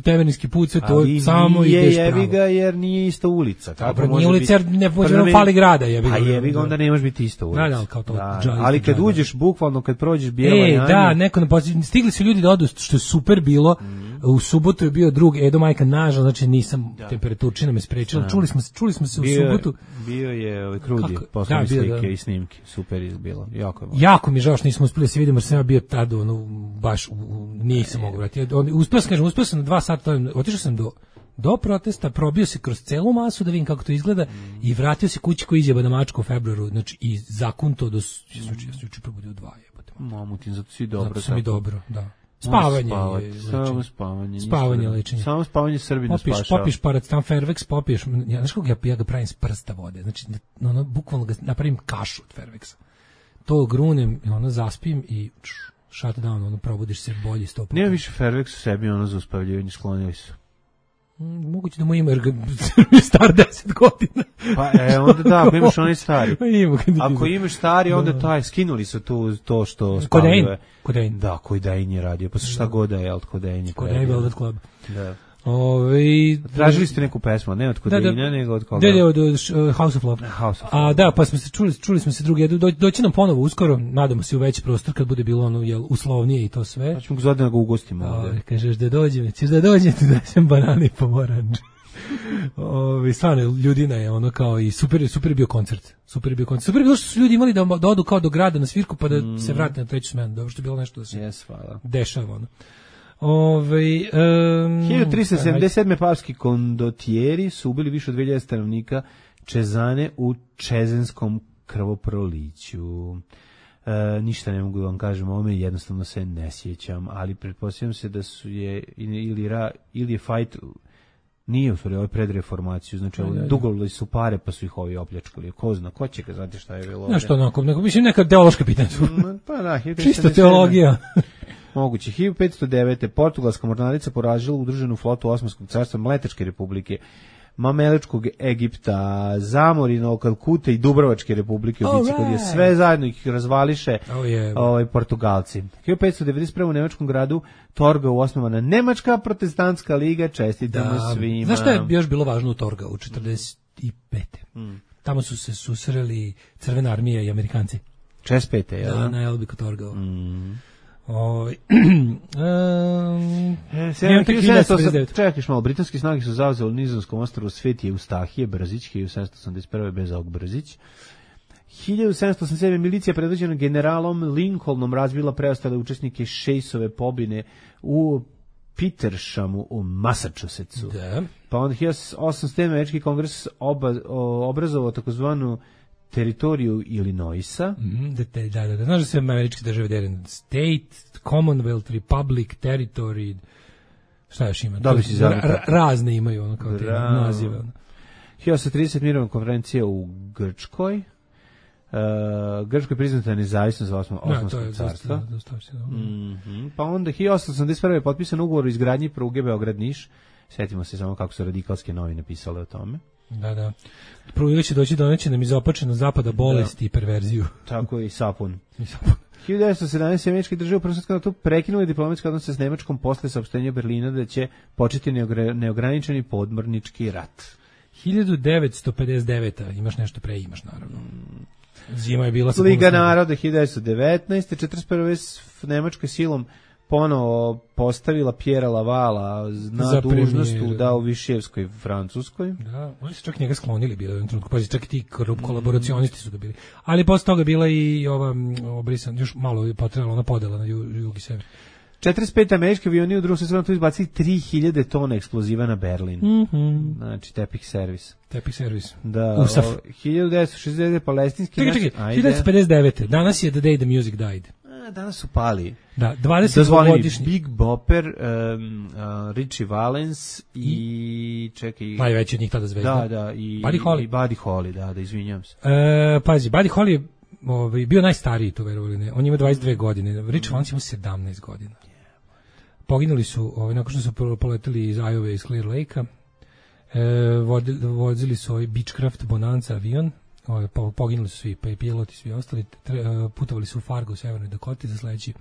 Speaker 7: Temerinski put, sve to samo ideš pravo.
Speaker 6: Jebi ga jer nije ista ulica.
Speaker 7: Dobro, nije ulica jer ne može fali grada, jebi ga.
Speaker 6: A jebi ga, onda ne može biti ista ulica.
Speaker 7: Da, kao to.
Speaker 6: Ali kad uđeš, bukvalno kad prođeš Bijelo Janje...
Speaker 7: Da, stigli su ljudi da odu, što je super bilo. U subotu je bio drug Edo Majka, nažal, znači nisam, temperaturčina me sprečila. Čuli smo se u subotu.
Speaker 6: Bio je Krudi, poslali slike i snimke, super je bilo.
Speaker 7: Jako mi žao što nismo uspeli da se vidimo, jer sam ja bio tada, baš nisam mogu vratiti. Uspeo sam na 2 sata, otišao sam do protesta, probio se kroz celu masu da vidim kako to izgleda i vratio se kući koji izjeba na Mačku u februaru, znači i zakunto do... Ja sam juče probudio 2 jebote.
Speaker 6: Mamutin, zato si dobro.
Speaker 7: Zato sam i dobro, da. Spavanje, lečenje.
Speaker 6: Samo spavanje Srbina spašava.
Speaker 7: Popiš paracetam Fervex, popiješ, znaš kako ja ga pravim s prsta vode, znači bukvalno ga napravim kašu od Fervexa. To grunem, zaspim i shut down, probudiš se bolji 100%.
Speaker 6: Nema više Fervex u sebi, za uspavljivanje, sklonili su.
Speaker 7: Moguće da mu ima, jer ga star 10 godina.
Speaker 6: Pa onda da, ako imaš onaj stari. Ako imaš stari, onda skinuli su to što spavljuje.
Speaker 7: Kodein.
Speaker 6: Da, Kodein je radio, pa šta god da je, od Kodein je.
Speaker 7: Kodein Velvet Club.
Speaker 6: Da. Tražili ste neku pesmu, ne od Kodeina, nego od koga?
Speaker 7: Da, od House of Love. A da, pa smo se čuli smo se drugi, doći nam ponovo uskoro, nadamo se u veći prostor kad bude bilo uslovnije i to sve.
Speaker 6: Pa ćemo ga ga ugostimo ovdje.
Speaker 7: Kažeš da dođete da sam banane i pomoranđe. Stvarno, ljudina je kao i super je bio koncert. Super je bilo što su ljudi imali da odu kao do grada na svirku pa da se vrate na treću smenu. Dobro što je bilo nešto da se dešava.
Speaker 6: 1377. papski kondotijeri su ubili više od 2000 stanovnika Čezane u čezenskom krvoproliću. Ništa ne mogu da vam kažem, ovome jednostavno se ne sjećam, ali pretpostavljam se da su ili je fight, nije u stvari, ovo je pred reformaciju, znači dugovali su pare pa su ih ovi opljačkali, ko zna, ko će ga znati šta je bilo ovdje.
Speaker 7: Nešto onako, mislim neka teološka pitanja.
Speaker 6: Pa da,
Speaker 7: čisto teologija.
Speaker 6: Moguće. 1509. Portugalska mornarica poražila udruženu flotu Osmanskog carstva, Mletačke republike, Mameličkog Egipta, Zamorina, Kalkute i Dubrovačke republike u bici, kod je sve zajedno ih razvališe Portugalci. 1591. u nemačkom gradu Torgau osnovana Nemačka protestantska liga, čestitamo svima.
Speaker 7: Znaš što je još bilo važno u Torgau u 45. Tamo su se susreli Crvena armija i Amerikanci.
Speaker 6: 45. je
Speaker 7: da? Na Elbi kod Torgau.
Speaker 6: Čekaš malo, britanski snage su zauzeli nizozemskom ostrvu Sveti Eustahije, Brzić, 1781. Bezaog Brzić. 1787. milicija predvođena generalom Lincolnom razbila preostale učesnike Šejsove pobune u Petershamu u Massachusettsu.
Speaker 7: Da.
Speaker 6: Pa onda 1807. američki kongres obrazovao takozvanu teritoriju Illinoisa.
Speaker 7: Da. Znaš da se američke države dele state, commonwealth, republic, territory, šta još ima? Razne imaju ono kao te nazive.
Speaker 6: 1830. mirovna konferencija u Grčkoj. Grčkoj priznata nezavisnost za Osmanskog carstva. Pa onda 1881. je potpisan ugovor o izgradnji pruge Beograd-Niš. Sjetimo se samo kako su radikalske novine pisale o tome.
Speaker 7: Da. Prvo će doći do neće nam izopačeno zapada bolesti i perverziju.
Speaker 6: Tako i sapun. 1917. američke države u Prvom svjetskom ratu prekinuli diplomatske odnose s Nemačkom posle saopštenja Berlina da će početi neograničeni podmornički rat.
Speaker 7: 1959. Imaš nešto pre, imaš naravno. Zima je bila sa
Speaker 6: Liga naroda 1919. 41. Nemačka silom ponovo postavila Pjera Lavala na dužnost u Višijevskoj Francuskoj.
Speaker 7: Da, oni su čak njega sklonili bili u jednom trenutku, pazi, čak i ti kolaboracionisti su ga bili. Ali posle toga bila i ova obrisan, još malo je potrebala ona podela na jug i sever.
Speaker 6: 45. američki avioni u drugom svjetskom ratu izbacili 3000 tona eksploziva na Berlin. Znači, tepih servis. Da,
Speaker 7: Usaf.
Speaker 6: 1969. palestinski...
Speaker 7: Čekaj, 1959. Danas je The Day the Music Died.
Speaker 6: Danas su pali.
Speaker 7: Da, 20-godišnji.
Speaker 6: Big Bopper, Richie Valens i čekaj...
Speaker 7: Najveći od njih tada zvezda.
Speaker 6: Da, i
Speaker 7: Buddy
Speaker 6: Holly, da, izvinjam se.
Speaker 7: Pazi, Buddy Holly je bio najstariji, to verovali ne. On ima 22 godine. Richie Valens ima 17 godina. Poginuli su, nakon što su poleteli iz Iowa iz Clear Lake-a, vozili su Beechcraft Bonanza avion, poginuli su svi, pa i piloti, svi ostali, putovali su u Fargo u Severnoj Dakoti za sledeći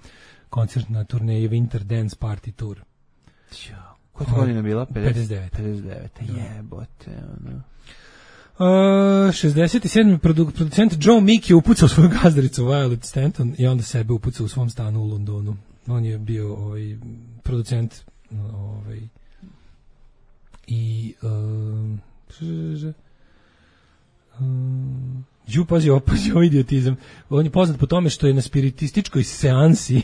Speaker 7: koncert na turneji Winter Dance Party Tour.
Speaker 6: Koja je godina bila?
Speaker 7: 59.
Speaker 6: Jebote, ono.
Speaker 7: 67. producent Joe Meek je upucao svoju gazdaricu Violet Stanton i onda sebe upucao u svom stanu u Londonu. On je bio producent i pazi ovo idiotizam. On je poznat po tome što je na spiritističkoj seansi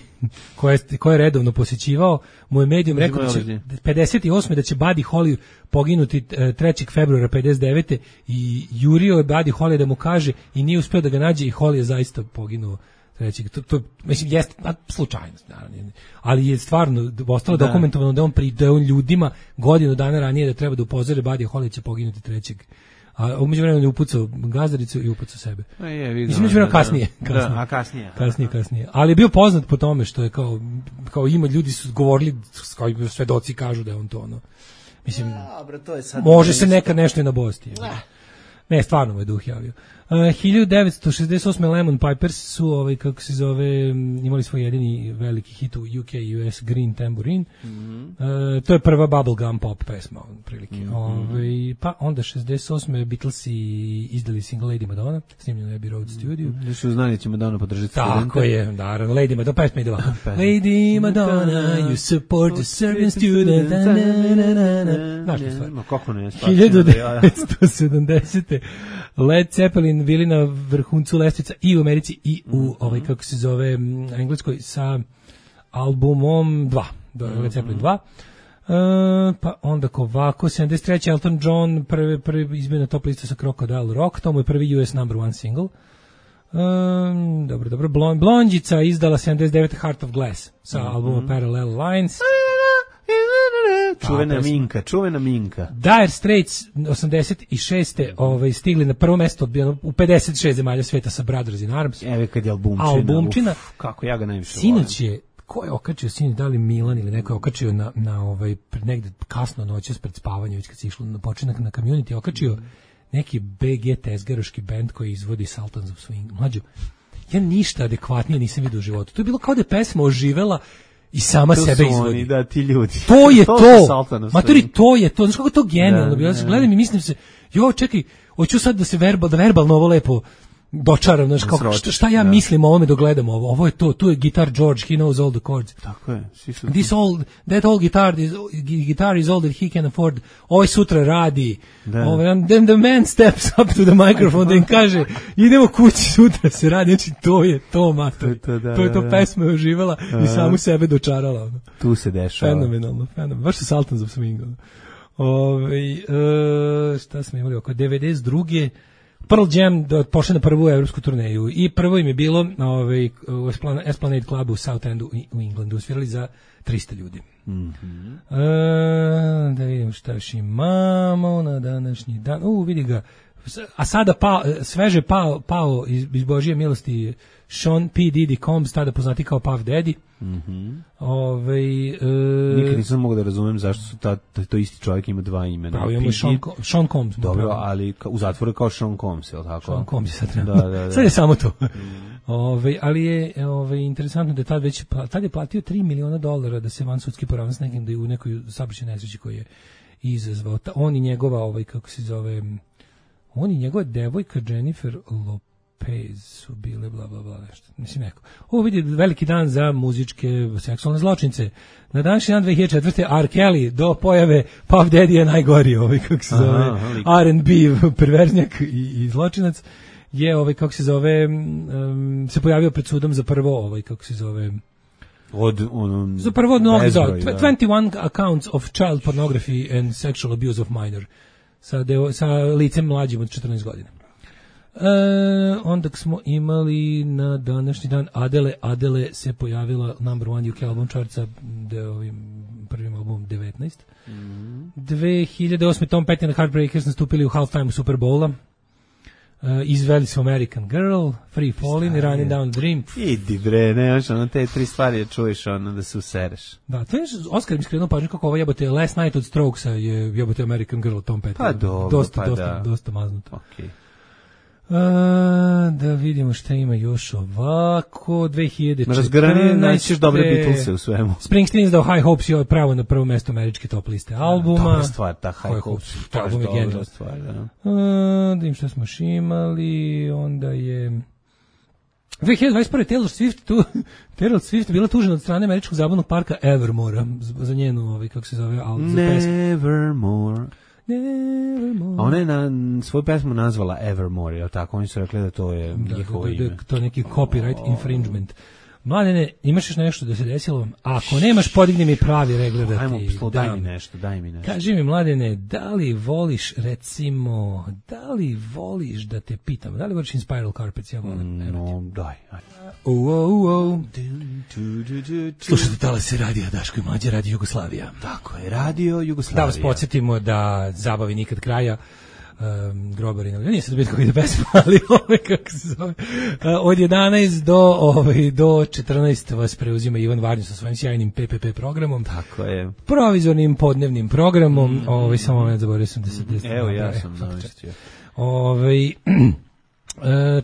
Speaker 7: koje je redovno posjećivao, mu je medijom rekao da će 58. da će Buddy Holly poginuti 3. februara 59. i jurio je Buddy Holly da mu kaže i nije uspeo da ga nađe i Holly je zaista poginuo 3. To mislim, jeste slučajnost, naravno. Ali je stvarno ostalo dokumentovano da je on ljudima godinu dana ranije da treba da upozore Buddy Holly će poginuti 3. A umeđu vremenu je upucao gazdaricu i upucao sebe. Mislim, umeđu vremenu kasnije. Kasnije. Ali je bio poznat po tome što je kao ima ljudi su govorili, kao svedoci kažu da je on to ono. Mislim,
Speaker 6: to je sad
Speaker 7: može se nekad nešto i na bosti. Ne, stvarno mu je duh javio. 1968. Lemon Pipers su, kako se zove, imali svoj jedini veliki hit u UK i US, Green Tambourine. To je prva bubblegum pop pesma, prilike. Pa onda 68. Beatlesi izdali single Lady Madonna, snimljeno je Abbey Road Studio.
Speaker 6: Nisu znali da će Madonna podržati studente.
Speaker 7: Tako je, naravno, Lady Madonna, pesma ide ovako. Lady Madonna, you support the serving student. Znaš li stvar?
Speaker 6: Kako ne,
Speaker 7: 1970. Led Zeppelin bili na vrhuncu lestvica i u Americi i u kako se zove, Engleskoj sa albumom 2. do Led Zeppelin 2. Pa onda ovako, 73. Elton John, prvi izmjena top lista sa Crocodile Rock, to mu je prvi US number one single. Dobro. Blondjica izdala 79. Heart of Glass sa albuma Parallel Lines.
Speaker 6: Čuvena Minka.
Speaker 7: Dire Straits 86. Stigli na prvo mesto u 56 zemalja sveta sa Brothers in Arms.
Speaker 6: Evo kad je albumčina. Kako ja ga najviše volim.
Speaker 7: Sinoć je, ko je okačio sinoć, da li Milan ili neko je okačio na negde kasno noćas pred spavanje, već kad se išlo na počinak na Community, okačio neki BG tezgaroški bend koji izvodi Sultans of Swing. Mlađo, ja ništa adekvatnije nisam vidio u životu. To je bilo kao da je pesma oživela i sama
Speaker 6: to
Speaker 7: sebe izvodi.
Speaker 6: Oni, da, ti ljudi.
Speaker 7: To je to. Maturi, to je to. Znaš kako je to genijalno bilo? Gledam i mislim se, čekaj, hoću sad da se verbalno ovo lepo dočaram, znaš, kao, šta ja mislim o ovome dok gledam ovo? Ovo je to, tu je gitar George, he knows all the chords.
Speaker 6: Tako je.
Speaker 7: That whole guitar is all that he can afford. Ovaj sutra radi. Then the man steps up to the microphone, da im kaže, idemo kući, sutra se radi. Znači, to je to, mater. To je to, pesma je uživala i samu sebe dočarala.
Speaker 6: Tu se dešava.
Speaker 7: Fenomenalno. Baš se Sultans of Swing. Šta smo imali oko 92. Pearl Jam pošle na prvu evropsku turneju i prvo im je bilo u Esplanade Clubu u South Endu u Englandu, svirali za 300 ljudi. Da vidimo šta još imamo na današnji dan. Vidi ga. A sada sveže pao iz Božije milosti Sean P. Diddy Combs, tada poznati kao Puff Daddy.
Speaker 6: Nikad nisam mogu da razumem zašto su to isti čovjek ima dva imena.
Speaker 7: Pravo imamo Sean Combs.
Speaker 6: Dobro, ali u zatvoru kao Sean Combs, je li tako?
Speaker 7: Sean Combs je sad trenutno. Da. Sad je samo to. Ali je interesantno da tad je platio $3 miliona da se vansudski poravna s nekim, da je u nekoj saobraćajnoj nesreći koji je izazvao. On i njegova, kako se zove, on i njegova devojka Jennifer Lopez su bile bla bla bla nešto. Mislim neko. Ovo vidi veliki dan za muzičke seksualne zločince. Na današnji dan 2004. R. Kelly do pojave Puff Daddy je najgori, kako se zove, R&B perverznjak i zločinac je kako se zove se pojavio pred sudom za prvo kako se zove za prvo od mnogih 21 accounts of child pornography and sexual abuse of minor sa licem mlađim od 14 godina. Onda smo imali na današnji dan Adele se pojavila number one UK album chartsa prvim albumom 19. 2008. Tom Petty and the Heartbreakers nastupili u halftime Super Bowla. Izveli su American Girl, Free Fallin' i Running Down the Dream.
Speaker 6: Idi bre, nemaš te tri stvari čuješ da se usereš.
Speaker 7: Da, to je Oskar mi skrenuo pažnju kako ovo jebote Last Night od Strokesa je jebote American Girl Tom Petty.
Speaker 6: Pa dobro,
Speaker 7: dosta maznuto.
Speaker 6: Okej.
Speaker 7: Da vidimo šta ima još ovako. 2014.
Speaker 6: Razgrani naćeš dobre Beatlese u svemu.
Speaker 7: Springsteen izdao High Hopes i ovo je pravo na prvo mesto američke top liste albuma.
Speaker 6: Dobra stvar, ta High Hopes.
Speaker 7: To album je genijalna
Speaker 6: stvar, da.
Speaker 7: Da vidim šta smo još imali. Onda je 2021. Taylor Swift bila tužena od strane američkog zabavnog parka Evermore za njenu, kako se zove,
Speaker 6: Nevermore. A ona je svoju pesmu nazvala Evermore, je li tako? Oni su rekli da to je njihovo ime.
Speaker 7: To je neki copyright infringement. Mladene, imaš još nešto da se desilo? Ako nemaš, podigni mi pravi regler da ti...
Speaker 6: Ajmo, daj mi nešto. Kaži
Speaker 7: mi, Mladene, da li voliš, recimo, da te pitam, da li voliš Inspiral Carpets? Ja volim.
Speaker 6: No, daj.
Speaker 7: Slušajte, tala se radija Daško i Mlađa, Radio Jugoslavija.
Speaker 6: Tako je, Radio Jugoslavija.
Speaker 7: Da vas podsjetimo da zabavi nikad kraja. Grobarina, nije sad biti kako ide pesma, ali kako se zove. Od 11 do 14 vas preuzima Ivan Varnju sa svojim sjajnim PPP programom.
Speaker 6: Tako je.
Speaker 7: Provizornim podnevnim programom. Samo ne zaboravio sam da se...
Speaker 6: Evo, ja sam namestio.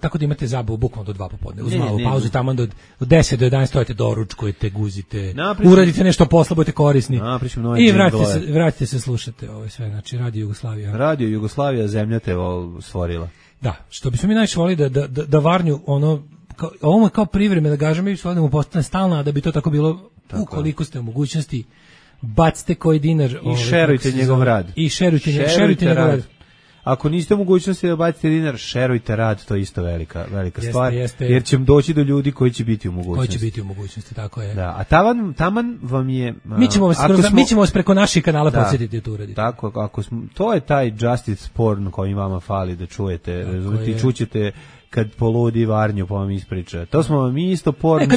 Speaker 7: Tako da imate zabavu bukvalno do 2 popodne. Uz malu pauzu tamo od 10 do 11 stojite, doručkujete, guzite, uradite nešto posla, budete korisni i vratite se, slušate sve, znači Radio Jugoslavija.
Speaker 6: Radio Jugoslavija, zemlja te stvorila.
Speaker 7: Da, što bismo mi najviše volili da Varnju, ovo je kao privremena gaža, mi bismo volili da mu postane stalna, a da bi to tako bilo, ukoliko ste u mogućnosti, bacite koji dinar.
Speaker 6: I šerujte njegov rad.
Speaker 7: I šerujte njegov rad.
Speaker 6: ako niste u mogućnosti da bacite dinar, šerujte rad, to je isto velika stvar, jer će doći do ljudi koji će biti u mogućnosti.
Speaker 7: Koji će biti u mogućnosti, tako je.
Speaker 6: Da, a taman vam je...
Speaker 7: Mi ćemo vas preko naših kanala podsjetiti to uraditi.
Speaker 6: Tako, to je taj justice porn koji vama fali da čujete, razumijete, i čućete kad poludi Varnju pa vam ispriča. To smo vam isto porno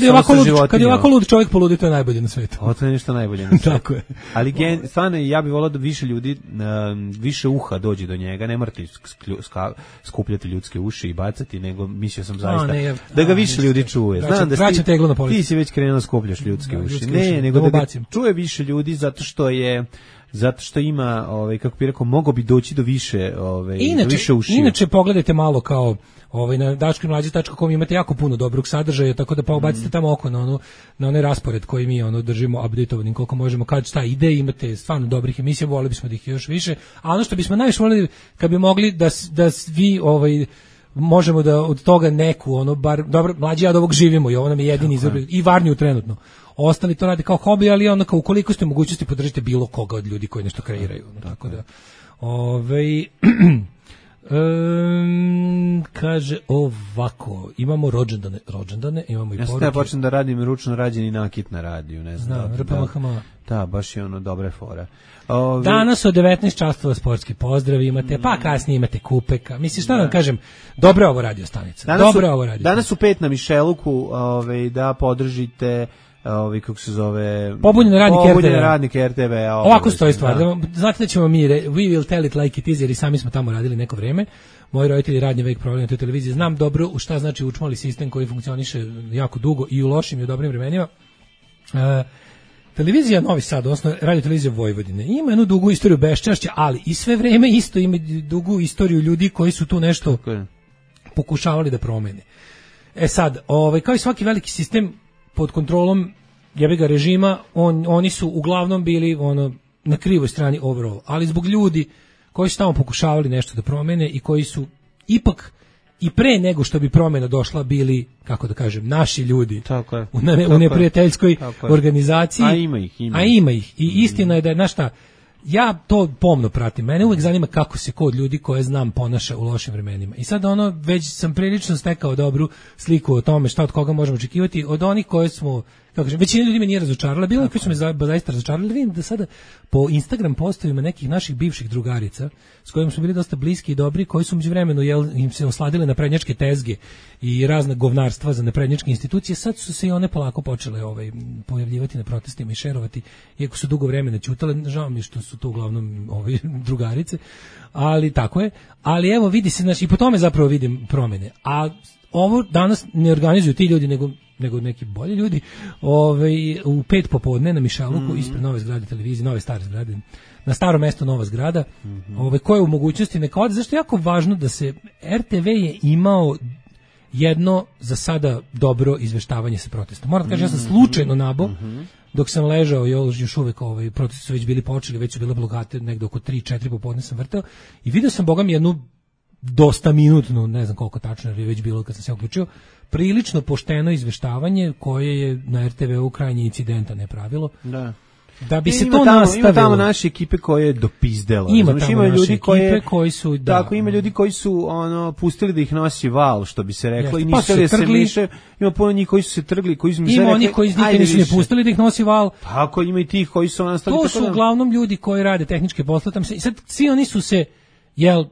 Speaker 7: kad je ovako lud čovjek poludi, to je najbolje na svetu.
Speaker 6: To je nešto najbolje na svetu.
Speaker 7: Tako je.
Speaker 6: Ali stvarno ja bih volao da više ljudi, više uha dođe do njega, ne morate skupljati ljudske uši i bacati, nego mislio sam zaista da ga više ljudi čuje. Znam da ti si već krenuo skupljaš ljudske uši. Ne, nego da ga čuje više ljudi zato što ima, kako bih rekao, mogao bi doći do više, više ušiju.
Speaker 7: Inače, pogledajte malo kao na daškomlađe.com imate jako puno dobrog sadržaja, tako da pa ubacite tamo oko na onaj raspored koji mi držimo updateovanim koliko možemo, kad šta ide, imate stvarno dobrih emisija, voleli bismo da ih još više, a ono što bismo najviše voleli kad bi mogli da svi možemo da od toga neku, bar, dobro, mlađi ja od ovog živimo i ovo nam je jedini izabran, i Varnju trenutno. Ostali to rade kao hobi, ali kao ukoliko ste u mogućnosti podržite bilo koga od ljudi koji nešto kreiraju. Tako da, kaže ovako, imamo rođendane, imamo i poruke.
Speaker 6: Ja počnem da radim ručno rađeni nakit na radiju, ne znam. Da, baš je dobra fora.
Speaker 7: Danas od 19 časova sportski pozdrav imate, pa kasnije imate kupeka. Mislim, šta vam kažem, dobra je ovo radio stanica.
Speaker 6: Danas u 5 na Mišeluku da podržite kako se zove,
Speaker 7: pobunjene
Speaker 6: radnike RTV.
Speaker 7: Ovako stoji stvar. Znate da ćemo mi, we will tell it like it is, jer i sami smo tamo radili neko vreme. Moji roditelji radni vek proveli na toj televiziji. Znam dobro šta znači učmali sistem koji funkcioniše jako dugo i u lošim i u dobrim vremenima. Televizija Novi Sad, odnosno radio televizija Vojvodine, ima jednu dugu istoriju beščašća, ali i sve vreme isto ima dugu istoriju ljudi koji su tu nešto pokušavali da promene. Sad, kao i svaki veliki sistem pod kontrolom jebiga režima, oni su uglavnom bili na krivoj strani overall, ali zbog ljudi koji su tamo pokušavali nešto da promene i koji su ipak i pre nego što bi promjena došla bili, kako da kažem, naši ljudi u neprijateljskoj organizaciji. A ima ih. I istina je da je, znaš šta, ja to pomno pratim. Mene uvek zanima kako se kod ljudi koje znam ponaša u lošim vremenima. I sad već sam prilično stekao dobru sliku o tome šta od koga možemo očekivati, od onih koje smo, kako kažem, većina ljudi me nije razočarala, bilo je koji su me zaista razočarali. Vidim da sada po Instagram postovima nekih naših bivših drugarica s kojima smo bili dosta bliski i dobri, koji su međuvremenu im se osladile naprednjačke tezge i razna govnarstva za naprednjačke institucije, sad su se i one polako počele pojavljivati na protestima i šerovati, iako su dugo vremena ćutale. Žao mi što su to uglavnom drugarice, ali tako je. Ali evo vidi se, znači, i po tome zapravo vidim promjene. A ovo danas ne organizuju ti ljudi, nego neki bolji ljudi, u 5 popodne na Mišeluku, ispred nove zgrade televizije, nove stare zgrade, na staro mesto nova zgrada, koje u mogućnosti neka ode. Zašto je jako važno da se RTV je imao jedno za sada dobro izveštavanje sa protestom. Moram da kažem, ja sam slučajno nabo, dok sam ležao, još uvek protesti su već bili počeli, već su bile blokade, negde oko 3-4 popodne sam vrtao i vidio sam, bogam, jednu dosta minutnu, ne znam koliko tačno je već bilo kad sam se uključio, prilično pošteno izveštavanje koje je na RTV-u krajnje incidenta ne pravilo. Da bi se to nastavilo. Ima
Speaker 6: tamo naše ekipe koje je dopizdelo.
Speaker 7: Ima ljudi koji su
Speaker 6: tako, ima ljudi koji su pustili da ih nosi val, što bi se reklo, i nisu da se miše. Ima puno njih koji su se trgli, koji su mi se rekli.
Speaker 7: Ima oni koji nikad nisu ne pustili da ih nosi val.
Speaker 6: Tako, ima i tih koji su nastali.
Speaker 7: To su uglavnom ljudi koji rade tehničke poslove. I sad svi oni su se,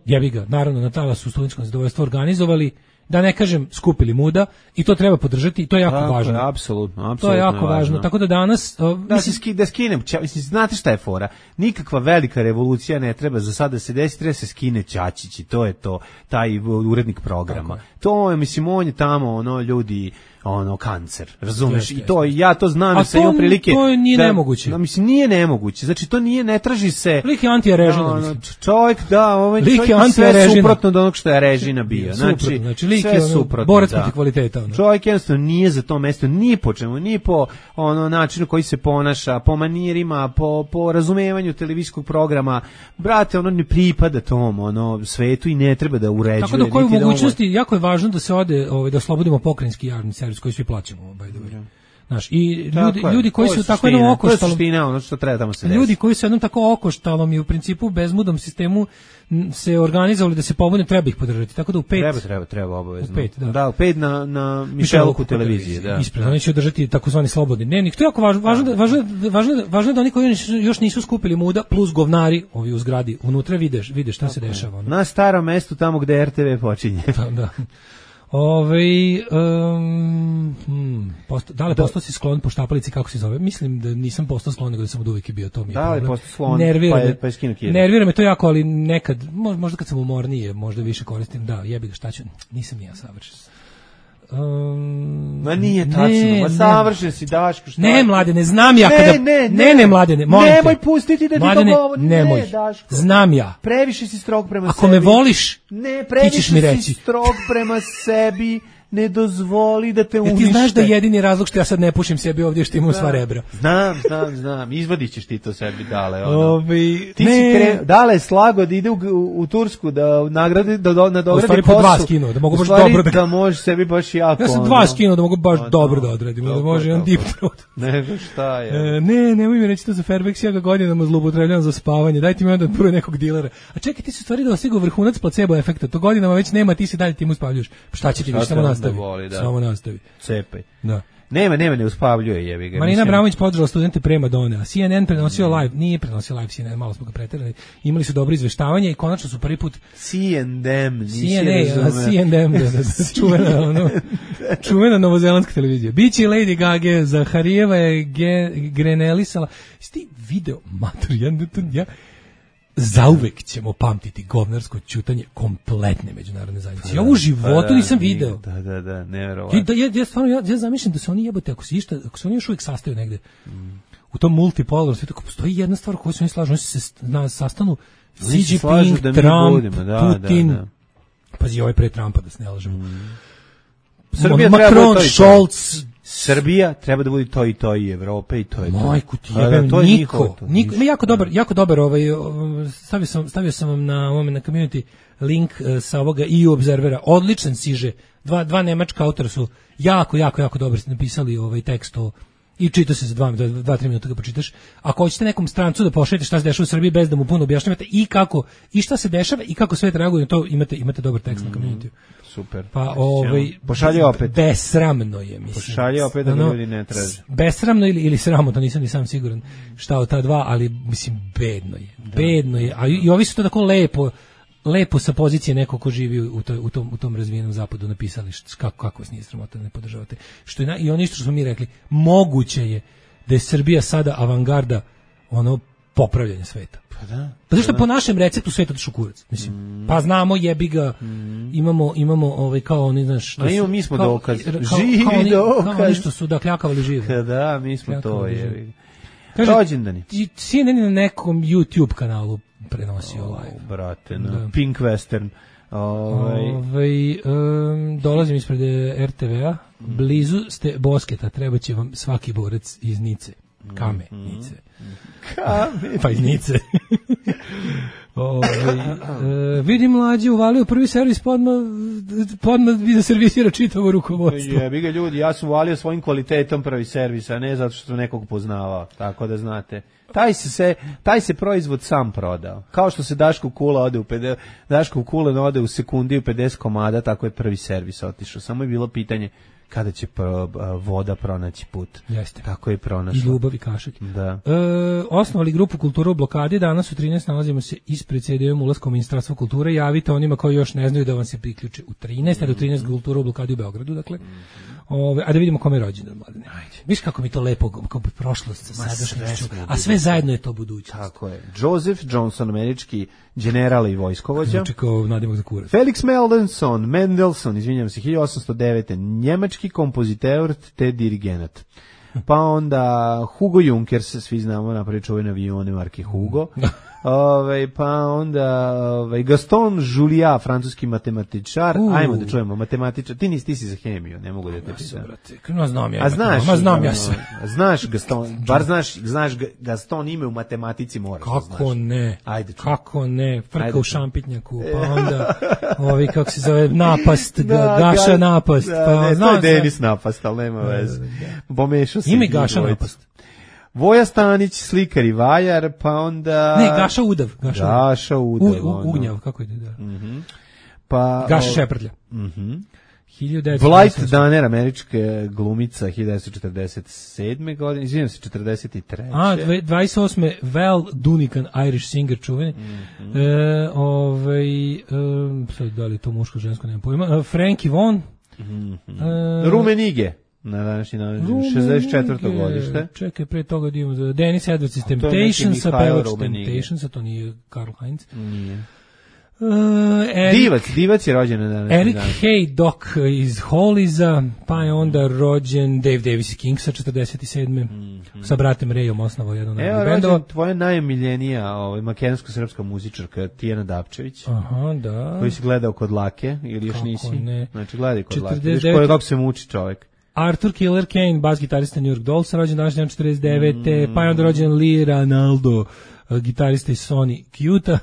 Speaker 7: jebi ga, naravno na talasu studentskom zadovoljstva organizovali, da ne kažem skupili muda, i to treba podržati i to je jako važno.
Speaker 6: Apsolutno.
Speaker 7: To je jako važno. Tako da danas
Speaker 6: da skinem, znate šta je fora? Nikakva velika revolucija ne treba za sada da se desi, treba se skine Ćačić i to je to, taj urednik programa. To je, mislim, on je tamo ljudi kancer, razumeš? I to ja to znam, se imam prilike.
Speaker 7: To nije nemoguće.
Speaker 6: Mislim, nije nemoguće. Znači to nije, ne traži se.
Speaker 7: Lik je antirežina, mislim.
Speaker 6: Čovjek, čovjek sve suprotno od onog što je režina bio.
Speaker 7: Znači lik je borac protiv kvaliteta.
Speaker 6: Čovjek jednostavno nije za to mesto, ni po čemu, ni po načinu koji se ponaša, po manirima, po razumevanju televizijskog programa. Brate, ne pripada tom svetu i ne treba da uređuje.
Speaker 7: Tako da koju mogućnosti, jako je važno da se ode, da oslobodimo pokrajinski javni servis koji svi plaćamo, by the way. Znaš, i ljudi koji su tako jednom okoštalom...
Speaker 6: To je suština, ono što treba tamo se desi.
Speaker 7: Ljudi koji su jednom tako okoštalom i u principu bezmudnom sistemu se organizovali da se pobune, treba ih podržati. Tako da u 5...
Speaker 6: Treba obavezno.
Speaker 7: U 5, da.
Speaker 6: Da, u 5 na Mišeluku televiziji. Da.
Speaker 7: Ispred, oni će održati takozvani slobodni dnevnik. To je jako važno da oni koji još nisu skupili muda, plus govnari, ovi u zgradi, unutra vide šta se dešava.
Speaker 6: Na starom mestu, tamo gde RTV počinje.
Speaker 7: Da. Da li postao si sklon po štapalici, kako se zove? Mislim da nisam postao sklon, nego da sam od uvijek bio, to mi je
Speaker 6: problem. Da li postao sklon, pa je skinu kjede?
Speaker 7: Nervira me to jako, ali nekad, možda kad sam umornije, možda više koristim, da, jebi ga, šta ću, nisam ni ja savršen.
Speaker 6: Ma nije tačno, ma savršen si, Daško, šta?
Speaker 7: Ne, Mladene, znam ja kada... Ne, Mladene, molim te.
Speaker 6: Nemoj pustiti da ti to govori.
Speaker 7: Nemoj,
Speaker 6: Daško.
Speaker 7: Znam ja.
Speaker 6: Previše si strog prema sebi.
Speaker 7: Ako me voliš,
Speaker 6: ti ćeš mi reći.
Speaker 7: Si
Speaker 6: strog prema sebi, ne dozvoli da te unište.
Speaker 7: Ti znaš da je jedini razlog što ja sad ne pušim sebi ovdje što imam sva rebra.
Speaker 6: Znam, izvadit ćeš ti to sebi, Dale. Dale slago da ide u Tursku, da nagradi, da nadogradi kosu.
Speaker 7: Po 2 skino, da mogu baš dobro
Speaker 6: da možeš sebi baš jako.
Speaker 7: Ja sam 2 skino, da mogu baš dobro da odradim, da može jedan deep throat.
Speaker 6: Nego šta je?
Speaker 7: Nemoj mi reći to za Fairbanks, ja ga godinama zloupotrebljavam za spavanje, dajte mi onda prvo nekog dilera. A čekaj, ti su stvari da osigo vrhunac placebo efekta, to godinama već nema, ti se dalje tim uspavljaš. Šta će ti više, samo nastavi.
Speaker 6: Cepaj.
Speaker 7: Da.
Speaker 6: Nema, ne uspavljuje, jebi ga.
Speaker 7: Marina Abramović podržala studente Prema Done, a CNN prenosio live, nije prenosio live CNN, malo smo ga preterali, imali su dobro izveštavanje i konačno su prvi put
Speaker 6: CNN,
Speaker 7: čuvena novozelandska televizija. Biće i Lady Gaga, Zaharijeva je grenelisala. Sti video, ja zauvek ćemo pamtiti govnarsko ćutanje kompletne međunarodne zajednice. Ja u životu nisam video.
Speaker 6: Da, neverovatno.
Speaker 7: Ja zamišljam da se oni jebote, ako se oni još uvijek sastaju negde u tom multipolarnom svijetu, ako postoji jedna stvar koju se oni slažu, oni se sastanu Xi Jinping, Trump, Putin, pazi ovaj pre Trumpa da se ne lažemo. Macron, Scholz,
Speaker 6: Srbija treba da bude to i Evrope i to je to.
Speaker 7: Majku ti jebem, niko. Jako dobar stavio sam vam na community link sa ovoga EU Observera, odličan siže, dva nemačka autora su jako dobro napisali ovaj tekst i čita se za 2-3 minuta ga pročitaš. Ako hoćete nekom strancu da pošaljete šta se dešava u Srbiji bez da mu puno objašnjavate i šta se dešava i kako svet reaguje na to, imate dobar tekst na community.
Speaker 6: Super.
Speaker 7: Pa
Speaker 6: pošalje opet.
Speaker 7: Besramno je, mislim.
Speaker 6: Pošalje opet da ljudi ne traže.
Speaker 7: Besramno ili sramotno, nisam ni sam siguran šta od ta dva, ali mislim bedno je. A i ovi su to tako lepo sa pozicije nekog ko živi u tom razvijenom zapadu napisali kako vas nije sramota da ne podržavate. I ono isto što smo mi rekli, moguće je da je Srbija sada avangarda popravljanja sveta. Pa zašto po našem receptu svet otišao kurac? Mislim, pa znamo, jebi ga, imamo kao oni, znaš...
Speaker 6: mi smo dokaz. Živi dokaz.
Speaker 7: Kao oni što su kljakavali žive.
Speaker 6: Da, mi smo to, jebi ga. Rođendani.
Speaker 7: CNN na nekom YouTube kanalu prenosio live.
Speaker 6: Brate, Pink Western.
Speaker 7: Dolazim ispred RTV-a, blizu ste Bosketa, treba će vam svaki borac iz Nice. Nice. Pa iz Nice. Vidim Mlađe uvalio prvi servis, podmah bi da servisira čitavo rukovodstvo.
Speaker 6: Jebi ga ljudi, ja sam uvalio svojim kvalitetom prvi servis, a ne zato što sam nekog poznavao, tako da znate. Taj se proizvod sam prodao. Kao što se Daško Kula ode u sekundi u 50 komada, tako je prvi servis otišao. Samo je bilo pitanje kada će voda pronaći put.
Speaker 7: Jeste.
Speaker 6: Tako je pronašla.
Speaker 7: I ljubav i kašik.
Speaker 6: Da.
Speaker 7: Osnovali grupu Kultura u blokadi, danas u 13 nalazimo se ispred CD-om ulaskom Ministarstva kulture, javite onima koji još ne znaju da vam se priključe u 13, a do 13 Kultura u blokadi u Beogradu, dakle. A da vidimo kome je rođendan, Mladene. Viš kako mi to lepo, kako bi prošlost sa sadašnjošću, a sve zajedno je to budućnost.
Speaker 6: Tako je. Joseph Johnson, američki general i vojskovođa.
Speaker 7: Znači kao nadimak za kurac.
Speaker 6: Felix Mendelssohn, izvinjam se, 1809. Njemački kompoziteur te dirigenat. Pa onda Hugo Junkers, svi znamo, napravi čuvene avione marke Hugo. Pa onda Gaston Julia, francuski matematičar. Ajmo da čujemo matematičar. Ti si za hemiju, ne mogu da te pitam.
Speaker 7: Znam ja.
Speaker 6: Znam ja sve. Znaš Gaston, bar znaš Gaston ime u matematici moraš.
Speaker 7: Kako ne?
Speaker 6: Ajde.
Speaker 7: Kako ne? Frka u šampitnjaku, pa onda kako se zove, napast, Gaša napast. Pa
Speaker 6: to je Denis napast, ali nema veze. Pomešao se.
Speaker 7: Ime Gaša napast.
Speaker 6: Voja Stanić, slikar i vajar, pa onda...
Speaker 7: Ne, Gaša Udav.
Speaker 6: Gaša Udav.
Speaker 7: Ugnjav, kako ide, da.
Speaker 6: Pa,
Speaker 7: Gaša Šeprtlja.
Speaker 6: 1900... Blight Danner, američka glumica, 1947. godine, izvijem se, 43.
Speaker 7: 28. Val Dunican, Irish singer, čuveni. Sad, da li to muško, žensko, nemam pojma. Frankie Vaughan.
Speaker 6: Rumenige. Na današnji dan, 64. godište.
Speaker 7: Čekaj, pre toga da imamo Dennis Edwards iz Temptations, pevač Temptations, to nije Karl Heinz.
Speaker 6: Nije. Divac je rođen na današnji
Speaker 7: Eric
Speaker 6: dan.
Speaker 7: Hay Doc iz Holliza, pa je onda rođen Dave Davis iz Kingsa, 47. Sa bratem Rayom osnovao jedno najbolji bendova.
Speaker 6: Rođen tvoja najomiljenija makedonsko-srpska muzičarka Tijana Dapčević.
Speaker 7: Aha, da.
Speaker 6: Koji si gledao kod Lake, ili još
Speaker 7: kako
Speaker 6: nisi?
Speaker 7: Ne.
Speaker 6: Znači, gledaj kod Lake. Viš kako se muči čovjek.
Speaker 7: Arthur Killer Kane, bas gitarista New York Dolls, rođen današnji dan 49. Pa je onda rođen Lee Ranaldo, gitarista iz Sony Cute.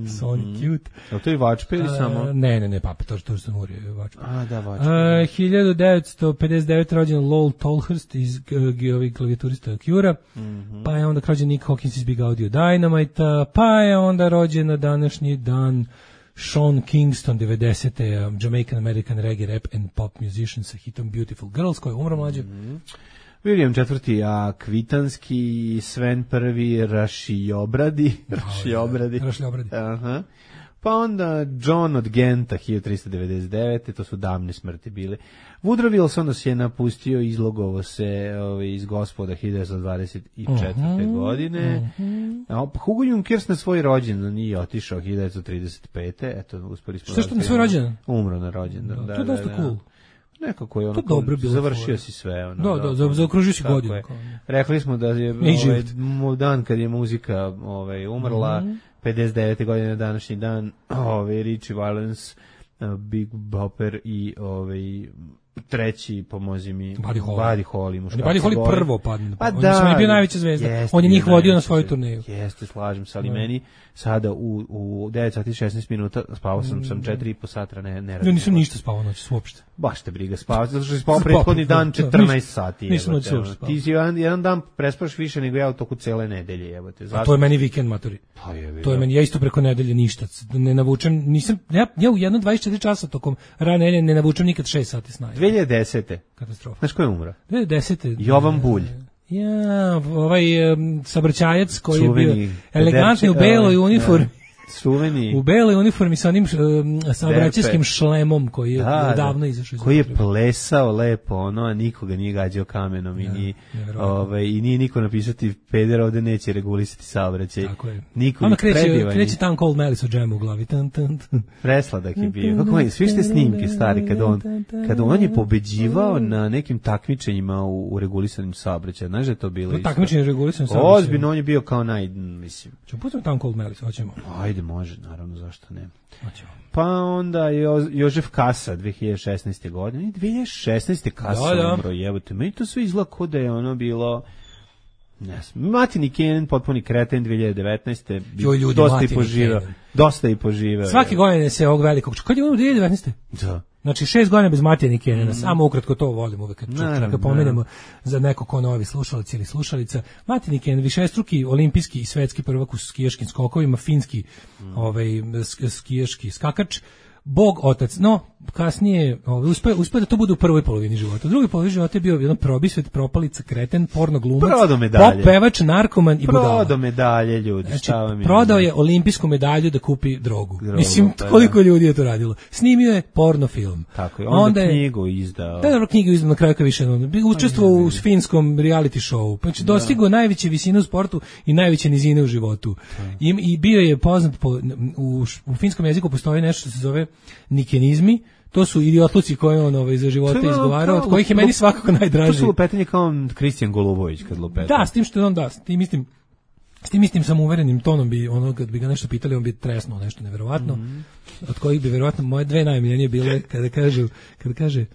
Speaker 7: Sony Cute.
Speaker 6: Je li to i Vačpe ili samo?
Speaker 7: Ne, Papa, to što Muri je Vačpe.
Speaker 6: Da, Vačpe.
Speaker 7: 1959. rođen Lowell Tolhurst iz klavijaturista Cure-a. Pa je onda rođen Nick Hawkins iz Big Audio Dynamite-a. Pa je onda rođen na današnji dan Sean Kingston, 90. Jamaican American reggae rap and pop musician sa hitom Beautiful Girls, koja je umro mlađe.
Speaker 6: William IV. Kvitanski, Sven I. Rašiobradi. Aha. Pa onda John od Genta, 1399. To su davne smrti bile. Woodrow Wilson nas je napustio, izlogovo se iz Gospoda 1924. godine. Hugo Junkers na svoj rođendan nije otišao 1935. Eto, uspeli smo.
Speaker 7: Što na svoj rođendan?
Speaker 6: Umro na rođendan.
Speaker 7: To je dosta cool.
Speaker 6: Nekako je ono, završio si sve. Ono,
Speaker 7: zaokružio si godinu.
Speaker 6: Rekli smo da je dan kad je muzika umrla, 59. godine današnji dan, Richie Valens, Big Bopper i treći, pomozi mi, Buddy Holly.
Speaker 7: Buddy Holly prvo padne.
Speaker 6: Pa
Speaker 7: on je bio najveća zvezda. On je njih vodio na svoju turneju.
Speaker 6: Jeste, slažem se, ali meni sada u 9 sati 16 minuta spavao sam 4,5 sata, ne radim.
Speaker 7: Ja nisam ništa spavao noći, uopšte.
Speaker 6: Baš te briga spavao, zato što si spavao prethodni dan 14 sati.
Speaker 7: Nisam noći uopšte spavao.
Speaker 6: Ti si jedan dan prespaš više nego ja u toku cele nedelje, jebote.
Speaker 7: A to je meni vikend, matori. To je meni, ja isto preko nedelje ništa. Ne navučem, nisam, ja u jedno 24 časa tokom rane nedelje ne navučem nikad 6 sati sna.
Speaker 6: 2010.
Speaker 7: Katastrofa.
Speaker 6: Znaš ko je umro?
Speaker 7: 2010.
Speaker 6: Jovan Bulj.
Speaker 7: Ja, saobraćajac koji je bio elegantni u beloj uniformi.
Speaker 6: Suveni.
Speaker 7: U beloj uniformi sa onim saobraćajskim šlemom koji je davno izašao.
Speaker 6: Koji je plesao lepo, a nikoga nije gađao kamenom i nije niko napisati peder ovde neće regulisati saobraćaj.
Speaker 7: Tako je.
Speaker 6: Niko
Speaker 7: onda kreće Town Cold Malice u džemu u glavi.
Speaker 6: Presladak je bio. Kako je, svi ste snimke stari kad on je pobeđivao na nekim takmičenjima u regulisanim saobraćaju. Znaš da je to bilo isto?
Speaker 7: Takmičenje u regulisanim saobraćaju.
Speaker 6: Ozbiljno, on je bio kao mislim.
Speaker 7: Ćemo putati Town Cold Malice, hoćemo.
Speaker 6: Ajde, može, naravno, zašto ne. Pa onda Jožef Kasa, 2016. godine. 2016. Kasa umro, jebote. Meni to sve izgleda kod da je ono bilo... Matini Kenan, potpuni kreten, 2019. Dosta i poživeo.
Speaker 7: Svake godine se ovog velikog... Kad je ono 2019.
Speaker 6: Da.
Speaker 7: Znači 6 godina bez Matini Kenana, samo ukratko to volim uvek kad pomenemo za neko ko novi slušalac ili slušalica. Matini Kenan, višestruki olimpijski i svetski prvak u skijaškim skokovima, finski skijaški skakač, Bog otac, no kasnije uspeo da to bude u prvoj polovini života. U drugoj polovini života je bio jedan probisvet, propalica, kreten, porno glumac, pop pevač, narkoman i budala.
Speaker 6: Prodao medalje, ljudi.
Speaker 7: Znači, prodao je olimpijsku medalju da kupi drogu. Mislim, koliko ljudi je to radilo. Snimio je porno film.
Speaker 6: Tako je, onda knjigu izdao.
Speaker 7: Da, knjigu izdao na kraju više. Učestvovao u finskom reality showu. Znači, dostigao najveće visine u sportu i najveće nizine u životu. I bio je poznat u finskom jeziku postoji nešto što se zove nikenizmi. To su idiotluci koje on za života izgovarao, od kojih je meni svakako najdraži.
Speaker 6: To su lupetanje kao Kristijan Golubović kad lupeta.
Speaker 7: Da, s tim što on da, s tim mislim S tim istim samouverenim tonom bi ono kad bi ga nešto pitali, on bi tresnuo nešto neverovatno. Od kojih bi verovatno moje dve najmiljenije bile kada kaže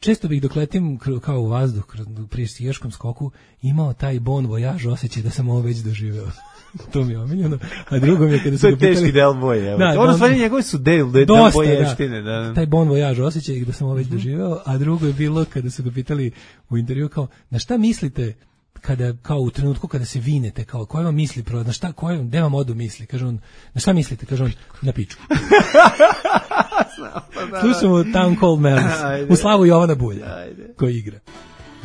Speaker 7: često bih dok letim kao u vazduh pri skijaškom skoku imao taj bon voyage osjećaj da sam ovo već doživeo. To mi je omiljeno. A drugo mi je kada su ga pitali... To je teški
Speaker 6: del boje. Ono stvari njegove su del boještine. Da.
Speaker 7: Taj bon voyage osjećaj da sam ovo već doživeo. A drugo je bilo kada su ga pitali u intervju kao, na šta mislite kada, kao u trenutku kada se vinete, kao koje vam misli, na šta, gde vam odu misli? Kaže on, na šta mislite? Kaže on, na pičku. Slušamo Town Called Melis, u slavu Jovana Bulja, koji igra.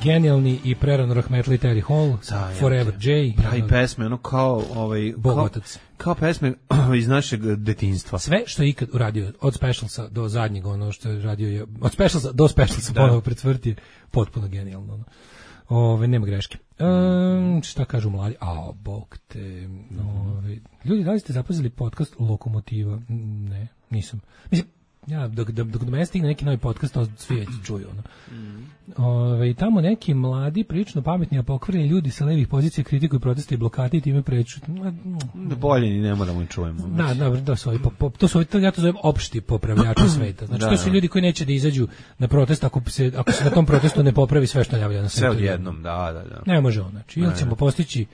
Speaker 7: Genijalni i prerano rahmetli Terry Hall, Forever J.
Speaker 6: Pravi pesme, ono kao
Speaker 7: Bogotac.
Speaker 6: Kao pesme iz našeg detinjstva.
Speaker 7: Sve što je ikad uradio, od Specialsa do zadnjeg, ono što je radio, od Specialsa do Specialsa ponovo pred smrt je potpuno genijalno. Nema greške. Šta kažu mladi? Bog te. Ljudi, da li ste zapazili podcast Lokomotiva? Ne, nisam. Mislim, ja, dok do mene stigne neki novi podcast, to svi već čuju. Tamo neki mladi, prilično pametni, a pokvareni ljudi sa levih pozicija kritikuju proteste i blokade i time preču.
Speaker 6: Bolje ni ne moramo i čujemo.
Speaker 7: To su ja to zovem opšti popravljači sveta. Znači, to su ljudi koji neće da izađu na protest ako se na tom protestu ne popravi sve što javlja na svetu.
Speaker 6: Sve odjednom, da.
Speaker 7: Ne može on, znači, ili ćemo postići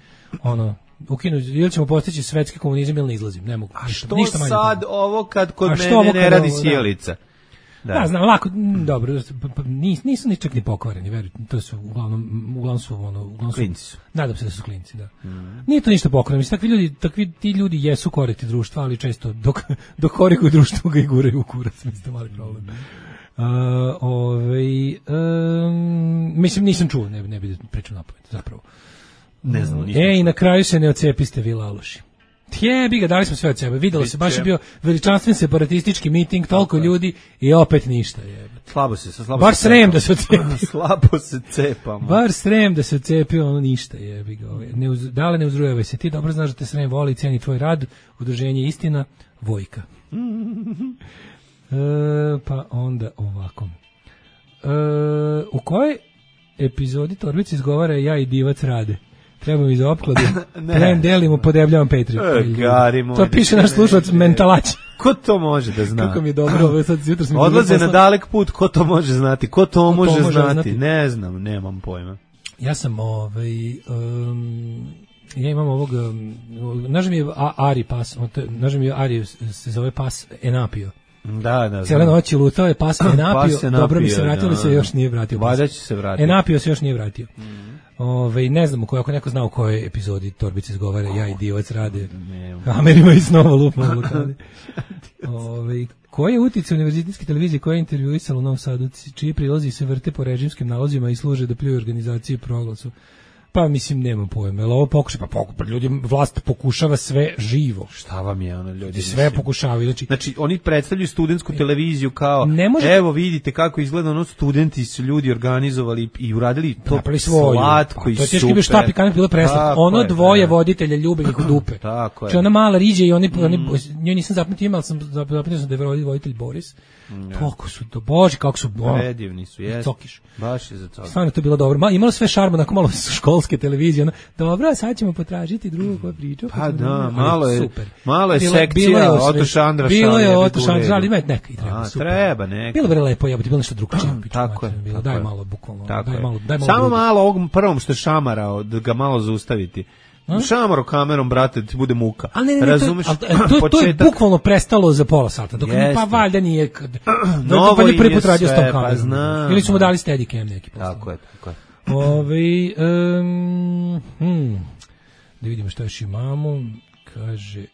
Speaker 7: ili ćemo postići svetski komunizam ili ne izlazim, ne mogu.
Speaker 6: A što ništa sad ovo kad kod mene ne radi sjelica?
Speaker 7: Da, znam, lako, dobro, nisu ni čak ni pokvareni, verujte, to su uglavnom su
Speaker 6: klinci su.
Speaker 7: Nadam se da su klinci, da. Nije to ništa pokvareno, mislim, ti ljudi jesu koriti društva, ali često dok korikuju društvo ga i guraju u kurac, mislim, to mali problem. Mislim, nisam čuo, ne bi pričao napamet, zapravo.
Speaker 6: Ne znam,
Speaker 7: i na kraju se ne ocepiste vi laloši. Jebi ga, dali smo sve od sebe, videlo se, baš je bio veličanstven separatistički miting, toliko ljudi i opet ništa.
Speaker 6: Slabo
Speaker 7: bar srem da se ocepi.
Speaker 6: Slabo se cepamo.
Speaker 7: Bar srem da se ocepi, ono ništa jebi ga. Dale ne uzrujavaj se, ti dobro znaš da te srem voli i ceni tvoj rad, udruženje Istina, Vojka. Pa onda ovako. U kojoj epizodi Torbica izgovara ja i divac rade? Treba mi za opkladu. Plen delimo, podebljavam Patreon. To piše naš slušalac Mentalać.
Speaker 6: Ko to može da zna?
Speaker 7: Kako mi je dobro, ovo sad jutro sam...
Speaker 6: Odlaze na dalek put, ko to može znati? Ko to može znati? Ne znam, nemam pojma.
Speaker 7: Ja sam, ja imam ovog, nažem mi je Ari pas, nažem mi je Ari se zove pas Enapio.
Speaker 6: Da.
Speaker 7: Cijele noći lutao je pas Enapio, dobro mi se vratio, ali se još nije vratio.
Speaker 6: Valjda će se vratiti.
Speaker 7: Enapio se još nije vratio. Ne znam ako neko zna u kojoj epizodi Torbica izgovara ja i divac rade. Amerima i snova lupno blokade. Koji je uticaj univerzitetske televizije koja je intervjuisala u Novom Sadu, čiji prilazi se vrte po režimskim nalozima i služe da pljuju organizaciji Proglasu? Pa mislim nemam pojma, jel ovo pokušava, ljudi, vlast pokušava sve živo.
Speaker 6: Šta vam je ono, ljudi?
Speaker 7: Sve pokušavaju.
Speaker 6: Znači oni predstavljaju studentsku televiziju kao, evo vidite kako izgleda, ono studenti su ljudi organizovali i uradili to slatko i super. To je teški bio štap i kanep bilo predstav. Ono dvoje voditelja ljube ih u dupe. Tako je. Znači ona mala riđe i njoj nisam zapamtio imao, sam zapamtio sam da je voditelj Boris. Toliko su to, bože, kako su predivni su, jes. Baš je za to.
Speaker 7: Stvarno to je bilo dobro. Imalo sve šarma, nakon malo školske televizije. Dobro, sad ćemo potražiti drugu koja priča.
Speaker 6: Pa da, malo je sekcija Oto Šandra.
Speaker 7: Bilo je Oto Šandra, ali ima neka i treba.
Speaker 6: Treba neka.
Speaker 7: Bilo je lepo, bilo nešto drugačije.
Speaker 6: Tako je.
Speaker 7: Daj malo, bukvalno.
Speaker 6: Samo malo ovog prvom što je šamarao, da ga malo zaustaviti. Šamaro kamerom, brate, ti bude muka. Razumeš?
Speaker 7: To je bukvalno prestalo za pola sata. Dok pa valjda nije... Novo je prvi put radio s tom kamerom. Ili su mu dali Steadicam neki posao.
Speaker 6: Tako je.
Speaker 7: Da vidimo šta još imamo. Kaže,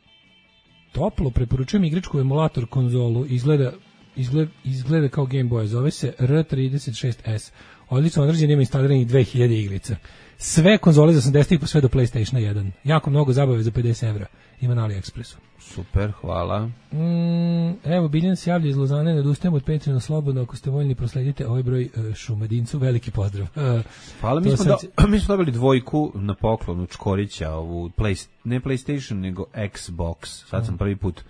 Speaker 7: toplo preporučujem igračku emulator konzolu. Izgleda kao Game Boy. Zove se R36S. Odlično određen, ima instaliranih 2000 igrica. Sve konzole za 80-ih pa sve do PlayStationa 1. Jako mnogo zabave za 50 evra. Ima na AliExpressu.
Speaker 6: Super, hvala.
Speaker 7: Evo, Biljan se javlja iz Lozane, ne odustajemo od Patreona slobodno, ako ste voljni prosledite ovaj broj Šumadincu, veliki pozdrav.
Speaker 6: Hvala, mi smo dobili 2 na poklonu Čkorića, ovu ne PlayStation, nego Xbox. Sad sam prvi put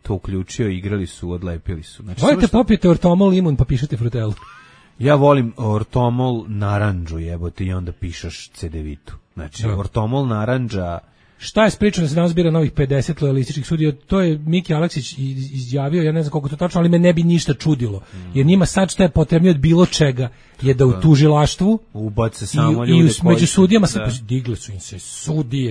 Speaker 6: to uključio, igrali su, odlepili su. Znači,
Speaker 7: volite popijete ortomol limun pa pišete frutelu.
Speaker 6: Ja volim ortomol naranđu, jebote, i onda pišeš cedevitu. Znači, ortomol naranđa
Speaker 7: Šta je pričano da se danas bira novih 50 lojalističkih sudija? To je Miki Aleksić izjavio, ja ne znam koliko to tačno, ali me ne bi ništa čudilo. Jer njima sad šta je potrebno od bilo čega je da u tužilaštvu
Speaker 6: ubace samo ljude
Speaker 7: i među sudijama digle su im se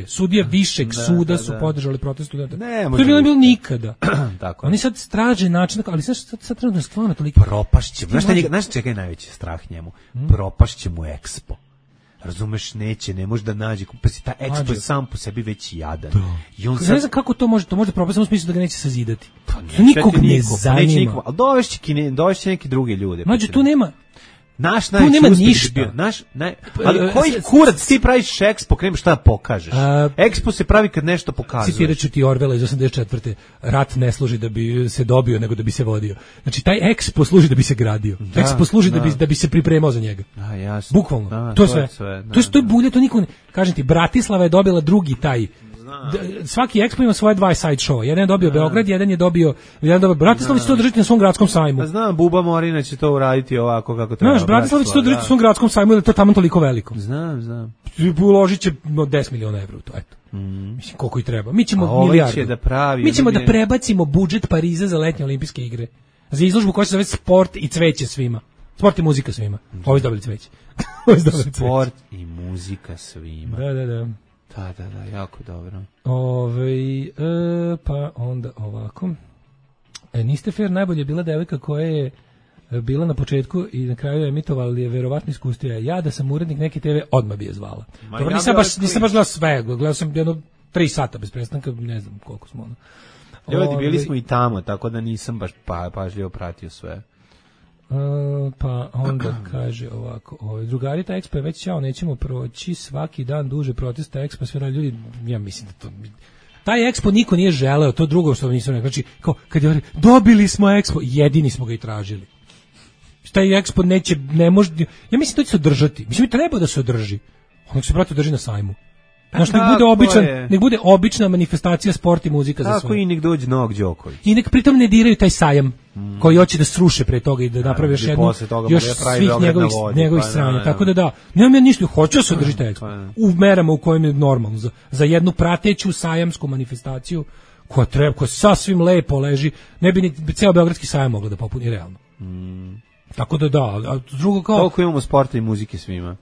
Speaker 7: sudije višeg suda su podržali protest studenta. To je bilo nikada.
Speaker 6: Tako.
Speaker 7: Oni sad traže način, ali sad trenutno stvarno toliko
Speaker 6: propašće. Znaš čega je najveći strah njemu? Propašće mu Expo. Razumeš, ne može da nađe, pa si ta Expo je sam po sebi već jadan. I on sad...
Speaker 7: Ne znam kako to može propast, samo u smislu da ga neće sazidati. Nikog ne zanima.
Speaker 6: Ali dovešće neki drugi ljude.
Speaker 7: Mađo, tu nema...
Speaker 6: Tu nema ništa. Ali koji kurac ti praviš Expo, krem šta da pokažeš? Expo se pravi kad nešto pokazuješ.
Speaker 7: Citirat ću ti Orwella iz 84. Rat ne služi da bi se dobio, nego da bi se vodio. Znači, taj Expo služi da bi se gradio. Expo služi da bi se pripremao za njega. Bukvalno. To je sve. To je bulje, to niko ne... Kažem ti, Bratislava je dobila drugi taj... Svaki Expo ima svoje 2 side show. Jedan je dobio Beograd, jedan je dobio Bratislava će to držati na svom gradskom sajmu.
Speaker 6: Znam, Buba Morina će to uraditi ovako kako treba.
Speaker 7: Znaš, Bratislava će to držati na svom gradskom sajmu, jer je to tamo toliko veliko.
Speaker 6: Znam.
Speaker 7: Uložit će 10 miliona evra u to, eto. Mislim, koliko i treba. Mi ćemo milijardu. Mi ćemo da prebacimo budžet Pariza za letnje olimpijske igre. Za izložbu koja se zove Sport i cveće svima. Sport i muzika svima. Ovi dobili cveće.
Speaker 6: Sport i muzika svima.
Speaker 7: Da.
Speaker 6: Da, jako dobro.
Speaker 7: Pa onda ovako. Niste fair, najbolje je bila devojka koja je bila na početku i na kraju je emitovala, ali je verovatno iskustio. Ja da sam urednik neke TV, odmah bi je zvala. Dobro, nisam baš gledao sve, gledao sam jedno 3 sata bez prestanka, ne znam koliko smo ono.
Speaker 6: Ljudi, bili smo i tamo, tako da nisam baš pažljivo pratio sve.
Speaker 7: Pa onda kaže ovako, drugari, ta Expo je već ćao, nećemo proći svaki dan duže protesta Expo, sve radi ljudi, ja mislim da to... Taj Expo niko nije želeo, to drugo što nisam rekao, znači, kao, kad je dobili smo Expo, jedini smo ga i tražili. Taj Expo ne može, ja mislim da će se održati, mislim da treba da se održi, nek se brate održi na sajmu. Znaš, nek bude obična manifestacija sport i muzika za sve.
Speaker 6: Tako i nek dođe Novak Đoković.
Speaker 7: I nek pritom ne diraju taj sajam koji hoće da sruše pre toga i da napravi još jednu, još svih njegovih stranja. Tako da, nemam ja ništa, hoću da se održi taj Expo. U merama u kojem je normalno. Za jednu prateću sajamsku manifestaciju koja sasvim lepo leži, ne bi ni ceo beogradski sajam mogla da popuni realno. Tako da, a drugo kao...
Speaker 6: Toliko imamo sporta i muzike svima.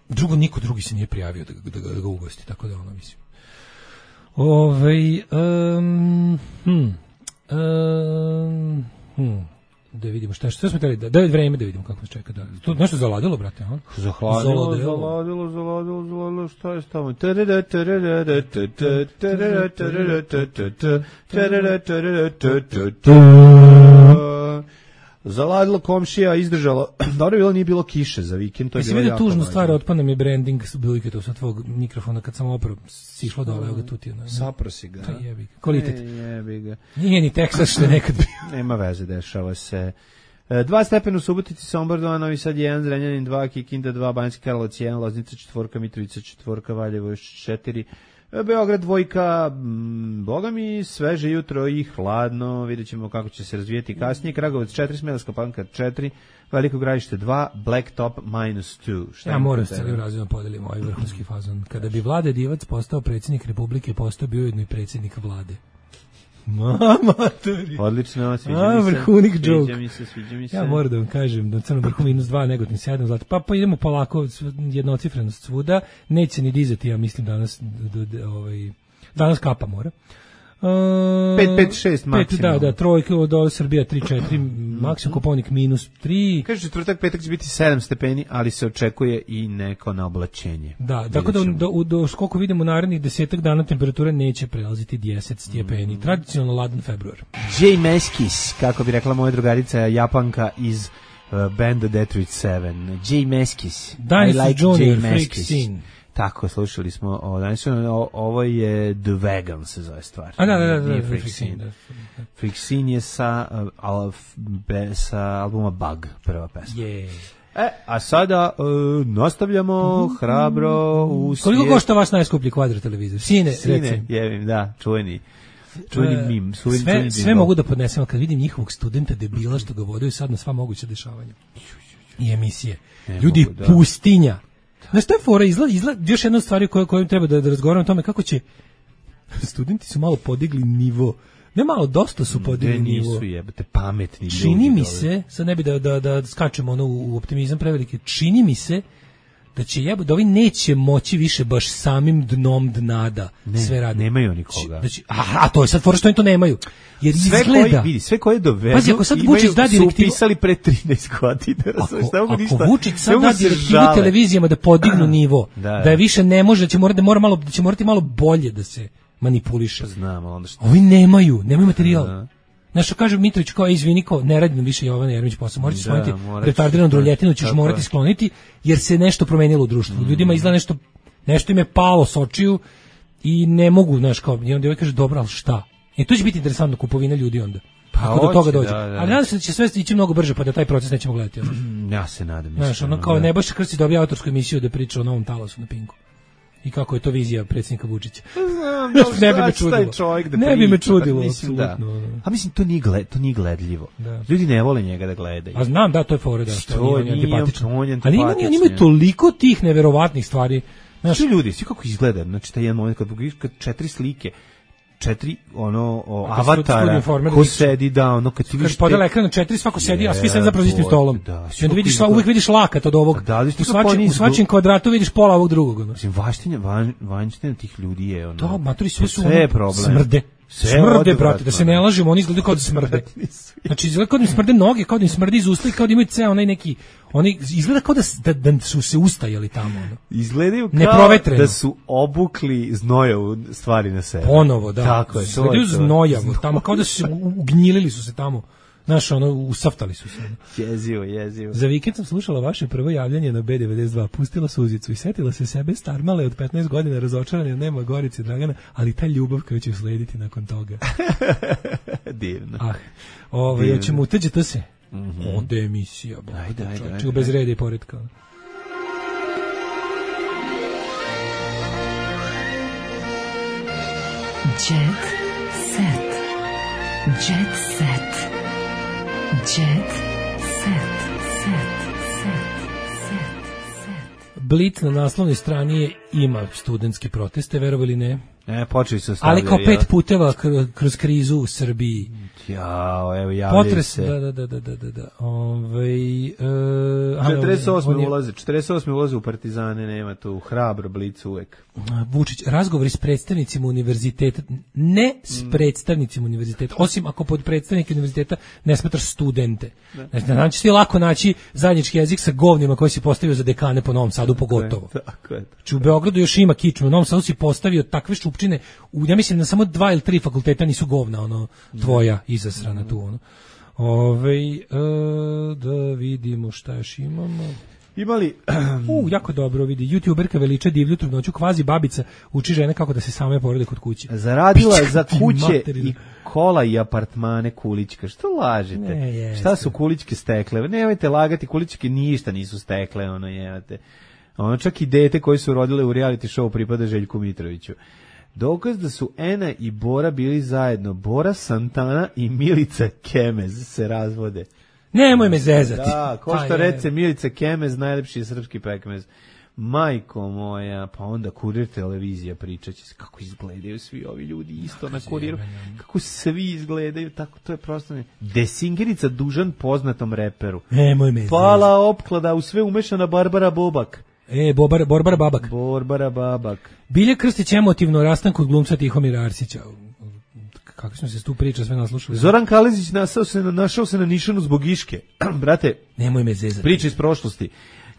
Speaker 7: Drugo, niko drugi se nije prijavio da ga ugosti, tako da mislim. Da vidimo šta smo teli, da je vreme da vidimo kako nas čeka. To nešto zaladilo, brate?
Speaker 6: Zaladilo, šta je stavno? Zaladilo, komšija, izdržalo. Dobro je bilo, nije bilo kiše za vikend. To je bilo jako
Speaker 7: tužnu stvar, otpada mi branding biliketa sa tvojeg mikrofona kad sam opravo sišlo dole, evo ga tuti.
Speaker 6: Saprosi ga.
Speaker 7: Kvalitet.
Speaker 6: Jebi ga.
Speaker 7: Nije ni Teksas što je nekad bio.
Speaker 6: Nema veze, dešava se. 2 stepena u Subotici, Sombor 2, Novi Sad 1, Zrenjanin 2, Kikinda 2, Banjski Karlovac 1, Loznica 4, Mitrovica 4, Valjevo 4, Beograd 2, boga mi sveže jutro i hladno, vidjet ćemo kako će se razvijeti kasnije. Kragovac 4, Smederevska Palanka 4, Veliko Gradište 2, Blacktop -2.
Speaker 7: Ja moram se celim razredom podelim ovaj vrhunski fazon. Kada bi Vlade Divac postao predsjednik Republike, postao bi ujedno i predsjednik Vlade. Matori.
Speaker 6: Odlično, sviđa mi se.
Speaker 7: Vrhunik joke.
Speaker 6: Sviđa mi se.
Speaker 7: Ja moram da vam kažem da Crnom Vrhu -2, Negotin 7, Zlati. Pa idemo polako, jednocifrenost svuda. Neće ni dizati, ja mislim danas kapa mora.
Speaker 6: 5-5-6 maksimum.
Speaker 7: Da, trojke od Srbija 3-4, maksimum Koponik -3.
Speaker 6: Kaže četvrtak, petak će biti 7 stepeni, ali se očekuje i neko na oblačenje.
Speaker 7: Da, tako da koliko vidimo narednih 10 dana temperatura neće prelaziti 10 stepeni. Tradicionalno ladan februar.
Speaker 6: Jay Meskis, kako bi rekla moja drugarica, Japanka iz benda Detroit 7. Jay Meskis.
Speaker 7: Dinosaur Junior, Freak Scene.
Speaker 6: Tako, slušali smo ovo je The Vegan se zove stvar.
Speaker 7: Da,
Speaker 6: Freak Scene. Freak Scene je sa albuma Bug, prva pesma. A sada nastavljamo hrabro u svijet.
Speaker 7: Koliko košta vaš najskuplji kvadrat televizor? Sine,
Speaker 6: jevim, da, čuveni mim.
Speaker 7: Sve mogu da podnesem, kad vidim njihovog studenta debila što ga vodaju sad na sva moguća dešavanja. I emisije. Ljudi, pustinja. Znaš, to je fora, izgleda još jedna stvar kojom treba da razgovaramo o tome kako će studenti su malo podigli nivo. Ne malo, dosta su podigli nivo.
Speaker 6: Nisu jebate, pametni ljudi.
Speaker 7: Čini mi se, sad ne bi da skačemo ono u optimizam prevelike, čini mi se da će da ovi neće moći više baš samim dnom dna sve radi.
Speaker 6: Nemaju nikoga.
Speaker 7: A to je sad fora što oni to nemaju. Jer
Speaker 6: sve koje dovedu,
Speaker 7: pazi, ako sad Vučić da direktivu,
Speaker 6: su upisali pre 13 godina.
Speaker 7: Ako Vučić sad da direktivu televizijama da podignu nivo, da je više ne može, da će morati malo bolje da se manipuliše.
Speaker 6: Znam, onda što.
Speaker 7: Ovi nemaju materijal. Znaš, kaže Mitrović kao, izvini, kao, ne radi nam više Jovana Jeremić posao, morat ćeš skloniti retardiranu droljetinu, ćeš morati skloniti, jer se nešto promenilo u društvu. Ljudima izgleda nešto im je palo s očiju i ne mogu, znaš, kao, i onda ovaj kaže, dobro, ali šta? To će biti interesantno, kupovina ljudi onda. Ako do toga dođe. Ali nadam se da će sve ići mnogo brže, pa da taj proces nećemo gledati.
Speaker 6: Ja se nadam.
Speaker 7: Znaš, ono kao Nebojša Krstić dobija autorsku emisiju da priča o novom talasu na Pinku. I kako je to vizija predsjednika Vučića. Ne bi me čudilo. Ne bi me čudilo, apsolutno.
Speaker 6: A mislim, to nije gledljivo. Ljudi ne vole njega da gledaju.
Speaker 7: A znam, da, to je fora, da.
Speaker 6: To je antipatično.
Speaker 7: Ali oni imaju toliko tih neverovatnih stvari.
Speaker 6: Znači, ljudi, svi kako izgleda, znači, taj jedan moment kad 4 slike, 4 avatara ko sedi kad ti vidiš
Speaker 7: podela ekran na 4 svako sedi a svi sede zapravo za istim stolom. I onda vidiš uvek vidiš lakat od ovog. U svačim kvadratu vidiš pola ovog drugog.
Speaker 6: Mislim vanština tih ljudi je ono.
Speaker 7: Da, maturi sve su smrde, brate, da se ne lažemo, oni izgledaju kao da smrde. Znači, izgleda kao da im smrde noge, kao da im smrde iz usta i kao da imaju ceo onaj neki, oni izgleda kao da su se ustajali tamo. Ono.
Speaker 6: Izgledaju kao da su obukli znojavu stvari na sebe.
Speaker 7: Ponovo, da.
Speaker 6: Tako je.
Speaker 7: Izgledaju znojavu tamo, kao da su se ugnjilili su se tamo. Znaš, usaftali su se.
Speaker 6: Jezivo.
Speaker 7: Za vikend sam slušala vaše prvo javljanje na B92, pustila suzicu i setila se sebe starmale od 15 godina, razočarane, nema Gorice Dragana, ali ta ljubav koja će uslediti nakon toga.
Speaker 6: Divno.
Speaker 7: Hoćemo uteđeti se. Ode emisija. Ajde. Bez reda i poretka.
Speaker 4: Jet set. Jet set. Jet set.
Speaker 7: Blitz na naslovnoj strani ima studentske proteste, verovali ili ne?
Speaker 6: Počeli su stavljati.
Speaker 7: Ali kao 5 puteva kroz krizu u Srbiji.
Speaker 6: Evo javljaju se.
Speaker 7: Da.
Speaker 6: 48 ulaze u Partizane, nema tu hrabro Blic uvek.
Speaker 7: Vučić, razgovori s predstavnicima univerziteta, ne s predstavnicima univerziteta, osim ako pod predstavnike univerziteta ne smatraš studente. Znači ti lako naći zajednički jezik sa govnima koji si postavio za dekane po Novom Sadu, pogotovo.
Speaker 6: Tako je.
Speaker 7: Znači u Beogradu još ima kičmu, u Novom Sadu si postavio takve šupčine, ja mislim na samo 2 ili 3 fakulteta nisu govna, tvoja izasrana tu, da vidimo šta još imamo.
Speaker 6: Imali
Speaker 7: jako dobro vidi. YouTuberka veliča divlju trudnoću, kvazi babica uči žene kako da se same porode kod kuće.
Speaker 6: Zaradila za kuće i kola i apartmane Kulićka. Što lažete? Šta su Kulićke stekle? Nemojte lagati, Kulićke ništa nisu stekle, jevate. Čak i dete koje su rodile u reality show pripada Željku Mitroviću. Dokaz da su Ena i Bora bili zajedno. Bora Santana i Milica Kemez se razvode.
Speaker 7: Nemoj me zezati.
Speaker 6: Da, ko što rece Milica Kemez, najlepši je srpski pekmez. Majko moja, pa onda Kurir televizija pričaće se kako izgledaju svi ovi ljudi isto na Kuriru. Kako svi izgledaju, tako to je prosto ne. Desingerica dužan poznatom reperu.
Speaker 7: Nemoj me zezati.
Speaker 6: Pala opklada, u sve umešana Barbara Bobak.
Speaker 7: Borbara Babak. Bilje Krstić emotivno rastanku od glumca Tihomira Arsića. Kako smo se tu priča sve naslušali.
Speaker 6: Zoran Kalezić našao se na nišanu zbog Iške. Brate,
Speaker 7: nemoj me zezati.
Speaker 6: Priča iz prošlosti.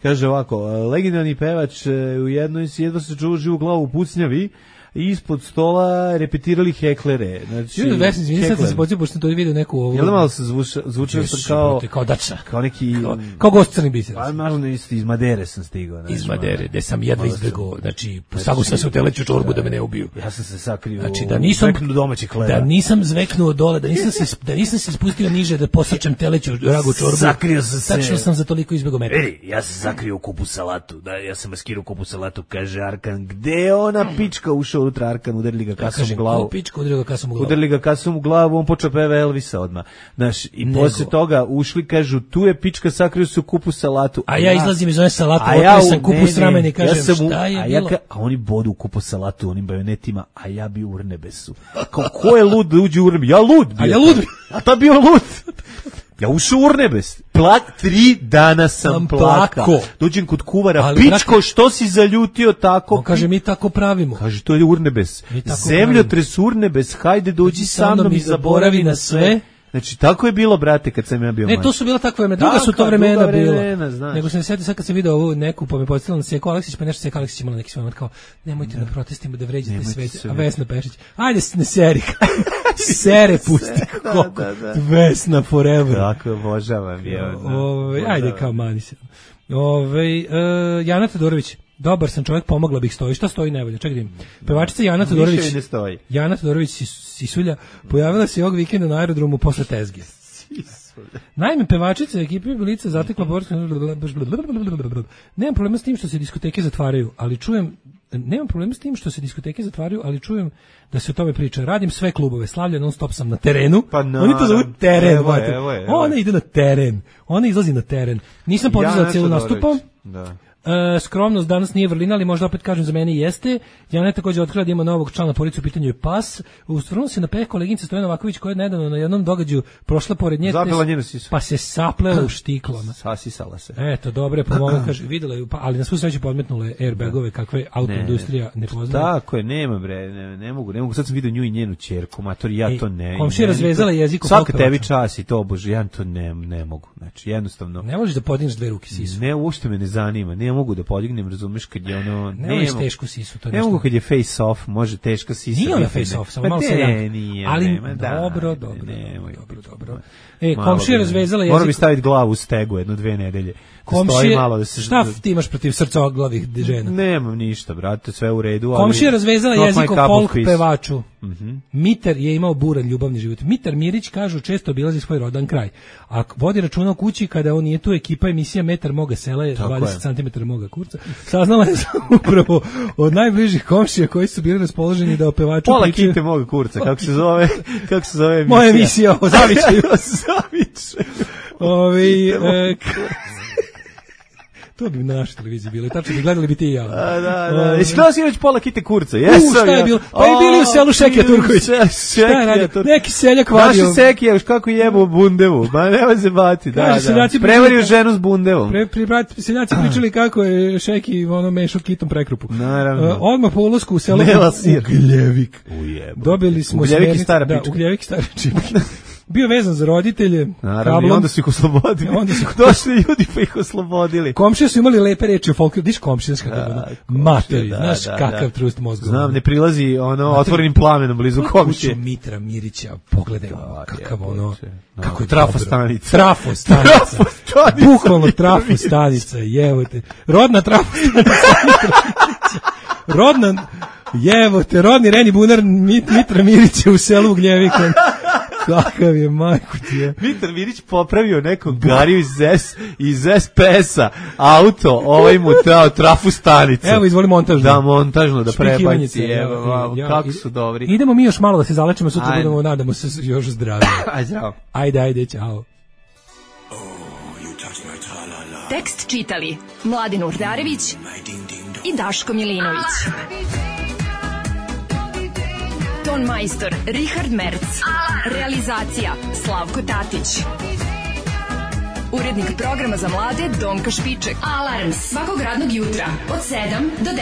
Speaker 6: Kaže ovako, legendarni pevač u jednom jedva se čuo živu glavu u pucnjavi i ispod stola repetirali heklere. Znači,
Speaker 7: sad sam se počeo, pošto sam to vidio neku ovu.
Speaker 6: Jel da malo se zvučio sam
Speaker 7: kao dača.
Speaker 6: Kao neki...
Speaker 7: Kao gost Crni biser.
Speaker 6: Pa naravno iz Madere sam stigao.
Speaker 7: Iz Madere, gde sam jedva izbegao. Znači, sagu sam se u teleću čorbu da me ne ubiju.
Speaker 6: Ja sam se sakrio
Speaker 7: u domaćih hleba. Da nisam zveknuo dole, da nisam se spustio niže da posrčam teleću ragu čorbu.
Speaker 6: Sakrio sam se.
Speaker 7: Tačno sam za toliko izbegao metra.
Speaker 6: Ja sam sakrio u kupu salatu. Ja sam maskirao kupu salatu, kaže Arkan. Gde je ona pička ušao unutra Arkan, udarili ga kasom u glavu.
Speaker 7: Pičku, udarili ga kasom u glavu.
Speaker 6: Udarili ga kasom u glavu, on počeo peva Elvisa odmah. Znaš, i posle toga ušli, kažu, tu je pička, sakrio su kupus salatu.
Speaker 7: A ja izlazim iz one salatu, otvori sam kupus ramen i kažem, šta je bilo?
Speaker 6: A oni bodu u kupus salatu, onim bajonetima, a ja bi u Urnebesu. Kao, ko je lud da uđe u Urnebesu? Ja lud bio.
Speaker 7: A ja lud bio.
Speaker 6: A ta bio lud. Ja ušao u Urnebes. 3 dana sam plakao. Dođem kod kuvara, ali, pičko, što si zaljutio tako?
Speaker 7: On kaže, mi tako pravimo.
Speaker 6: Kaže, to je Urnebes. Zemljotres Urnebes, hajde dođi sa mnom i zaboravi na sve. Znači, tako je bilo, brate, kad sam ja bio mlađi.
Speaker 7: Ne, to su bila takva vremena, druga su to vremena bila. Nego sam se setio sad kad sam video ovu neku, pa me podsjetila na Seko Aleksić, pa nešto Seko Aleksić imala neki svoj kao, nemojte na protestima da vređate svet. A Vesna Pešić, ajde ne seri, sere pusti, koliko, Vesna forever.
Speaker 6: Tako, obožavam je.
Speaker 7: Ajde kao mani se. Jana Todorović, dobar sam čovjek, pomogla bih, stoji. Šta stoji najbolje? Čekaj da im. Pevačica Jana Todorović. Jana Todorović Sisulja pojavila se ovog vikenda na aerodromu posle tezge. Naime, pevačica ekipe Bilica zatekla borsku. Nemam problema s tim što se diskoteke zatvaraju, ali čujem da se o tome priča. Radim sve klubove, Slavlja non stop sam na terenu.
Speaker 6: Pa
Speaker 7: oni to zovu teren. Ona ide na teren. Ona izlazi na teren. Nisam podizala cijelu nastupa.
Speaker 6: Da.
Speaker 7: Skromnost danas nije vrlina, ali možda opet kažem za mene jeste. Jana je također otkrila da ima novog člana porodice, u pitanju je pas. Ustvrnuo se na peh koleginica Stojana Vaković koja je nedavno na jednom događaju prošla pored nje.
Speaker 6: Zapela njenu sisu.
Speaker 7: Pa se saplela u štiklama.
Speaker 6: Sasisala se.
Speaker 7: Eto, dobro je pomoga, kaže, videla je, ali na svu sreću podmetnule airbagove kakve autoindustrija ne poznaje.
Speaker 6: Tako je, nema bre, ne mogu. Sad sam vidio nju i njenu ćerku, matori, ja to ne.
Speaker 7: Komšija razvezala jezik u
Speaker 6: svaka tebi čas i to, bože, ja to ne mogu. Znači, jednostavno.
Speaker 7: Ne možeš da podigneš dve ruke sisu.
Speaker 6: Ne, uopšte me ne zanima. Ne mogu da podignem, razumeš, kad je ono...
Speaker 7: Ne tešku sisu, to
Speaker 6: ne mogu kad je face off, može teška sisa.
Speaker 7: Nije ona face off, samo malo seljak.
Speaker 6: Nije,
Speaker 7: ali dobro. Komšija razvezala jezik.
Speaker 6: Moram bi staviti glavu u stegu 1-2 nedelje.
Speaker 7: Komšije, šta ti imaš protiv srcoglavih žena?
Speaker 6: Nemam ništa, brate, sve u redu.
Speaker 7: Komšija razvezala jezik o folk pevaču. Mitar je imao buran ljubavni život. Mitar Mirić, kažu, često obilazi svoj rodan kraj. A vodi računa o kući kada on nije tu, ekipa emisija Metar moga sela je 20 cm moga kurca. Saznala je upravo od najbližih komšija koji su bili raspoloženi da o pevaču
Speaker 6: pola pričaju. Kite moga kurca, kako se zove emisija?
Speaker 7: Moja emisija o Zavičaju. To bi na našoj televiziji bilo. Tačno bi gledali bi ti i ja.
Speaker 6: Da. Iskreno si već pola kite kurca.
Speaker 7: Šta je bilo? Pa i bili u selu Šekija Turković. Šta je radio? Neki seljak vadio.
Speaker 6: Naši Sekija, još kako jebo bundevu. Ma nema se bati. Da. Prevario ženu s bundevom.
Speaker 7: Seljaci pričali kako je Šeki mešao kitom prekrupu.
Speaker 6: Naravno.
Speaker 7: Odmah po ulasku u selo Ugljevik. Dobili smo
Speaker 6: Ugljevik i stara pička.
Speaker 7: Ugljevik i stara pička. Bio vezan za roditelje.
Speaker 6: Naravno, i onda su ih oslobodili. Došli ljudi pa ih oslobodili.
Speaker 7: Komšije su imali lepe reči o folkloru. Diš komšijska kako materi, znaš kakav trust mozga.
Speaker 6: Znam, ne prilazi otvorenim plamenom blizu komšije.
Speaker 7: Kuću Mitra Mirića, pogledaj kakav kako je
Speaker 6: trafostanica.
Speaker 7: Trafostanica. Bukvalno trafostanica, jevote. Rodna trafostanica. Rodni Reni Bunar Mitra Mirića u selu Ugljevika. Kakav je, majku ti je.
Speaker 6: Mitar Mirić popravio nekog gariju iz SPS-a, auto, mu dao trafu stanicu.
Speaker 7: Evo, izvoli montažno.
Speaker 6: Da, montažno, da prebaci. Evo, kako su dobri.
Speaker 7: Idemo mi još malo da se zalečimo, sutra budemo, nadamo se, još zdravije.
Speaker 6: Ajde, zdravo.
Speaker 7: Ajde, čao.
Speaker 4: Tekst čitali Mladin Urdarević i Daško Milinović. Ton majstor Richard Merc. Realizacija Slavko Tatić. Urednik programa za mlade Donka Špiček. Alarms svakog radnog jutra od 7 do 10.